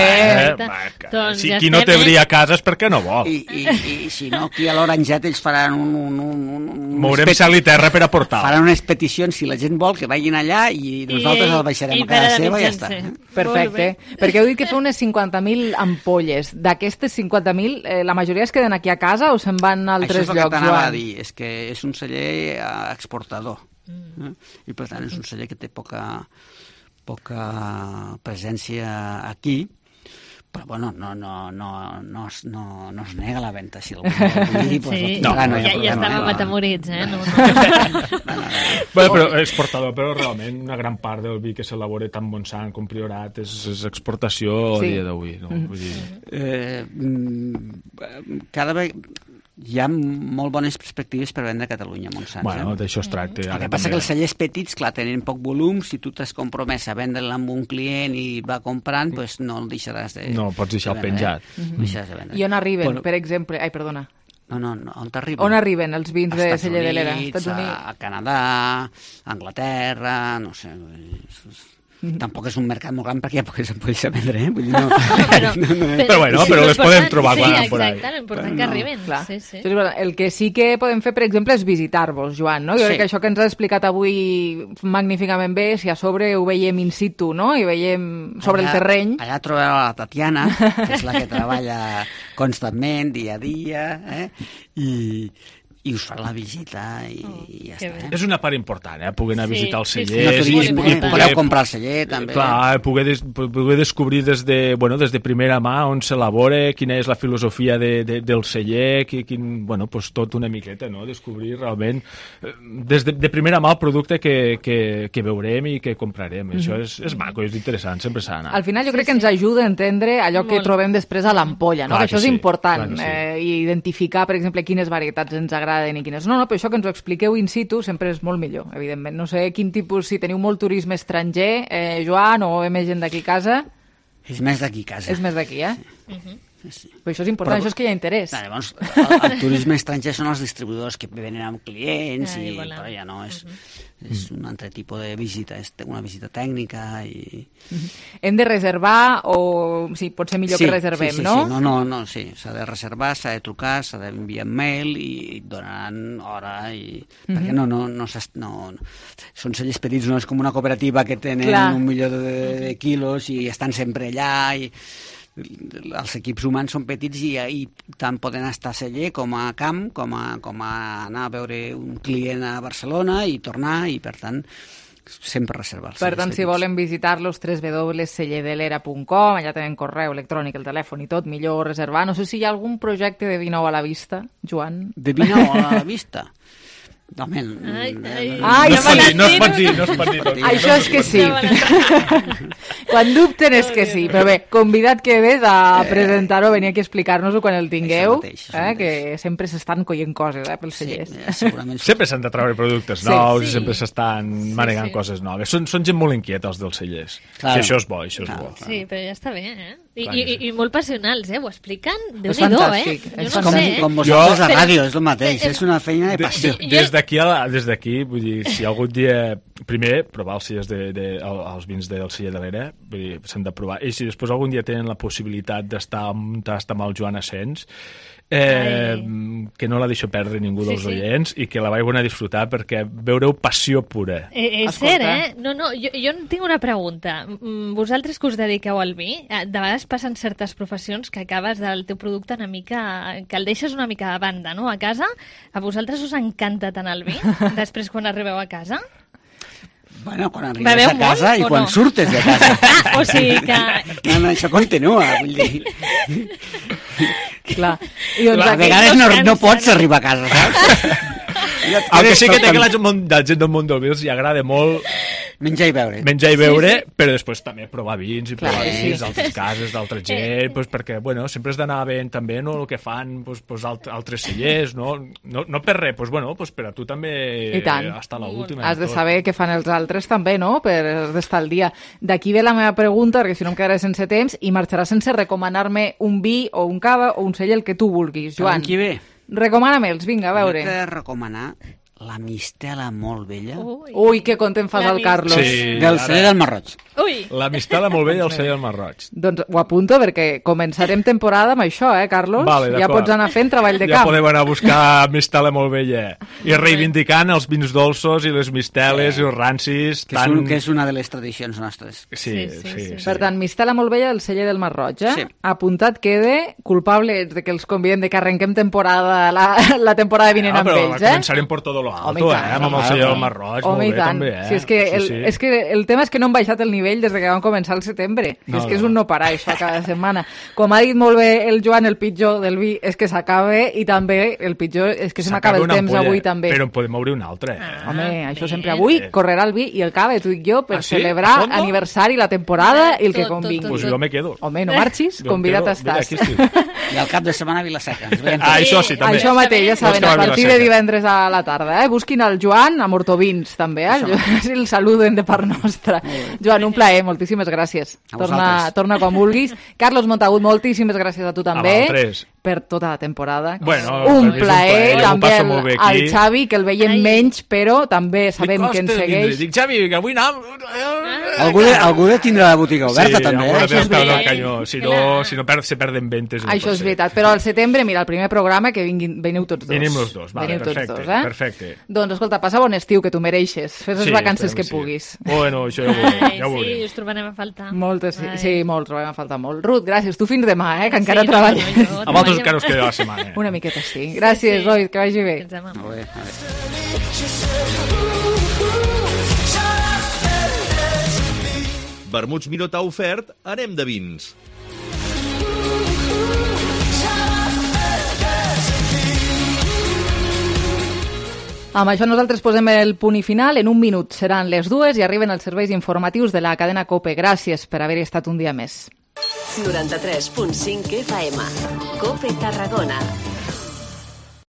Speaker 22: Si qui no té bri a casa és perquè no vol.
Speaker 8: I si no, aquí a l'Oranget ells faran
Speaker 22: mourem cel i terra per aportar.
Speaker 8: Faran unes peticions, si la gent vol, que vagin allà i nosaltres el baixarem a casa seva i ja està.
Speaker 1: Perfecte. Perquè heu dit que fa unes 50.000 ampolles. D'aquestes 50.000, la majoria es queden aquí a casa o se'n van a altres llocs?
Speaker 8: Això és el que t'anava a dir, és que és un celler exportador. I per tant és un celler que té poca presència aquí, Però, bueno, no es nega la venda. Si algú vol dir, pues,
Speaker 21: sí,
Speaker 8: no hi ha
Speaker 21: ja estàvem atemorits,
Speaker 22: No. Bueno, però exportador, però realment una gran part del vi que s'elabora tant Montsant com Priorat és exportació a dia d'avui. No? Vull dir...
Speaker 8: Cada vegada hi ha molt bones perspectives per vendre a Catalunya, Montsant.
Speaker 22: Bueno, d'això es tracta.
Speaker 8: El que passa que els cellers petits, clar, tenen poc volum. Si tu t'has compromès a vendre'l amb un client i va comprant, doncs no el deixaràs de...
Speaker 22: No, pots deixar el penjat.
Speaker 1: I on arriben, per exemple... Ai, perdona.
Speaker 8: No, on t'arriben?
Speaker 1: On arriben els vins de Celler de l'Era?
Speaker 8: Estats Units, a Canadà, a Anglaterra, no sé... Tampoc és un mercat molt gran perquè ja pots vendre, eh? Vull dir,
Speaker 22: però bueno, però les podem trobar quan
Speaker 21: anem por ahí. Sí, exacte, l'important que arriben. Sí.
Speaker 1: El que sí que podem fer, per exemple, és visitar-vos, Joan, no? Jo crec que això que ens has explicat avui magníficament bé, si a sobre ho veiem in situ, no? I veiem sobre el terreny.
Speaker 8: Allà trobeu la Tatiana, que és la que treballa constantment, dia a dia, i us fa la visita i ja està.
Speaker 22: És una part important, poder anar a visitar els cellers.
Speaker 8: Podeu comprar el celler, també.
Speaker 22: Clar, poder descobrir des de primera mà on s'elabora, quina és la filosofia del celler, tot una miqueta, no? Descobrir realment de primera mà el producte que veurem i que comprarem. Això és maco, és interessant, sempre s'ha d'anar.
Speaker 1: Al final jo crec que ens ajuda a entendre allò que trobem després a l'ampolla, no? Que això és important, identificar, per exemple, quines varietats ens agraden i quines no, però això que ens ho expliqueu in situ sempre és molt millor, evidentment. No sé quin tipus, si teniu molt turisme estranger, Joan, o més gent d'aquí a casa...
Speaker 8: És més d'aquí a casa.
Speaker 1: És més d'aquí,
Speaker 8: Sí.
Speaker 1: Però això és important, això és que hi ha interès.
Speaker 8: Llavors, el turisme estranger són els distribuïdors que venen amb clients però ja no, és un altre tipus de visita, és una visita tècnica i...
Speaker 1: Hem de reservar o sí, pot ser millor que reservem, no?
Speaker 8: Sí, s'ha de reservar, s'ha de trucar, s'ha d'enviar mail i et donaran hora perquè són cellers petits, no és com una cooperativa que tenen 1 milió de quilos i estan sempre allà i els equips humans són petits i tant poden estar a celler com a camp, com a anar a veure un client a Barcelona i tornar, i per tant sempre reservar-se.
Speaker 1: Per tant, si volen visitar-los, www.cellerdelera.com, allà tenen correu electrònic, el telèfon i tot, millor reservar. No sé si hi ha algun projecte de vi nou a la vista, Joan?
Speaker 8: De vi nou a la vista? No
Speaker 22: es pot dir tot.
Speaker 1: Això és que sí. Quan dubten és que sí. Però bé, convidat quedes a presentar-ho, venir aquí a explicar-nos-ho quan el tingueu, que sempre s'estan coient coses pels cellers.
Speaker 22: Sempre s'han de treure productes nous i sempre s'estan manegant coses noves. Són gent molt inquieta, els dels cellers. I això és bo,
Speaker 21: Sí, però ja està bé, I molt passionals, ho expliquen?
Speaker 1: És fantàstic.
Speaker 8: Com vosaltres a ràdio, és el mateix. És una feina de passió.
Speaker 22: Des d'aquí, vull dir, si algun dia... Primer, provar els els vins del Celler de l'Era, vull dir, s'han de provar. I si després algun dia tenen la possibilitat d'estar amb un tast amb el Joan Asens, que no la deixo perdre ningú dels oients i que la vaieu a disfrutar perquè veureu passió pura.
Speaker 21: És cert, No, jo tinc una pregunta. Vosaltres que us dediqueu al vi, de vegades passen certes professions que acabes del teu producte una mica... que el deixes una mica de banda, no?, a casa. A vosaltres us encanta tant el vi, després quan arribeu a casa?
Speaker 8: Bueno, quan arribes a casa i quan surtes de casa.
Speaker 21: O sigui que...
Speaker 8: No, això continua, vull dir...
Speaker 1: Clar.
Speaker 8: A vegades no pots arribar a casa, saps?
Speaker 22: El que sí que té que la gent del món del vi els agrada molt
Speaker 8: menjar i
Speaker 22: beure, però després també provar vins i provar vins d'altres cases, d'altra gent, perquè sempre has d'anar veient també el que fan altres cellers, no per res, per a tu també estar a l'última.
Speaker 1: Has de saber què fan els altres també, no?, per estar al dia. D'aquí ve la meva pregunta, perquè si no em quedaré sense temps i marxarà sense recomanar-me un vi o un cava o un celler, el que tu vulguis, Joan.
Speaker 8: Qui ve?
Speaker 1: Recomana-me'ls, vinga, a veure.
Speaker 8: Jo t'he de recomanar la mistela molt vella.
Speaker 1: Ui, que content fas el Carlos.
Speaker 8: Del celler del Marroig.
Speaker 22: La mistela molt vella del celler del Marroig.
Speaker 1: Doncs ho apunto perquè començarem temporada amb això, Carlos?
Speaker 22: Vale,
Speaker 1: ja pots anar fent treball de camp.
Speaker 22: Ja podem anar a buscar mistela molt vella. I reivindicant els vins dolços i les misteles i els rancis.
Speaker 8: Que és una de les tradicions nostres.
Speaker 22: Sí.
Speaker 1: Per tant, mistela molt vella del celler del Marroig. Apuntat quede, culpable de que els convidem de que arrenquem temporada, la temporada vinent amb ells.
Speaker 22: Començarem per tot lo alto, amb el senyor Marroig, molt bé, també,
Speaker 1: Sí, és que el tema és que no han baixat el nivell des que vam començar el setembre. És que és un no parar, això, cada setmana. Com ha dit molt bé el Joan, el pitjor del vi és que s'acaba, i també el pitjor és que se m'acaba el temps avui, també.
Speaker 22: Però en podem obrir un altre.
Speaker 1: Home, això sempre avui correrà el vi i el cava, tu i jo, per celebrar aniversari, la temporada i el que convingui.
Speaker 22: Pues jo me quedo.
Speaker 1: Home, no marxis, convidat estàs.
Speaker 8: I al cap de setmana a Vila-seca.
Speaker 22: Això sí, també.
Speaker 1: Això mateix, ja saben, a partir de divendres a la tarda. Busquin el Joan a Mortovins, també. Si el saluden de part nostra. Joan, un plaer, moltíssimes gràcies. Torna quan vulguis. Carlos Montagut, moltíssimes gràcies a tu també per tota la temporada. Un plaer, també al Xavi, que el veiem menys, però també sabem que ens segueix.
Speaker 22: Dic, Xavi, que avui anem...
Speaker 8: Algú de tindre la botiga oberta, també.
Speaker 22: Si no se perden ventes.
Speaker 1: Això és veritat, però al setembre, mira, el primer programa, que veniu tots dos.
Speaker 22: Venim els dos, vale, perfecte.
Speaker 1: Doncs escolta, passa bon estiu, que tu mereixes. Fes les vacances que puguis.
Speaker 22: Bueno, això ja ho veurem.
Speaker 21: Sí, us trobarem a faltar.
Speaker 1: Moltes, sí, molts trobem a faltar molt. Ruth, gràcies. Tu fins demà, que encara treballes.
Speaker 22: A vosaltres encara us queda la setmana.
Speaker 1: Una miqueta, sí. Gràcies, Roy, que vagi bé.
Speaker 23: Vermuts Miró t'ha ofert Anem de vins.
Speaker 1: Amb això nosaltres posem el punt i final. En un minut seran les 2 i arriben els serveis informatius de la cadena COPE. Gràcies per haver estat un dia més.
Speaker 2: 93.5 FM. COPE Tarragona.